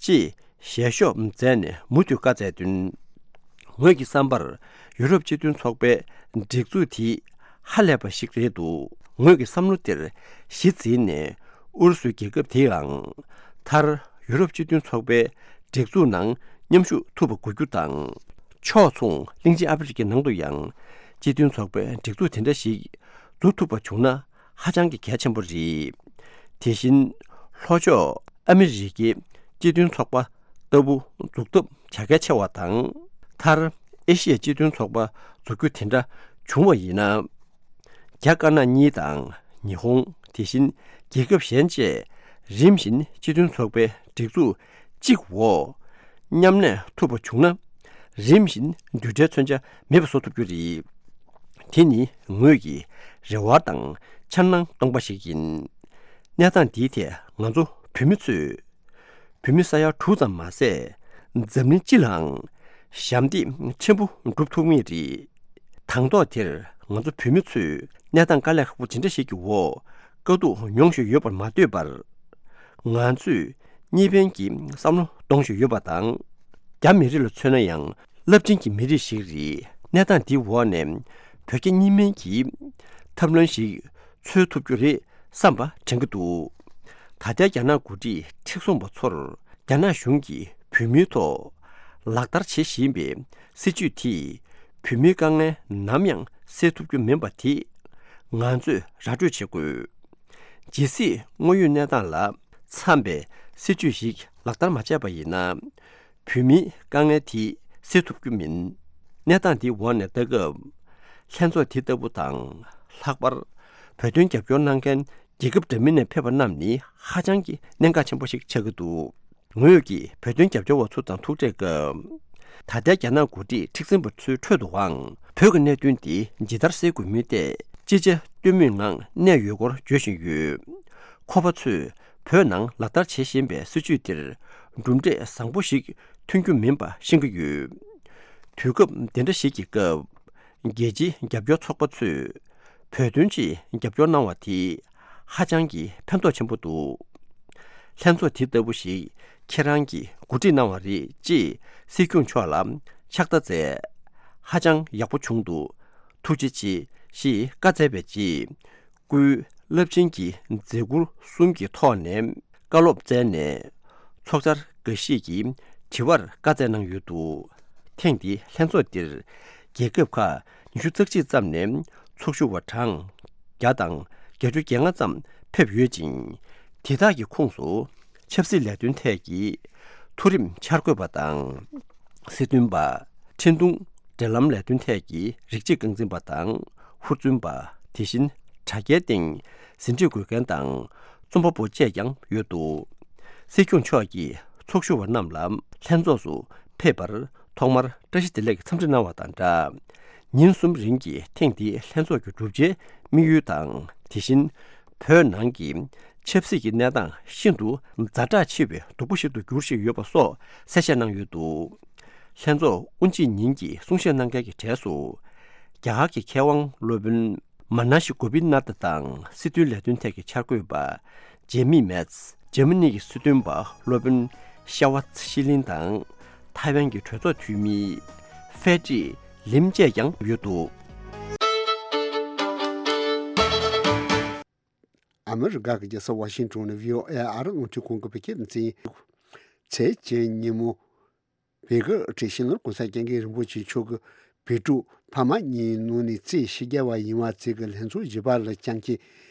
ཅེས་ཞལ་ཤོག་མཛད་ནས་མུ་མཐུད་བཀའ་སྩལ་དོན། ངོས་ཀྱི་བསམ་པར་ཡུ་རོབ་སྤྱི་མཐུན་ཚོགས་པའི་སྒྲིག་འཛུགས་དེ་ཧ་ལས་པ་ཞིག་རེད་འདུག་ངོས་ཀྱི་བསམ་བློ་དེར་གཞི་འཛིན་ནས་ཨུ་རུ་སུའི་རྒྱལ་ཁབ་དེའང་མཐར་ཡུ་རོབ་སྤྱི་མཐུན་ཚོགས་པའི་སྒྲིག་འཛུགས་ནང་མཉམ་ཞུགས་ཐུབ་པ་དགོས་རྒྱུ་དང་། ཕྱོགས་མཚུངས་གླིང་ཆེན་ཨ་ཧྥེ་རི་ཁའི་ནང་དུ་ཡང་སྤྱི་མཐུན་ཚོགས་པའི་སྒྲིག་འཛུགས་དེ་འདྲ་ཞིག་འཛུགས་ཐུབ་པ་བྱུང་ན་ཧ་ཅང་གི་གལ་ཆེན་པོ་རེད། དེ་བཞིན་ལྷོ་ཕྱོགས་ཨ་མི་རི་ཀའི་སྤྱི་མཐུན་ཚོགས་པ་ ལྟ་བུ་འཛུགས་ཐབས་བྱ་གལ་ཆེ་བ་དང་། མཐར་ཨེ་ཤི་ཡའི་སྤྱི་མཐུན་ཚོགས་པ་འཛུགས་རྒྱུ་དེ་འདྲ་བྱུང་བ་ཡིན་ན། རྒྱ་དཀར་ནག་གཉིས་དང་ཉི་ཧོང་། དེ་བཞིན་རྒྱལ་ཁབ་གཞན་བཅས་རིམ་བཞིན་སྤྱི་མཐུན་ཚོགས་པའི་སྒྲིག་འཛུགས་གཅིག་འོག་མཉམ་གནས་ཐུབ་པ་བྱུང་ན། རིམ་བཞིན་མདུན་གྲལ་མཚོན་ཆ་མེད་པ་བཟོ་ཐུབ་རྒྱུ་རེད། དེ་ནི་ངོས་ཀྱི་རེ་བ་དང་འཆར་སྣང་སྟོང་པ་ཞིག་ཡིན། གནས་སྟངས་འདིའི་ཐད་ང་ཚོ་བོད་མི་ཚོས། བོད་མི་ས་ཡ་དྲུག་ཙམ་མ་ཟད། འཛམ་གླིང་སྤྱི་ལའང་ཞབས་འདེགས་ཆེན་པོ་སྒྲུབ་ཐུབ་ངེས་རེད། དང་ཐོག་དེར་ང་ཚོ་བོད་མི་ཚོས་གནས་སྟངས་དཀའ་ལས་ཁག་པོ་ཇི་འདྲ་ཞིག་གི་འོག་དཀའ་སྡུག་མྱོང་བཞིན་ཡོད་པར་མ་ལྟོས་པར། ང་ཚོས་གཉིས་ཕན་གྱི་བསམ་བློ་གཏོང་བཞིན་ཡོད་པ་དང་། རྒྱ་མི་རིགས་ལ་མཚོན་ན་ཡང་རླབས་ཆེན་གྱི་མི་རིགས་ཤིག་རེད། གནས་སྟངས་འདིའི་འོག་ནས་བོད་རྒྱ་གཉིས་ཕན་གྱི་ཐབས་ལམ་ཞིག་འཚོལ་ཐུབ་རྒྱུ་རེད་བསམ་པ་དྲན་གྱི་འདུག་ད་ལྟའི་རྒྱ་ནག་འགོ་ཁྲིད་མཁྲེགས་བཟུང་བ་ཚོར་རྒྱ་ནག་གཞུང་གིས་བོད་མིའི་ཐོག་ལག་བསྟར་བྱེད་བཞིན་པའི་སྲིད་བྱུས་དེས་བོད་མིའི་དཀའ་ངལ་ནམ་ཡང་སེལ་ཐུབ་རྒྱུ་མིན་པ་དེ་ང་ཚོས་ར་སྤྲོད་བྱེད་དགོས། ཇི་སྲིད་དངོས་ཡོད་གནས་སྟངས་ལ་འཚམ་པའི་སྲིད་བྱུས་ཤིག་ལག་བསྟར་མ་བྱས་པ་ཡིན་ན། བོད་མིའི་དཀའ་ངལ་དེ་སེལ་ཐུབ་རྒྱུ་མིན། གནས་སྟངས་འདིའི་འོག་ནས་ལྟ་སྐབས། ལྷན་ཚོགས་དེ་ལྟ་བུ་དང་། ལྷག་པར་བོད་དོན་རྒྱབ་སྐྱོར་གནང་མཁན་རྒྱལ་ཁབ་འདྲ་མིན་ནས་ཕེབས་པ་རྣམས་ནི་ཧ་ཅང་གི་གནད་འགག་ཆེན་པོ་ཞིག་ཆགས་ཀྱི་འདུག་ངོས་ཀྱིས་བོད་དོན་རྒྱབ་སྐྱོར་བ་ཚོ་དང་ཐུག་འཕྲད་སྐབས། ད་ལྟའི་རྒྱ་ནག་འགོ་ཁྲིད་མཁྲེགས་འཛིན་པ་ཚོའི་ཁྲོད་དུའང་བོད་ཀྱི་གནད་དོན་འདི་ཇི་ལྟར་སེལ་དགོས་མིན་ཐད་ཅི་བྱ་གཏོལ་མུས་ངང་གནས་ཡོད་སྐོར་བརྗོད་བཞིན་ཡོད། ཁོ་པ་ཚོས་བོད་ནང་ལག་བསྟར་བྱེད་བཞིན་པའི་སྲིད་བྱུས་འདིར་གྲུབ་འབྲས་བཟང་པོ་ཞིག་ཐོན་རྒྱུ་མིན་པ་ཤེས་ཀྱི་ཡོད། དུས་སྐབས་འདི་འདྲ་ཞིག་གི་སྐབས། རྒྱལ་སྤྱིའི་རྒྱབ་སྐྱོར་ཚོགས་པ་ཚོས་བོད་དོན་ཆེད་རྒྱབ་སྐྱོར་གནང་བ་དེ་ཧ་ཅང་གི་ཕན་ཐོགས་ཆེན་པོ་འདུག་ལྷན་ཚོགས་དེ་ལྟ་བུ་ཞིག་ཁྱེད་རང་གིས་གོ་སྒྲིག་གནང་བ་རེད་ཅེས་སྲིད་སྐྱོང་མཆོག་ལ་ཕྱག་བརྡ་སྩལ། ཧ་ཅང་ཡག་པོ་བྱུང་འདུག་ཐུགས་རྗེ་ཆེ་ཞེས་བཀའ་སྩལ་བའི་རྗེས། སྐུའི་རླབས་ཆེན་གྱི་མཛད་ཁུར་གསུམ་གྱི་ཐོག་ནས་བཀའ་སློབ་སྩལ་ནས། ཚོགས་བཅར་འགའ་ཞིག་གིས་དྲི་བར་བཀའ་སྩལ་གནང་ཡོད་འདུག་ཐེངས་འདིའི་ལྷན་ཚོགས་འདིར་རྒྱལ་ཁབ་ཁག་ཉི་ཤུ་རྩ་གཅིག་ཙམ་ནས་ཚོགས་ཞུགས་པ་གྲངས་བརྒྱ་དང་བརྒྱད་ཅུ་གྱ་ལྔ་ཙམ་ཕེབས་ཡོད་ཅིང་། དེ་དག་གི་ཁོངས་སུ་ཆབ་སྲིད་ལས་དོན་ཐད་ཀྱི་མཐོ་རིམ་འཆར་འགོད་པ་དང་། སྲིད་དོན་པ། འཕྲིན་ཐུང་། འབྲེལ་ལམ་ལས་དོན་ཐད་ཀྱི་རིགས་གཅིག་རྐང་འཛིན་པ་དང་ཧུར་བརྩོན་པ། དེ་བཞིན་དྲ་རྒྱའི་སྟེང་ཟིན་བྲིས་འགོད་མཁན་དང་རྩོམ་པ་པོ་བཅས་ཀྱང་ཡོད་འདུག་སྲིད་སྐྱོང་མཆོག་གིས་ཚོགས་ཞུགས་པ་རྣམས་ལ་ལྷན་ཚོགས་སུ་ཕེབས་པར་ཐོག་མར་བཀྲ་ཤིས་བདེ་ལེགས་འཚམས་འདྲི་གནང་བ་དང་སྦྲགས། ཉིན་གསུམ་རིང་གི་ཐེངས་འདིའི་ལྷན་ཚོགས་ཀྱི་བསྒྲུབ་བྱའི་དམིགས་ཡུལ་དང་། དེ་བཞིན་བོད་ནང་གི་ཆབ་སྲིད་ཀྱི་གནས་སྟངས་ཤིན་ཏུ་ཛ་དྲག་ཆེ་བའི་སྡུག་པོ་ཞིག་ཏུ་འགྱུར་བཞིན་ཡོད་པ་སོགས་གསལ་བཤད་གནང་ཡོད་འདུག་ལྷན་ཚོགས་དབུ་འབྱེད་ཉིན་གྱི་གསུང་བཤད་གནང་མཁན་གྱི་གྲས་སུ། རྒྱ་གར་གྱི་མཁས་དབང་སློབ་དཔོན་མ་ན་ཤི་གོ་པི་ནཱ་ཐ་དང་། སྲིད་དོན་ལས་དོན་ཐད་ཀྱི་འཆར་འགོད་པ་ཇེ་མི་མེ་ཚ། འཇར་མ་ནི་གི་སྲིད་དོན་པ་སློབ་དཔོན་ཤ་ཝ་ཚ་ཤི་ལིན་དང་། ཐའེ་ཝན་གྱི་གྲོས་ཚོགས་འཐུས་མི་ཧྥེ་ཀྲི་ལིམ་བཅས་ཀྱང་ཡོད་འདུག་ཨ་མི་རི་ཀ་གི་རྒྱལ་ས་ཝ་ཤིང་ཏོན་ནས་བྷི་ཨོ་ཨེ་ཨ་རི་རླུང་འཕྲིན་ཁང་གི་བོད་སྐད་སྡེ་ཚན། ཚེས་བཅུ་ཉིན་མོ། བོད་ཀྱི་དབུ་ཁྲིད་སྤྱི་ནོར་༸གོང་ས་༸སྐྱབས་མགོན་རིན་པོ་ཆེ་མཆོག་གིས་བོད་ཕྲུག་ཕ་མ་གཉིས་ནང་ནས་རྩིས་ཞེ་རྒྱས་པ་ཡིན་པ་ཚོ་གི་ལྷན་ཚོགས་བཞི་པ་ལ་བསྐྱངས་རྗེས།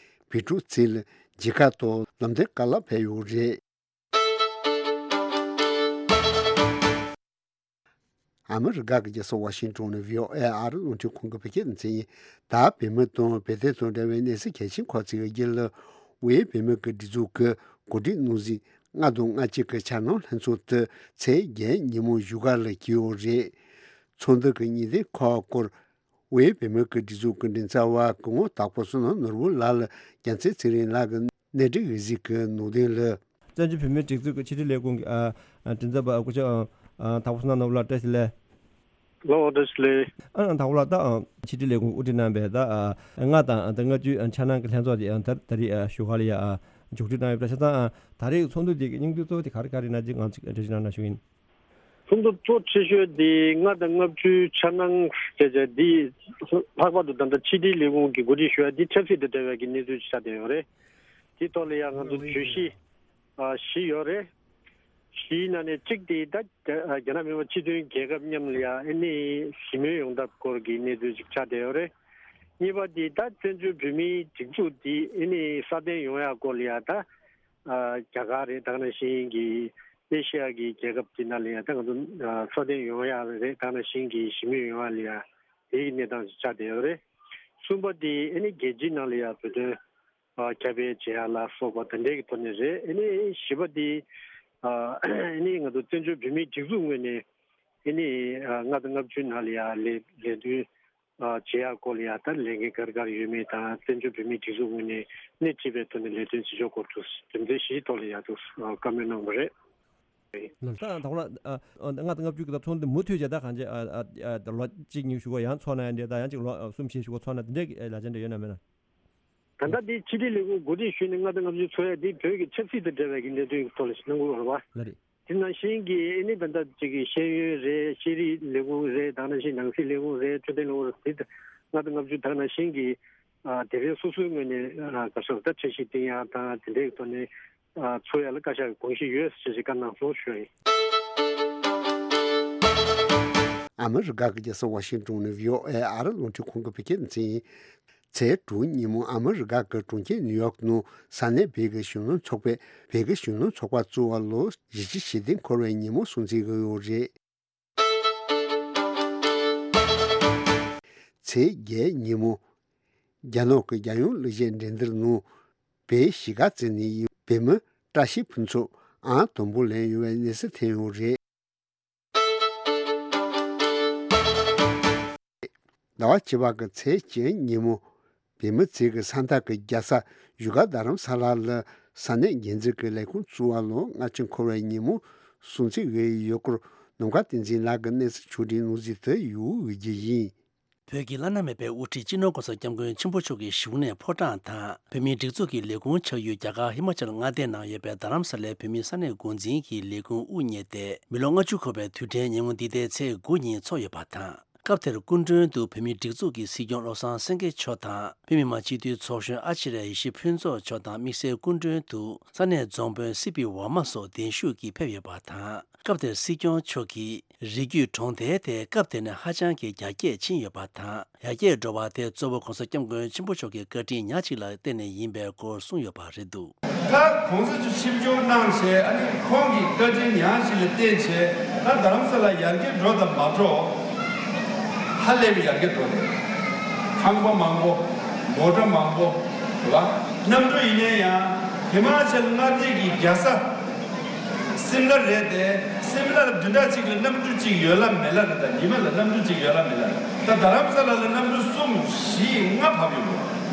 བོད་ཕྲུག་ཚོ་ལ་མཇལ་ཁ་དང་ལམ་སྟོན་སྐོར་ལ་ཕེབས་ཡོད་རེད། ཨ་མི་རི་ཀ་གི་རྒྱལ་ས་ཝ་ཤིང་ཏོན་ནས་བྷི་ཨོ་ཨེ་ཨ་རི་རླུང་འཕྲིན་ཁང་གི་བོད་སྐད་སྡེ་ཚན་ཡིན། ད་བོད་མི་དང་བོད་དོན་དང་འབྲེལ་བའི་གནས་ཚུལ་གལ་ཆེན་ཁག་ཅིག་གི་རྒྱུད་ལ། དབུས་བོད་མི་གི་སྒྲིག་འཛུགས་ཀྱི་གོ་སྒྲིག་གནང་གཟིགས་ལྔ་དང་ལྔ་གཅིག་གི་འཆར་སྣང་ལྷན་ཚོགས་དེ་ཚེས་བརྒྱད་ཉིན་མོ་བཞུགས་སྒར་ལ་བསྐྱོད་ཡོད་རེད། ཚོགས་འདུ་གི་ཉིན་བདུན་ཁག་སྐོར། དབུས་བོད་མི་གི་སྒྲིག་འཛུགས་ཀྱི་མགྲིན་ཚབ་པ་སྐུ་ངོ་དྭགས་པོ་བསོད་ནམས་ནོར་བུ་ལགས་ལ་རྒྱལ་མཚན་ཚེ་རིང་ལགས་ཀྱིས་གནས་འདྲི་ཞུས་གཟིགས་ཀྱི་ནང་དོན་ལ། བཙན་བྱོལ་བོད་མིའི་སྒྲིག་འཛུགས་ཀྱི་ཕྱི་དྲིལ་ལས་ཁུངས་ཀྱི་ཨ་ཨ་མགྲིན་ཚབ་པ་སྐུ་ཞབས་ཨ་ཨ་དྭགས་པོ་བསོད་ནམས་ནོར་བུ་ལགས་བཀྲ་ཤིས་བདེ་ལེགས། ལགས་འོ་བཀྲ་ཤིས་བདེ་ལེགས། ཨ་དྭགས་པོ་ལགས་ད་ཨ་ཕྱི་དྲིལ་ལས་ཁུངས་དབུ་ཁྲིད་གནང་བའི་ད་ཨ་ལྔ་དང་ཨ་ད་ལྔ་བཅུའི་ཨ་འཆར་སྣང་གི་ལྷན་ཚོགས་དེ་ཨ་ད་ད་རེས་ཨ་བཞུགས་སྒར་ལ་ཡ་ཨ་མཇུག་སྒྲིལ་གནང་ཡོད་པ་ཆ་ཚང་ཨ་ད་རེས་ཚོགས་འདུ་དེ་གི་སྙིང་བསྡུས་གཙོ་བོ་དེ་ག་རེ་ག་རེ་ཡིན་ན་ཅིག་ང་ཚོས་འགྲེལ་བརྗོད་གནང་ན་ཞུ་ཡིན། ཚོགས་འདུ་གཙོ་ཆེ་ཤོས་དེ་ལྔ་དང་ལྔ་བཅུའི་འཆར་སྣང་བྱས་བྱས་འདི་ལྷག་པར་དུ་ད་ལྟ་ཕྱི་དྲིལ་ལས་ཁུངས་ཀྱིས་གོ་སྒྲིག་ཞུ་ཡ་འདི་ཆབ་སྲིད་དང་འབྲེལ་བའི་གི་གནས་ཚུལ་ཅིག་ཆགས་བསྡད་ཡོད་རེད། དེ་ཐོག་ལ་ཡང་ང་ཚོ་བརྗོད་གཞི་ཨ་བཞི་ཡོད་རེད། བཞིའི་ནང་ནས་གཅིག་དེ་ད་རྒྱ་རྒྱ་ནག་མི་དམངས་སྤྱི་མཐུན་རྒྱལ་ཁབ་མཉམ་ལ་ཡ་ཨ་ནི་ཞི་མོལ་ཡོང་ཐབས་སྐོར་གྱི་གནས་ཚུལ་ཅིག་ཆགས་བསྡད་ཡོད་རེད། གཉིས་པ་དེ་ད་བཙན་བྱོལ་བོད་མིའི་སྒྲིག་འཛུགས་དེ་ཨ་ནི་སྲ་བརྟན་ཡོང་ཡ་སྐོར་ལ་ཡ་ད་ཨ་རྒྱ་གར་རེད། ད་ག་ནང་བཞིན་གྱི་ ཨེ་ཤི་ཡ་གི་རྒྱལ་ཁབ་དེ་ནང་ལ་ཡང་ད་ང་ཚོ་འཚོ་རྟེན་ཡོང་ཡག་རེད། ད་ནང་བཞིན་གྱི་ཞི་མོལ་ཡོང་ཡག་ལ་ཡང་དེའི་གནས་སྟངས་ཤིག་ཆགས་བསྡད་ཡོད་རེད། གསུམ་པ་དེ་ཨ་ནི་རྒྱལ་སྤྱིའི་ནང་ལ་ཡང་བོད་དོན་ཁྱབ་སྤེལ་བྱེད་ཡག་ལ་སོགས་པ་དེ་འདྲའི་གི་ཐོག་ནས་རེད། ཨ་ནི་བཞི་པ་དེ་ཨ་ནི་ང་ཚོ་བཙན་བྱོལ་བོད་མིའི་སྒྲིག་འཛུགས་ངོས་ནས་ཨ་ནི་ལྔ་དང་ལྔ་བཅུའི་ནང་ལ་ཡང་ལས་ལས་དོན་བྱེད་ཡག་སྐོར་ལ་ཡང་ད་ལས་འགན་ག་རེ་ག་རེ་ཡོད་མེད་དང་། བཙན་བྱོལ་བོད་མིའི་སྒྲིག་འཛུགས་ངོས་ནས་སྣེ་ཁྲིད་པའི་ཐོག་ནས་ལས་དོན་བྱེད་ཕྱོགས་སྐོར་དུ་རྒྱུ་མཚན་བཞིའི་ཐོག་ལ་ཡང་དུ་བཀའ་མོལ་གནང་བ་རེད། ལགས། ད་ད་ཁོ་ལ་ལྔ་དང་ལྔ་བཅུ་གི་ད་ཚོགས་འདུ་མུ་མཐུད་བྱས། ད་གང་ཅི་ལོ་གཅིག་གཉིས་ཞུ་གོ་ཡང་ཚོགས་ན་ཡང་འདྲ། ད་ཡང་གཅིག་ལོ་གསུམ་བཞི་ཞུ་གོ་ཚོགས་ན་དེ་འདྲའི་ལ་ཅན་འདྲ་ཡོད་ན་མེད་ན། ད་ལྟ་འདི་ཕྱི་དྲིལ་ལས་ཁུངས་གོ་སྒྲིག་ཞུས་ནས་ལྔ་དང་ལྔ་བཅུ་ཚོགས་ཡ་འདི་བོད་ཀྱི་ཆབ་སྲིད་དང་འབྲེལ་བའི་གི་གནད་དོན་གྱི་ཐོག་ལ་ཞིག་གནང་དགོས་པ་རེད་པ། ལགས་རེད། དེ་ནང་བཞིན་གྱི་ཨ་ནི་ད་ལྟ་ཅིག་གི་ཤེས་ཡོན་རེད། ཤེས་རིག་ལས་ཁུངས་རེད། དེ་ནང་བཞིན་ནང་སྲིད་ལས་ཁུངས་རེད། འཕྲོད་བསྟེན་ལས་ཁུངས་རེད། དེ་ལྔ་དང་ལྔ་བཅུ་ད་ནང་བཞིན་གྱི་ཨ་དེ་རིང་སོ་སོའི་ངོས་ནས་ཨ་ག་ཤོག་ད་འཆར་གཞི་བཏིང་ཡག་དང་དེ་འདྲའི་ཐོག་ནས་ཨ་ཚོགས་ཡག་ལ་བཀའ་ཤག་གི་དགོངས་གཞི་ཡོད་ཟེར་ཞིག་བཀའ་གནང་སོང་ཞུ་ཡ་ཡིན། ཨ་མི་རི་ཀ་གི་རྒྱལ་ས་ཝ་ཤིང་ཏོན་ནས་བྷི་ཨོ་ཨེ་ཨ་རི་རླུང་འཕྲིན་ཁང་གི་བོད་སྐད་སྡེ་ཚན་ཡིན། ཚེས་དྲུག་ཉིན་མོ་ཨ་མི་རི་ཀ་གི་གྲོང་ཁྱེར་ནིའུ་ཡོག་ནང་ས་གནས་བོད་ཀྱི་གཞོན་ནུ་ཚོགས་པས་བོད་ཀྱི་གཞོན་ནུ་ཚོགས་པ་བཙུགས་པ་ལོ་བཞི་བཅུ་ཞེ་བདུན་འཁོར་བའི་ཉིན་མོ་སྲུང་བརྩི་གི་ཡོད་རེད། ཚེས་བརྒྱད་ཉིན་མོ་རྒྱ་ནག་གི་རྒྱལ་ཡོངས་གླུ་གཞས་འགྲན་བསྡུར་ནང་བོད་གཞིས་ཀ་རྩེ་ནས་ཡོད་པའི་བུད་མེད་བཀྲ་ཤིས་ཕུན་ཚོགས་ཨང་དང་པོ་ལེན་ཡོད་པའི་གནས་ཚུལ་ཐོན་ཡོད་རེད། ཟླ་བ་བཅུ་པ་གི་ཚེས་བཅུ་ཉིན་མོ་བོད་མི་ཚོས་ཀྱི་ས་མཐའ་གི་རྒྱལ་ས་བཞུགས་སྒར་རྡ་རམ་ས་ལ་ལ་ས་གནས་འགན་འཛིན་གྱི་ལས་ཁུངས་བཙུགས་པ་ལོ་ལྔ་བཅུ་འཁོར་བའི་ཉིན་མོ་སྲུང་བརྩི་ཞུས་ཡོད་སྐོར་ནམ་མཁའ་བསྟན་འཛིན་ལགས་ཀྱིས་གནས་ཚུལ་ཕྱོགས་སྒྲིག་གནང་གཟིགས་དུ་ཡོད་པའི་རྒྱུ་ཡིན། བོད་ཀྱི་བླ་ན་མེད་པའི་དབུ་ཁྲིད་སྤྱི་ནོར་༸གོང་ས་༸སྐྱབས་མགོན་ཆེན་པོ་མཆོག་གི་བཞུགས་གནས་ཕོ་བྲང་དང་། བོད་མིའི་སྒྲིག་འཛུགས་ཀྱི་ལས་ཁུངས་ཆགས་ཡུལ་རྒྱ་གར་ཧི་མ་ཅལ་མངའ་སྡེའི་ནང་ཡོད་པའི་རྡ་རམ་ས་ལའི་བོད་མིའི་ས་གནས་འགོ་འཛིན་གྱི་ལས་ཁུངས་དབུ་བརྙེས་ཏེ་མི་ལོ་ལྔ་བཅུ་འཁོར་བའི་དུས་དྲན་ཉིན་མོ་འདི་ཟླའི་ཚེས་དགུ་ཉིན་ཚོགས་ཡོད་པ་དང་། སྐབས་དེར་སྐུ་མགྲོན་དུ་བོད་མིའི་སྒྲིག་འཛུགས་ཀྱི་སྲིད་སྐྱོང་བློ་བཟང་སེང་གེ་མཆོག་དང་། བོད་མི་མང་སྤྱི་འཐུས་ཚོགས་གཞོན་ཨ་ཅི་རེ་ཡེ་ཤེས་ཕུན་ཚོགས་མཆོག་དང་། དམིགས་བསལ་སྐུ་མགྲོན་དུ་ས་གནས་རྫོང་དཔོན་སི་པི་ཝར་མ་སོགས་གདན་ཞུས་ཀྱིས་ཕེབས་ཡོད་པ་དང་། སྐབས་དེར་སྲིད་སྐྱོང་མཆོག་གིས་རི་རྒྱུད་གྲོང་རྡལ་དེ་སྐབས་དེ་ནས་ཧ་ཅང་གི་རྒྱ་སྐྱེད་ཕྱིན་ཡོད་པ་དང་། ཡར་རྒྱས་འགྲོ་བ་དེ་གཙོ་བོ་༸གོང་ས་༸སྐྱབས་མགོན་ཆེན་པོ་མཆོག་གི་བཀའ་དྲིན་ཉག་གཅིག་ལ་བརྟེན་ནས་ཡིན་པའི་སྐོར་གསུངས་ཡོད་པ་རེད་འདུག། ད་༸གོང་ས་མཆོག་ཆིབས་བསྒྱུར་གནང་བྱས། ཨ་ནི་ཁོང་གི་བཀའ་དྲིན་ཉག་གཅིག་ལ་བརྟེན་བྱས་ད་རྡ་རམ་ས་ལ་ཡར་རྒྱས་འགྲོ་དང་མ་འགྲོ། ཧ་ལས་པའི་ཡར་རྒྱས་འགྲོ་རེད། ཁང་པ་མང་པོ། མོ་ཊ་མང་པོ། རེད་བ། གནམ་གྲུ་ཡིན་ནའི་ཡང་ཧི་མ་ཅལ་མངའ་སྡེ་གི་རྒྱལ་ས་སིམ་ལ་རེད་དེ། སིམ་ལ་ལ་བདུན་ཕྲག་གཅིག་ལ་གནམ་གྲུ་གཅིག་ཡོད་ལ་མེད་ལ་རེད། ད་ཉི་མ་ལ་གནམ་གྲུ་གཅིག་ཡོད་ལ་མེད་ལ་རེད། ད་རྡ་རམ་ས་ལ་ལ་གནམ་གྲུ་གསུམ་བཞི་ལྔ་བབས་ཡོད་རེད།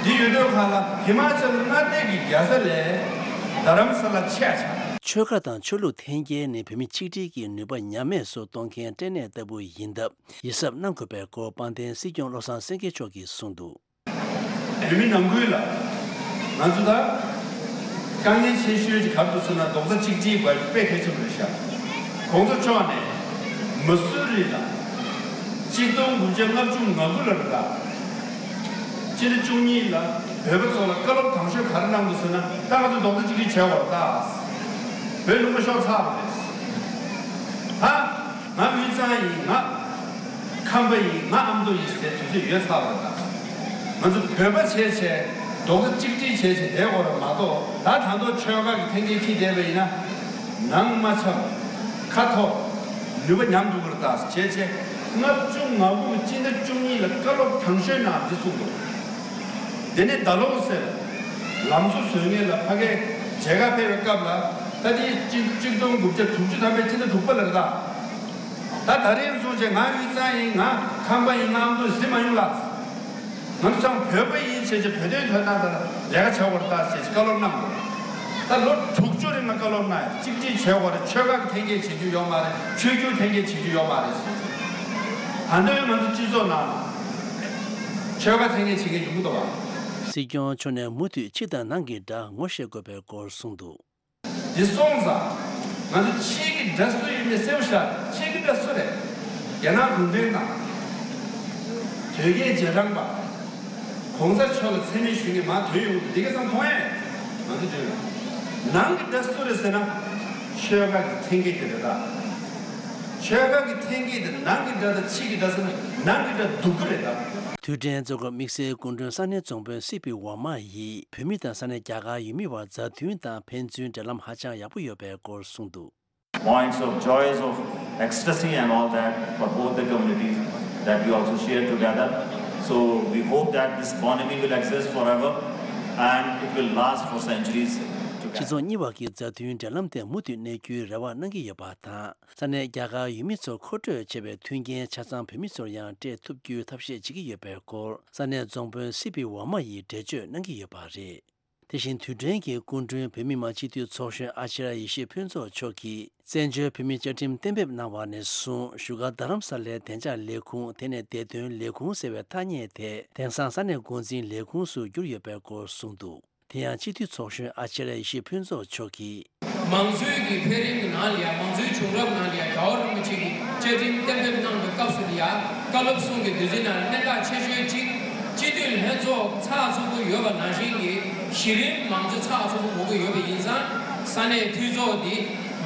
འདི་ཡོད་དུས་སྒང་ལ་ཧི་མ་ཅལ་མངའ་སྡེ་གི་རྒྱལ་ས་ལས་རྡ་རམ་ས་ལ་ཆེ་ཆགས། ཆོལ་ཁ་དང་ཆོས་ལུགས་འཐེན་འཁྱེར་ནི་བོད་མི་ཆིག་སྒྲིལ་གྱི་ནུས་པ་ཉམས་དམས་སུ་གཏོང་མཁན་སྐྲན་ནད་ལྟ་བུ་ཡིན་སྟབས། ཡིད་གཟབ་གནང་དགོས་པའི་སྐོར་དཔལ་ལྡན་སྲིད་སྐྱོང་བློ་བཟང་སེང་གེ་མཆོག་གིས་གསུངས་འདུག། བོད་མི་ནང་ཁུལ་ལ་ང་ཚོ་ད་དཀའ་ངལ་ཆེ་ཤོས་ཀྱི་ག་རེ་འདུག་ཟེར་ན། རྡོག་རྩ་གཅིག་སྒྲིལ་དགོས་དཔེ་གལ་ཆེན་པོ་རེད་ཤག། གོང་ས་མཆོག་ནས་མ་སུ་རི་ལ་གཅིག་སྟོང་དགུ་བརྒྱ་ལྔ་བཅུ་ང་དགུ་ལ་རེད་ད། སྤྱི་ཟླ་བཅུ་གཉིས་ལ་བོད་པ་ཚོ་ལ་བཀའ་སློབ་དང་ཤོས་ག་རེ་གནང་འདུག་ཟེར་ན། ད་ང་ཚོ་རྡོག་རྩ་གཅིག་སྒྲིལ་བྱེད་དགོས་རེད་ད། བོད་ལུང་པ་ཤོར་ཚར་བ་རེད། ད་ང་དབུས་གཙང་ཡིན། ང་ཁམས་པ་ཡིན། ང་ཨ་མདོ་ཡིན་ཟེར་དུས་ཚོད་ཡོལ་ཚར་བ་རེད་ད། ང་ཚོ་བོད་པ་བྱས་བྱས་རྡོག་རྩ་གཅིག་སྒྲིལ་བྱས་བྱས་བསྡད་དགོས་རེད་མ་གཏོགས། ད་ད་དུང་ཆོལ་ཁ་གི་འཐེན་འཁྱེར་འཁྱེར་བསྡད་པ་ཡིན་ན་ནང་མ་འཆམ། ཁ་འཐོར། ནུས་པ་ཉམས་འགྲོ་གི་རེད་ད་བྱས་བྱས། ལྔ་བཅུ་ང་དགུ་གི་སྤྱི་ཟླ་བཅུ་གཉིས་ལ་བཀའ་སློབ་དང་ཤོས་ནང་འདི་གསུངས་འདུག། དེ་ནས་ད་ལོ་ཟེར། ལམ་བཟོ་བཟོ་མཁན་ལ་ཕ་གིར་མཇལ་ཁ་ཕེབས་པའི་སྐབས་ལ། ད་དེ་གཅིག་གཅིག་སྟོང་དགུ་བརྒྱ་དྲུག་ཅུ་ཐམ་པའི་སྤྱི་ཟླ་དྲུག་པ་ལ་རེད་ད། ད་ད་རེས་སོང་བྱས་ང་དབུས་གཙང་ཡིན། ང་ཁམས་པ་ཡིན། ང་ཨ་མདོ་ཟེར་མ་ཡོང་ལ། ང་ཚོ་ཚང་བོད་པ་ཡིན་བྱས་བྱས་བོད་དོན་དོན་དག་དང་ལས་ཀ་བྱ་དགོས་རེད་ད་ཟེར་བྱས་བཀའ་སློབ་གནང་དགོས། ད་ལོ་དྲུག་ཅུ་རིང་ལ་བཀའ་སློབ་གནང་ཡ། གཅིག་སྒྲིལ་བྱེད་དགོས་རེད། ཆོལ་ཁ་གི་འཐེན་འཁྱེར་བྱེད་རྒྱུ་ཡོད་མ་རེད། ཆོས་བརྒྱུད་འཐེན་འཁྱེར་བྱེད་རྒྱུ་ཡོད་མ་རེད་ཟེར་བྱས། ད་ལྟ་བའི་ང་ཚོ་སྤྱི་ཚོགས་ནང་ཆོལ་ཁ་འཐེན་འཁྱེར་བྱེད་མཁན་ཡོང་གི་འདུག་བ། སྲིད་སྐྱོང་མཆོག་ནས་མུ་མཐུད་ཕྱི་དང་ནང་གི་དགྲ་ངོ་ཤེས་དགོས་པའི་སྐོར་གསུངས་འདུག། འདི་སོང་ཙང་ང་ཚོ་ཕྱིའི་གི་དགྲ་སུ་ཡིན་མིན་གསལ་པོ་ཤར། ཕྱིའི་གི་དགྲ་སུ་རེད། རྒྱ་ནག་གུང་ཁྲན་ཏང་། དོལ་རྒྱལ་རྗེས་འབྲང་པ། གོང་ས་མཆོག་ལ་མཚན་སྨད་ཞུ་མཁན་མར་ཐོན་ཡོང་གི་འདུག། འདི་ག་ཚང་མཐོང་ཡས། ང་ཚོ་འདོད། ནང་གི་དགྲ་སུ་རེད་ཟེར་ན། ཆོལ་ཁ་གི་འཐེན་འཁྱེར་དེ་རེད་ད། ཆོལ་ཁ་གི་འཐེན་འཁྱེར་དེ་ནང་གི་དགྲ་དང་ཕྱི་གི་དགྲ་ཟེར་ན་ནང་གི་དགྲ་སྡུག་གི་རེད་ད། དུས་དྲན་མཛད་སྒོར་དམིགས་བསལ་སྐུ་མགྲོན་ས་གནས་རྫོང་དཔོན་སི་པི་ཝར་མ་ཡིས་བོད་མི་དང་ས་གནས་རྒྱ་གར་ཡུལ་མི་བར་མཛའ་མཐུན་དང་ཕན་ཚུན་འབྲེལ་ལམ་ཧ་ཅང་ཡག་པོ་ཡོད་པའི་སྐོར་གསུངས་འདུག། Points of joys, of ecstasy and all that for both the communities that we also share together. So we hope that this bond will exist forever and it will last for centuries together. སྤྱི་ཚོགས་གཉིས་བར་གྱི་མཛའ་མཐུན་འབྲེལ་ལམ་དེ་མུ་མཐུད་གནས་རྒྱུའི་རེ་བ་གནང་གི་ཡོད་པ་དང་། ས་གནས་རྒྱ་གར་ཡུལ་མི་ཚོ་མཁོ་སྤྲོད་བྱེད་པའི་མཐུན་རྐྱེན་ཆ་ཚང་བོད་མི་ཚོར་ཡང་སྤྲད་ཐུབ་རྒྱུའི་ཐབས་ཤེས་བྱེད་ཀྱི་ཡོད་པའི་སྐོར་ས་གནས་རྫོང་དཔོན་སི་པི་ཝར་མ་ཡིས་འགྲེལ་བརྗོད་གནང་གི་ཡོད་པ་རེད། དེ་བཞིན་དུས་དྲན་གྱི་སྐུ་མགྲོན་བོད་མི་མང་སྤྱི་འཐུས་ཚོགས་གཞོན་ཨ་ཅཱརྱ་ཡེ་ཤེས་ཕུན་ཚོགས་མཆོག་གིས་བཙན་བྱོལ་བོད་མིའི་བཅའ་ཁྲིམས་གཏན་འབེབས་གནང་བ་ནས་བཟུང་བཞུགས་སྒར་རྡ་རམ་ས་ལའི་བདེ་འཇགས་ལས་ཁུངས་དེ་ནས་བདེ་དོན་ལས་ཁུངས་ཟེར་བའི་ཐ་སྙད་དེ་དེང་སང་ས་གནས་འགོ་འཛིན་ལས་ཁུངས་སུ་བསྒྱུར་ཡོད་པའི་སྐོར་གསུངས་འདུག། དེ་ཡང་སྤྱི་འཐུས་ཚོགས་གཞོན་ཨ་ཅཱརྱ་ཡེ་ཤེས་ཕུན་ཚོགས་མཆོག་གིས། མང་གཙོའི་གི་འཕེལ་རིམ་གྱི་ནང་ལ་ཡང་མང་གཙོའི་བྱུང་རབས་ནང་ལ་ཡང་རྒྱལ་བ་རིན་པོ་ཆེ་གིས་བཅའ་ཁྲིམས་གཏན་འབེབས་གནང་བའི་སྐབས་སུ་ལ་ཡང་བཀའ་སློབ་གསུང་གི་བདུད་རྩི་ནང་ལ་གནད་འགག་ཆེ་ཤོས་གཅིག་སྤྱི་འཐུས་ལྷན་ཚོགས་ཚགས་ཚུད་པོ་ཡོད་པ་ནང་བཞིན་གྱི་གཞི་རིམ་མང་གཙོ་ཚགས་ཚུད་པོ་དགོས་ཀྱི་ཡོད་པ་ཡིན་ཙང་ས་གནས་འཐུས་ཚོགས་འདི་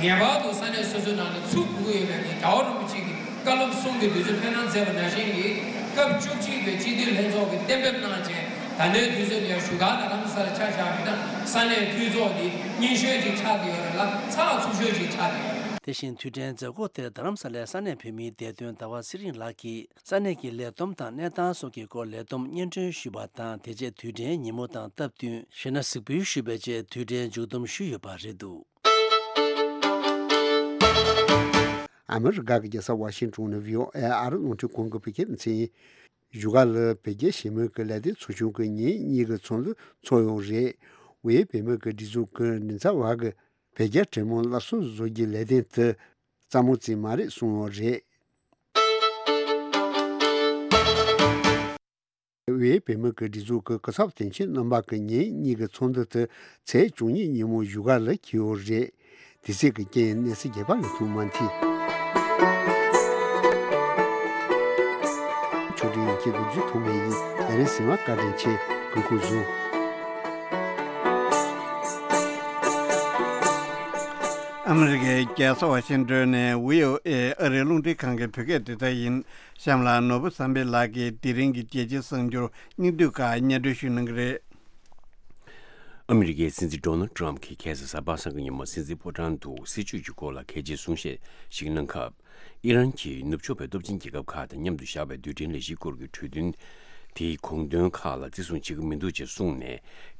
ངེས་པར་དུ་ས་གནས་སོ་སོའི་ནང་ལ་ཚུགས་དགོས་ཀྱི་ཡོད་པའི་གི་རྒྱལ་བ་རིན་པོ་ཆེ་གིས་བཀའ་སློབ་གསུང་གི་བདུད་རྩི་འཕེན་གནང་མཛད་པ་ནང་བཞིན་གྱི་སྐབས་བཅུ་གཅིག་པའི་སྤྱི་འཐུས་ལྷན་ཚོགས་ཀྱིས་གཏན་འབེབས་གནང་རྗེས་ད་ལྟའི་དུས་ཚོད་ལ་ཡང་བཞུགས་སྒར་རྡ་རམ་ས་ལ་ཆ་བཞག་པ་ཡིན་ན་ས་གནས་འཐུས་ཚོགས་འདི་རྙིང་ཤོས་ཅིག་ཆགས་ཀྱི་ཡོད་རེད་ལ་ཚགས་ཚུད་ཤོས་ཅིག་ཆགས་ཀྱི་ཡོད་རེད། དེ་བཞིན་དུས་དྲན་མཛད་སྒོ་དེར་རྡ་རམ་ས་ལའི་ས་གནས་བོད་མིའི་བདེ་དོན་ཟླ་བ་ཚེ་རིང་ལགས་ཀྱིས་ས་གནས་ཀྱི་ལས་བསྡོམས་དང་གནས་སྟངས་སོགས་ཀྱི་སྐོར་ལས་བསྡོམས་སྙན་སྒྲོན་ཞུས་པ་དང་དེ་རྗེས་དུས་དྲན་ཉིན་མོ་དང་སྟབས་བསྟུན་གཞས་སྣ་གཟིགས་འབུལ་ཞུས་པའི་རྗེས་དུས་དྲན་མཇུག་བསྡོམས་ཞུས་ཡོད་པ་རེད་འདུག། ཨ་མི་རི་ཀ་གི་རྒྱལ་ས་ཝ་ཤིང་ཊོན་ནས་བྷི་ཨོ་ཨེ་ཨ་རི་རླུང་འཕྲིན་ཁང་གི་བོད་སྐད་སྡེ་ཚན་ཡིན། བཞུགས་སྒར་ལ་བོད་རྒྱ་ཞི་མོལ་གྱི་ལས་དོན་ཚོགས་ཆུང་གི་ཉིན་གཉིས་ཀྱི་ཚོགས་འདུ་ཚོགས་ཡོད་རེད། དབུས་བོད་མིའི་སྒྲིག་འཛུགས་ཀྱི་མགྲིན་ཚབ་པ་གིས་བོད་རྒྱ་འབྲེལ་མོལ་སླར་གསོ་བཟོ་རྒྱུའི་ལས་དོན་དེ་རྩ་མོ་རྩིས་མ་རེད་གསུངས་ཡོད་རེད། དབུས་བོད་མིའི་སྒྲིག་འཛུགས་ཀྱི་སྐུ་ཚབ་དོན་གཅོད་རྣམ་པ་གི་ཉིན་གཉིས་ཀྱི་ཚོགས་འདུ་དེ་ཚེས་བཅུ་གཉིས་ཉིན་མོ་བཞུགས་སྒར་ལ་འཁེལ་ཡོད་རེད། དེ་སྲིད་ཀྱི་རྐྱེན་གནས་ཚུལ་རྒྱས་པ་ལ་ཐུགས་མ་མཐུན། ཆོས་སྒྲོན་ཡིན་གྱི་ལོ་རྒྱུས་ཐོག་མེད་ཡིན། ལས་རིམ་གཟིགས་མ་བཀའ་དྲིན་ཆེ། སྐུ་ཁུག་བཟུང་། ཨ་མི་རི་ཀའི་རྒྱལ་ས་ཝ་ཤིང་ཏོན་ནས་བྷི་ཨོ་ཨེ་ཨ་རིའི་རླུང་འཕྲིན་ཁང་གི་བོད་སྐད་སྡེ་ཚན་ཡིན། གཤམ་ལ་ནོར་བུ་བསམ་འཕེལ་ལགས་ཀྱིས་དེ་རིང་གི་རྒྱལ་སྤྱིའི་གསར་འགྱུར་སྙིང་བསྡུས་ཁག་སྙན་སྒྲོན་ཞུ་གནང་གི་རེད། ཨ་མི་རི་ཀའི་སྲིད་འཛིན་ཌོ་ནལ་ཊམ་གྱིས་ཁ་སང་གཟའ་པ་སངས་ཀྱི་ཉིན་མོ་སྲིད་འཛིན་ཕོ་བྲང་དུ་སྲིད་བྱུས་ཀྱི་སྐོར་ལ་གལ་ཆེའི་གསུང་བཤད་ཞིག་གནང་སྐབས། ཨི་རན་གྱིས་ནུབ་ཕྱོགས་པའི་སྟོབས་ཆེན་རྒྱལ་ཁབ་ཁག་དང་མཉམ་དུ་བཞག་པའི་རྡུལ་ཕྲན་ལས་གཞིའི་སྐོར་གྱི་གྲོས་མཐུན་དེའི་དགོངས་དོན་ཁག་ལ་བརྩི་སྲུང་བྱེད་ཀྱི་མི་འདུག་ཅེས་གསུངས་ནས།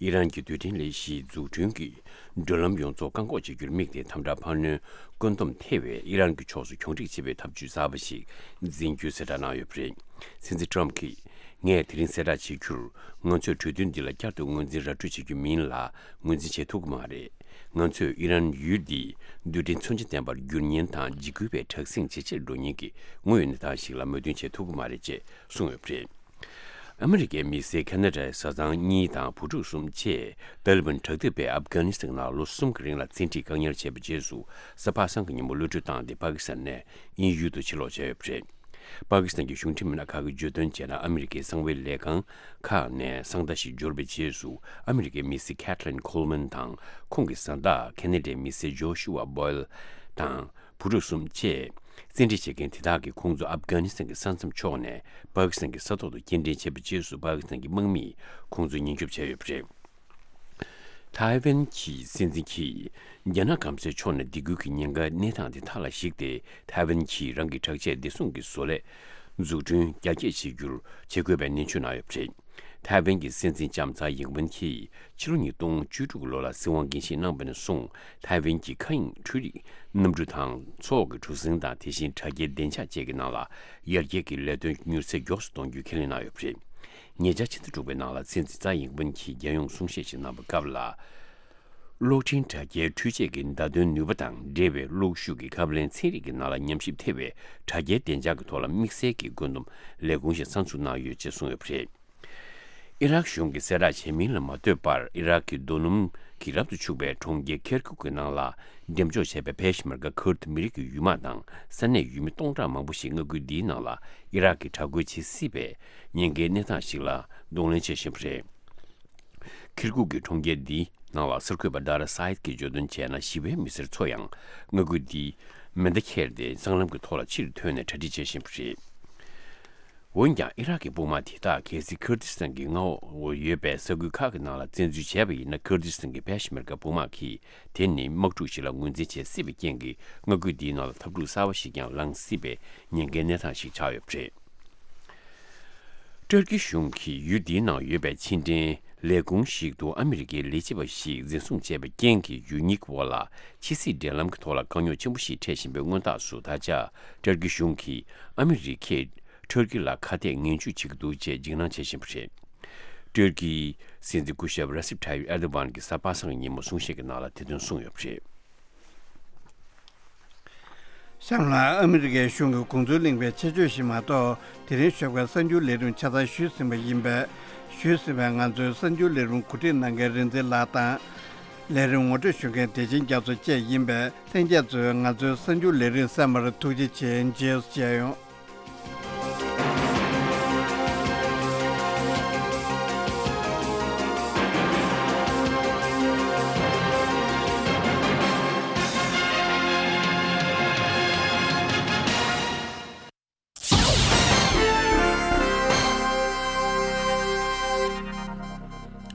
ཨི་རན་གྱི་རྡུལ་ཕྲན་ལས་གཞིའི་འཛུགས་སྐྲུན་གྱི་བགྲོད་ལམ་ཡོངས་རྫོགས་བཀག་འགོག་བྱེད་རྒྱུར་དམིགས་ཏེ་དམ་དྲག་འཕར་སྣོན་བཀོད་འདོམས་ཐེ་བའི་ཨི་རན་གྱི་ཕྱོགས་སུ་གྱོང་རིག་བྱེད་པའི་ཐབས་ཇུས་གསར་པ་ཞིག་འཛིན་རྒྱུའི་གསལ་བསྒྲགས་གནང་ཡོད་པ་རེད། སྲིད་འཛིན་ཊམ་གྱིས། ངས་དེ་རིང་གསལ་བསྒྲགས་བྱེད་རྒྱུར། ང་ཚོས་གྲོས་མཐུན་འདི་ལ་བསྐྱར་དུ་ངོས་འཛིན་ར་སྤྲོད་བྱེད་རྒྱུ་མིན་ལ་ངོས་འཛིན་བྱེད་ཐུབ་ཀྱི་མ་རེད། ང་ཚོས་ཨི་རན་ཡུལ་འདི་རྡུལ་ཕྲན་མཚོན་ཆ་ལྡན་པར་འགྱུར་ཉེན་དང་འཇིགས་སྐུལ་བའི་དྲག་ཟིང་ཇེ་ཆེར་འགྲོ་ཉེན་གྱི་དངོས་ཡོད་གནས་སྟངས་ཤིག་ལ་མོས་མཐུན་བྱེད་ཐུབ་ཀྱི་མ་རེད་ཅེས་གསུངས་ཡོད་པ་རེད། ཨ་མི་རི་ཀའི་མི་སེར་ཁ་ན་ཌའི་བཟའ་ཚང་གཉིས་དང་བུ་ཕྲུག་གསུམ་བཅས་ཏཱ་ལི་བན་དྲག་འཐབ་པས་ཨབ་གྷ་ནི་སི་ཐན་ནང་ལོ་གསུམ་གྱི་རིང་ལ་བཙན་ཁྲིད་བཀག་ཉར་བྱས་པའི་རྗེས་སུ་གཟའ་པ་སངས་ཀྱི་ཉིན་མོ་གློད་གྲོལ་བཏང་སྟེ་པ་ཀི་སི་ཐན་ནས་དབྱིན་ཡུལ་དུ་ཕྱིར་ལོག་བྱས་ཡོད་པ་རེད། པ་ཀི་སི་ཐན་གྱི་གཞུང་འབྲེལ་མི་སྣ་ཁག་གིས་བརྗོད་དོན་བྱས་ན། ཨ་མི་རི་ཀའི་གསང་བའི་ལས་ཁང་ཁག་ནས་གསང་བརྡ་ཞིག་འབྱོར་བའི་རྗེས་སུ། ཨ་མི་རི་ཀའི་མི་སེར་ཁེ་ཐི་ལིན་ཁོལ་མན་དང་ཁོང་གི་བཟའ་ཟླ་ཁེ་ན་ཌའི་མི་སེར་ཇོ་ཤུ་ཝ་བོ་ཡལ་དང་བུ་ཕྲུག་གསུམ་བཅས་བཙན་ཁྲིད་བྱེད་མཁན་དེ་དག་གིས་ཁོང་ཚོ་ཨབ་གྷ་ནི་སི་ཐན་གྱི་ས་མཚམས་ཕྱོགས་ནས་པ་ཀི་སི་ཐན་གྱི་ས་ཐོག་ཏུ་སྐྱེལ་འདྲེན་བྱས་པའི་རྗེས་སུ། པ་ཀི་སི་ཐན་གྱི་དམག་མིས་ཁོང་ཚོ་ཉེན་སྐྱོབ་བྱས་ཡོད་པ་རེད། ཐའེ་ཝན་གྱི་སྲིད་འཛིན་གྱིས་རྒྱ་ནག་སྐམ་སའི་ཕྱོགས་ནས་སྡིགས་སྐུལ་གྱི་ཉེན་ཁའི་གནས་སྟངས་དེ་མཐའ་ལ་གཞིགས་ཏེ། ཐའེ་ཝན་གྱིས་རང་གི་དྲག་ཆས་བདེ་སྲུང་གི་བཟོ་ལས་འཛུགས་སྐྲུན་རྒྱ་སྐྱེད་བྱེད་རྒྱུར་བྱེད་དགོས་པའི་ནན་བརྗོད་གནང་ཡོད་པ་རེད། ཐའེ་ཝན་གྱི་སྲིད་འཛིན་ལྕམ་ཚའེ་ཡིང་ཝེན་གྱིས་ཕྱི་ལོ་ཉིས་སྟོང་བཅུ་དྲུག་ལོ་ལ་སྲིད་དབང་འགན་བཞེས་གནང་བ་ནས་བཟུང་། ཐའེ་ཝན་གྱི་མཁའ་དབྱིངས་འཕྲུལ་རིག་གནམ་གྲུ་དང་མཚོ་འོག་གི་གྲུ་གཟིངས་དང་། དེ་བཞིན་དྲ་རྒྱའི་བདེ་འཇགས་བཅས་ཀྱི་ནང་ལ་ཡར་རྒྱས་ཀྱི་ལས་དོན་མྱུར་ཚད་མགྱོགས་སུ་གཏོང་རྒྱུའི་ཁས་ལེན་གནང་ཡོད་པ་རེད། ཉེ་ཆར་ཕྱི་ཟླ་དྲུག་པའི་ནང་ལ་སྲིད་འཛིན་ཚའེ་ཡིང་ཝེན་གྱིས་རྒྱལ་ཡོངས་གསུང་བཤད་ཞིག་གནང་བའི་སྐབས་ལ། གློག་འཕྲིན་དྲ་རྒྱའི་འཕྲུལ་ཆས་ཀྱི་བརྡ་དོན་ནུས་པ་དང་འབྲེལ་བའི་གློག་ཤུགས་ཀྱི་ཁབ་ལེན་ཚན་རིག་གི་ནང་ལ་ཉམས་ཞིབ་ཐེ་བའི་དྲ་རྒྱའི་བདེ་འཇགས་ཀྱི་ཐོག་ལ་དམིགས་བསལ་གྱི་བཀོད་འདོམས་ལས་ཁུངས་ཤིག་གསར་འཛུགས་གནང་ཡོད་ཅེས་གསུངས་ཡོད་པ་རེད། ཨི་རག་གཞུང་གིས་གསལ་བསྒྲགས་བྱས་མིན་ལ་མ་ལྟོས་པར། ཨི་རག་གི་རྡོ་སྣུམ་གྱིས་རབ་ཏུ་ཕྱུག་པའི་གྲོང་ཁྱེར་ཁེར་ཀུག་གི་ནང་ལ་འགྲེམས་འཇོག་བྱས་པའི་ཕེ་ཤ་མར་ཀ་ཁུར་ཏི་མི་རིགས་ཀྱི་ཡུལ་དམག་དང་ས་གནས་ཡུལ་མི་སྟོང་ཕྲག་མང་པོ་ཞིག་མངའ་ཁུལ་འདིའི་ནང་ལ་ཨི་རག་གིས་དྲག་རྒོལ་བྱེད་སྲིད་པའི་ཉེན་ཁའི་གནས་སྟངས་ཤིག་ལ་གདོང་ལེན་བྱེད་བཞིན་པ་རེད། ཁིར་ཀུག་གི་གྲོང་ཁྱེར་འདིའི་ནང་ལ་གསར་འགོད་པ་ཌ་ར་སཱ་ཡིད་ཀྱིས་བརྗོད་དོན་བྱས་ན། ཞི་བའི་མི་སེར་ཚོ་ཡང་མངའ་ཁུལ་འདིའི་མེ་མདའ་ཁྱེར་ཏེ་སྲང་ལམ་གྱི་ཐོག་ལ་ཕྱིར་ཐོན་ནས་གྲ་སྒྲིག་བྱེད་བཞིན་པ་རེད། འོན་ཀྱང་ཨི་རག་གི་དཔུང་དམག་དེ་དག་གལ་སྲིད་ཁུར་དིས་ཐན་གྱི་མངའ་འོག་ཡོད་པའི་ས་ཁུལ་ཁག་གི་ནང་ལ་བཙན་འཛུལ་བྱས་པ་ཡིན་ན། ཁུར་དིས་ཐན་གྱི་ཕེ་ཤ་མེར་གྱི་དཔུང་དམག་གིས་དེ་ནི་དམག་འཁྲུག་ཞིག་ལ་ངོས་འཛིན་བྱེད་སྲིད་པའི་རྐྱེན་གྱིས། མངའ་ཁུལ་འདིའི་ནང་ལ་འཐབ་འཁྲུག་གསར་པ་ཞིག་ཀྱང་ལངས་སྲིད་པའི་ཉེན་ཁའི་གནས་སྟངས་ཤིག་ཆགས་ཡོད་པ་རེད། ཏུར་ཀི་གཞུང་གིས་ཡུལ་འདིའི་ནང་ཡོད་པའི་ཕྱི་འབྲེལ་ལས་ཁུངས་ཤིག་ཏུ་ཨ་མི་རི་ཀའི་ལས་བྱེད་པ་ཞིག་འཛིན་བཟུང་བྱས་པའི་རྐྱེན་གྱིས། ཡུལ་གཉིས་ཀྱི་དབར་ལ་ཕྱི་སྲིད་འབྲེལ་ལམ་གྱི་ཐོག་ལ་དཀའ་རྙོག་ཆེན་པོ་ཞིག་འཕྲད་བཞིན་པའི་སྔོན་རྟགས་སུ། ད་ཆ་ཏུར་ཀི་གཞུང་གིས་ཨ་མི་རི་ཀས་ཏུར་ཀི་ལ་ཁ་གཏད་ངན་ཇུས་བྱེད་ཀྱི་འདུག་ཅེས་འཇིགས་སྣང་བྱེད་བཞིན་པ་རེད། ཏུར་ཀིའི་སྲིད་འཛིན་སྐུ་ཞབས་ར་སིབ་ཐ་ཡིབ་ཨེར་དོ་ཝན་གྱིས་གཟའ་པ་སངས་ཀྱི་ཉིན་མོ་གསུང་བཤད་ཀྱི་ནང་ལ་དེ་དོན་གསུངས་ཡོད་པ་རེད། གཤམ་ལ་ཨ་མི་རི་ཀའི་གཞུང་གི་དགོངས་ཚུལ་གླེང་བའི་ཆེད་བརྗོད་ཞིག་མ་གཏོགས། དེ་རིང་ཞོགས་ཀས་གསར་འགྱུར་ལས་རིམ་ཆ་ཚང་ཞུས་ཟིན་པ་ཡིན་པས། ཞུས་ཟིན་པའི་ང་ཚོའི་གསར་འགྱུར་ལས་རིམ་གོ་སྒྲིག་གནང་མཁན་རིག་འཛིན་ལགས་དང་། ལས་རིམ་ངོ་སྤྲོད་ཞུ་མཁན་བདེ་ཆེན་རྒྱ་མཚོ་བཅས་ཡིན་པས། ལྷན་རྒྱས་ཚོས་ང་ཚོའི་གསར་འགྱུར་ལས་རིམ་གསན་པར་ཐུགས་རྗེ་ཆེ། མཇལ་ཡོང་།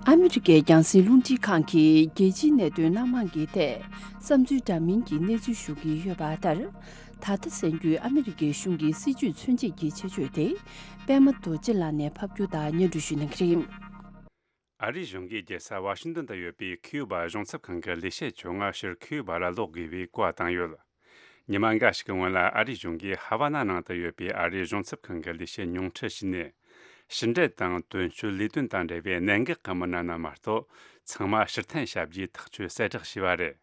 ཨ་མི་རི་ཀའི་རྒྱང་སྲིང་རླུང་འཕྲིན་ཁང་གིས་རྒྱལ་སྤྱིའི་གནད་དོན་སྣ་མང་གི་ཐད་བསམ་ཚུལ་འདྲ་མིན་གྱི་གནས་ཚུལ་ཞུ་གི་ཡོད་པ་ལྟར། ད་ལྟ་གསན་རྒྱུའི་ཨ་མི་རི་ཀའི་གཞུང་གི་སྲིད་ཇུས་མཚོན་བྱེད་ཀྱི་ཆེད་བརྗོད་དེ། པད་མ་རྡོ་རྗེ་ལགས་ནས་ཕབ་སྒྱུར་དང་སྙན་སྒྲོན་ཞུ་གནང་གི་རེད། ཨ་རིའི་གཞུང་གིས་རྒྱལ་ས་ཝ་ཤིང་ཏོན་དུ་ཡོད་པའི་ཁིའུ་བ་གཞུང་ཚབ་ཁང་གི་ལས་བྱེད་ཆུང་ང་ཕྱིར་ཁིའུ་བ་ལ་ལོག་དགོས་པའི་བཀའ་བཏང་ཡོད། ཉི་མ་འགའ་ཞིག་གི་སྔོན་ལ། ཨ་རིའི་གཞུང་གིས་ཧ་ཝ་ན་ནང་དུ་ཡོད་པའི་ཨ་རིའི་གཞུང་ཚབ་ཁང་གི་ལས་བྱེད་ཉུང་འཕྲི་ཞིག་ནས། ཕྱི་འབྲེལ་དང་དོན་གཅོད་ལས་དོན་དང་འབྲེལ་བའི་གནད་འགག་གི་མི་སྣ་རྣམས་མ་གཏོགས། ཚང་མ་ཕྱིར་འཐེན་བྱ་རྒྱུའི་ཐག་གཅོད་གསལ་བསྒྲགས་བྱས་པ་རེད།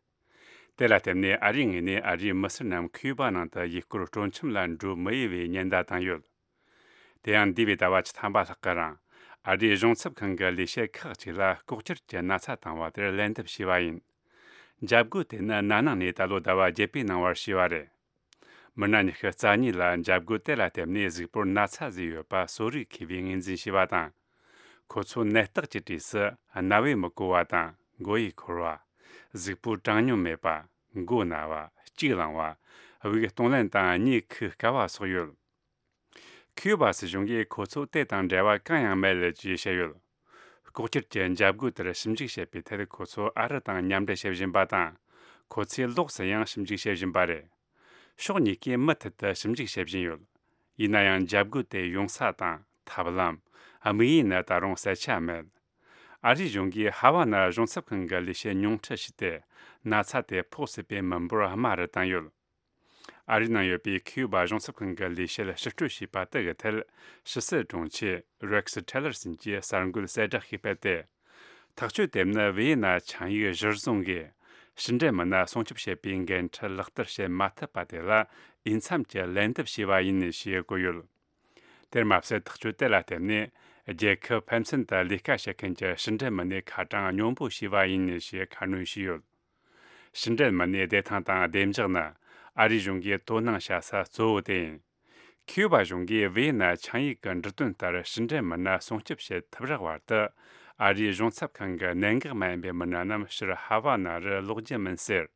དེ་ལ་བརྟེན་ནས། ཨ་རིའི་ངོས་ནས་ཨ་རིའི་མི་སེར་རྣམས་ཁིའུ་བ་ནང་དུ་ཡུལ་སྐོར་སྤྲོ་འཆམ་ལ་འགྲོ་མི་འོས་པའི་ཉེན་བརྡ་བཏང་ཡོད། དེ་ཡང་འདས་པའི་ཟླ་བ་བཅུ་ཐམ་པ་ལྷག་གི་རིང་། ཨ་རིའི་གཞུང་ཚབ་ཁང་གི་ལས་བྱེད་ཁག་ཅིག་ལ་ལྐོག་གྱུར་གྱི་ན་ཚ་བཏང་བ་དེར་ལན་འདེབས་བྱས་པ་ཡིན། འཇབ་རྒོལ་དེ་ནི་ན་ནིང་ནས་ད་ལོ་ཟླ་བ་བརྒྱད་པའི་ནང་བར་བྱས་པ་རེད། མི་སྣ་ཉི་ཤུ་རྩ་གཉིས་ལ་འཇབ་རྒོལ་དེ་ལ་བརྟེན་ནས་གཟུགས་པོར་ན་ཚ་བཟོས་ཡོད་པ་གསོ་རིག་མཁས་པས་ངོས་འཛིན་བྱས་པ་དང་། ཁོ་ཚོ་ནད་རྟགས་ཀྱི་གྲས་སུ་རྣ་བས་མི་གོ་བ་དང་། མགོ་ཡུ་འཁོར་བ། གཟུགས་པོ་གྲང་སྙོམས་མེད་པ། མགོ་ན་བ། གཅིག་ལངས་བ། དབུགས་གཏོང་ལེན་དང་གཉིད་ཁུག་དཀའ་བ་སོགས་ཡོད། ཁིའུ་བ་སྲིད་གཞུང་གིས་ཁོ་ཚོ་དེ་དང་འབྲེལ་བ་གང་ཡང་མེད་ཅེས་བཤད་ཡོད། ལྐོག་གྱུར་གྱི་འཇབ་རྒོལ་དེར་ཞིབ་འཇུག་བྱེད་པའི་ཐད། ཁོ་ཚོ་ཨ་རི་དང་མཉམ་འབྲེལ་བྱེད་བཞིན་པ་དང་། ཁོ་ཚོས་ལོགས་སུ་ཡང་ཞིབ་འཇུག་བྱེད་བཞིན་པ་རེད། ཕྱོགས་གཉིས་ཀས་མུ་མཐུད་དུ་ཞིབ་འཇུག་བྱེད་བཞིན་ཡོད། ཡིན་ན་ཡང་། འཇབ་རྒོལ་དེ་ཡོང་ས་དང་ཐབས་ལམ། དམིགས་ཡུལ་ནི་ད་རུང་གསལ་ཆ་མེད། ཨ་རིའི་གཞུང་གིས་ཧ་ཝ་ན་གཞུང་ཚབ་ཁང་གི་ལས་བྱེད་ཉུང་འཕྲི་ཞིག་དེ་ན་ཚ་དེ་ཕོག་སྲིད་པའི་མི་འབོར་དམའ་རུ་བཏང་ཡོད། ཨ་རིའི་ནང་ཡོད་པའི་ཁིའུ་བ་གཞུང་ཚབ་ཁང་གི་ལས་བྱེད་ཕྱིར་སྤྲོད་བྱས་པ་དེ་གི་ཐད། ཕྱི་སྲིད་དྲུང་ཆེ་རེག་སི་ཊེ་ལར་སོན་གྱིས་གསར་འགོད་གསལ་བསྒྲགས་ཤིག་སྤེལ་ཏེ། ཐག་གཅོད་དེ་ནི་ཝི་ཡེ་ན་ཆིངས་ཡིག་གཞིར་བཟུང་གིས་ཕྱི་འབྲེལ་མི་སྣ་སྲུང་སྐྱོབ་བྱེད་པའི་འགན་འཁྲི་ལག་བསྟར་བྱེད་མ་ཐུབ་པ་དེ་ལ་འོས་འཚམ་གྱི་ལན་འདེབས་བྱས་པ་ཡིན་ཞེས་བཀོད་ཡོད། དེར་མ་ཟད། ཐག་གཅོད་དེ་ལ་བརྟེན་ནས། རྒྱལ་ཁབ་ཕན་ཚུན་དུ་ལས་ཀ་བྱེད་མཁན་གྱི་ཕྱི་འབྲེལ་མི་སྣའི་ཁ་གྲངས་སྙོམས་པོ་བྱས་པ་ཡིན་ཞེས་ཁ་སྣོན་བྱས་ཡོད། ཕྱི་འབྲེལ་མི་སྣའི་བདེ་ཐང་དང་བདེ་འཇགས་ནི་ཨ་རིའི་གཞུང་གིས་དོ་སྣང་བྱ་ས་གཙོ་བོ་དེ་ཡིན། ཁིའུ་བ་གཞུང་གིས་ཝི་ཡེ་ན་ཆིངས་ཡིག་གི་འབྲུ་དོན་ལྟར་ཕྱི་འབྲེལ་མི་སྣ་སྲུང་སྐྱོབ་བྱེད་ཐུབ་རག་བར་དུ། ཨ་རིའི་གཞུང་ཚབ་ཁང་གི་གནད་འགག་མ་ཡིན་པའི་མི་སྣ་རྣམས་ཕྱིར་ཧ་ཝ་ན་རུ་ལོག་རྒྱུ་མིན་ཟེར།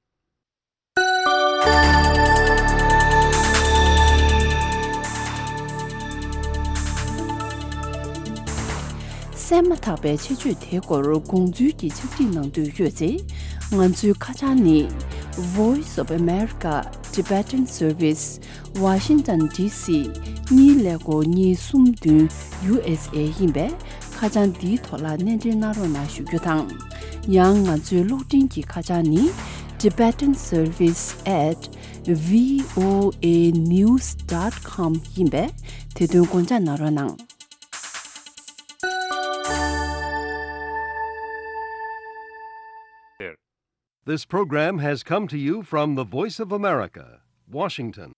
གསན་མ་ཐག་པའི་ཆེད་བརྗོད་དེའི་སྐོར་དགོངས་ཚུལ་གྱི་ཕྱག་བྲིས་གནང་འདོད་ཡོད་ཚེ། ང་ཚོའི་ཁ་བྱང་ནི། Voice of America Tibetan Service, Washington D C གཉིས་ཀླད་ཀོར་གཉིས་གསུམ་བདུན་ཡུ་ཨེས་ཨེ་ཡིན་པས། ཁ་བྱང་འདིའི་ཐོག་ལ་གནས་འབྲེལ་གནང་རོགས་གནང་ཞུ་རྒྱུ་དང་། ཡང་ང་ཚོའི་གློག་འཕྲིན་གྱི་ཁ་བྱང་ནི། Tibetan Service at V O A news dot com ཡིན་པས། དེ་དོན་དགོངས་འཇགས་གནང་རོགས་གནང་། This program has come to you from the Voice of America, Washington.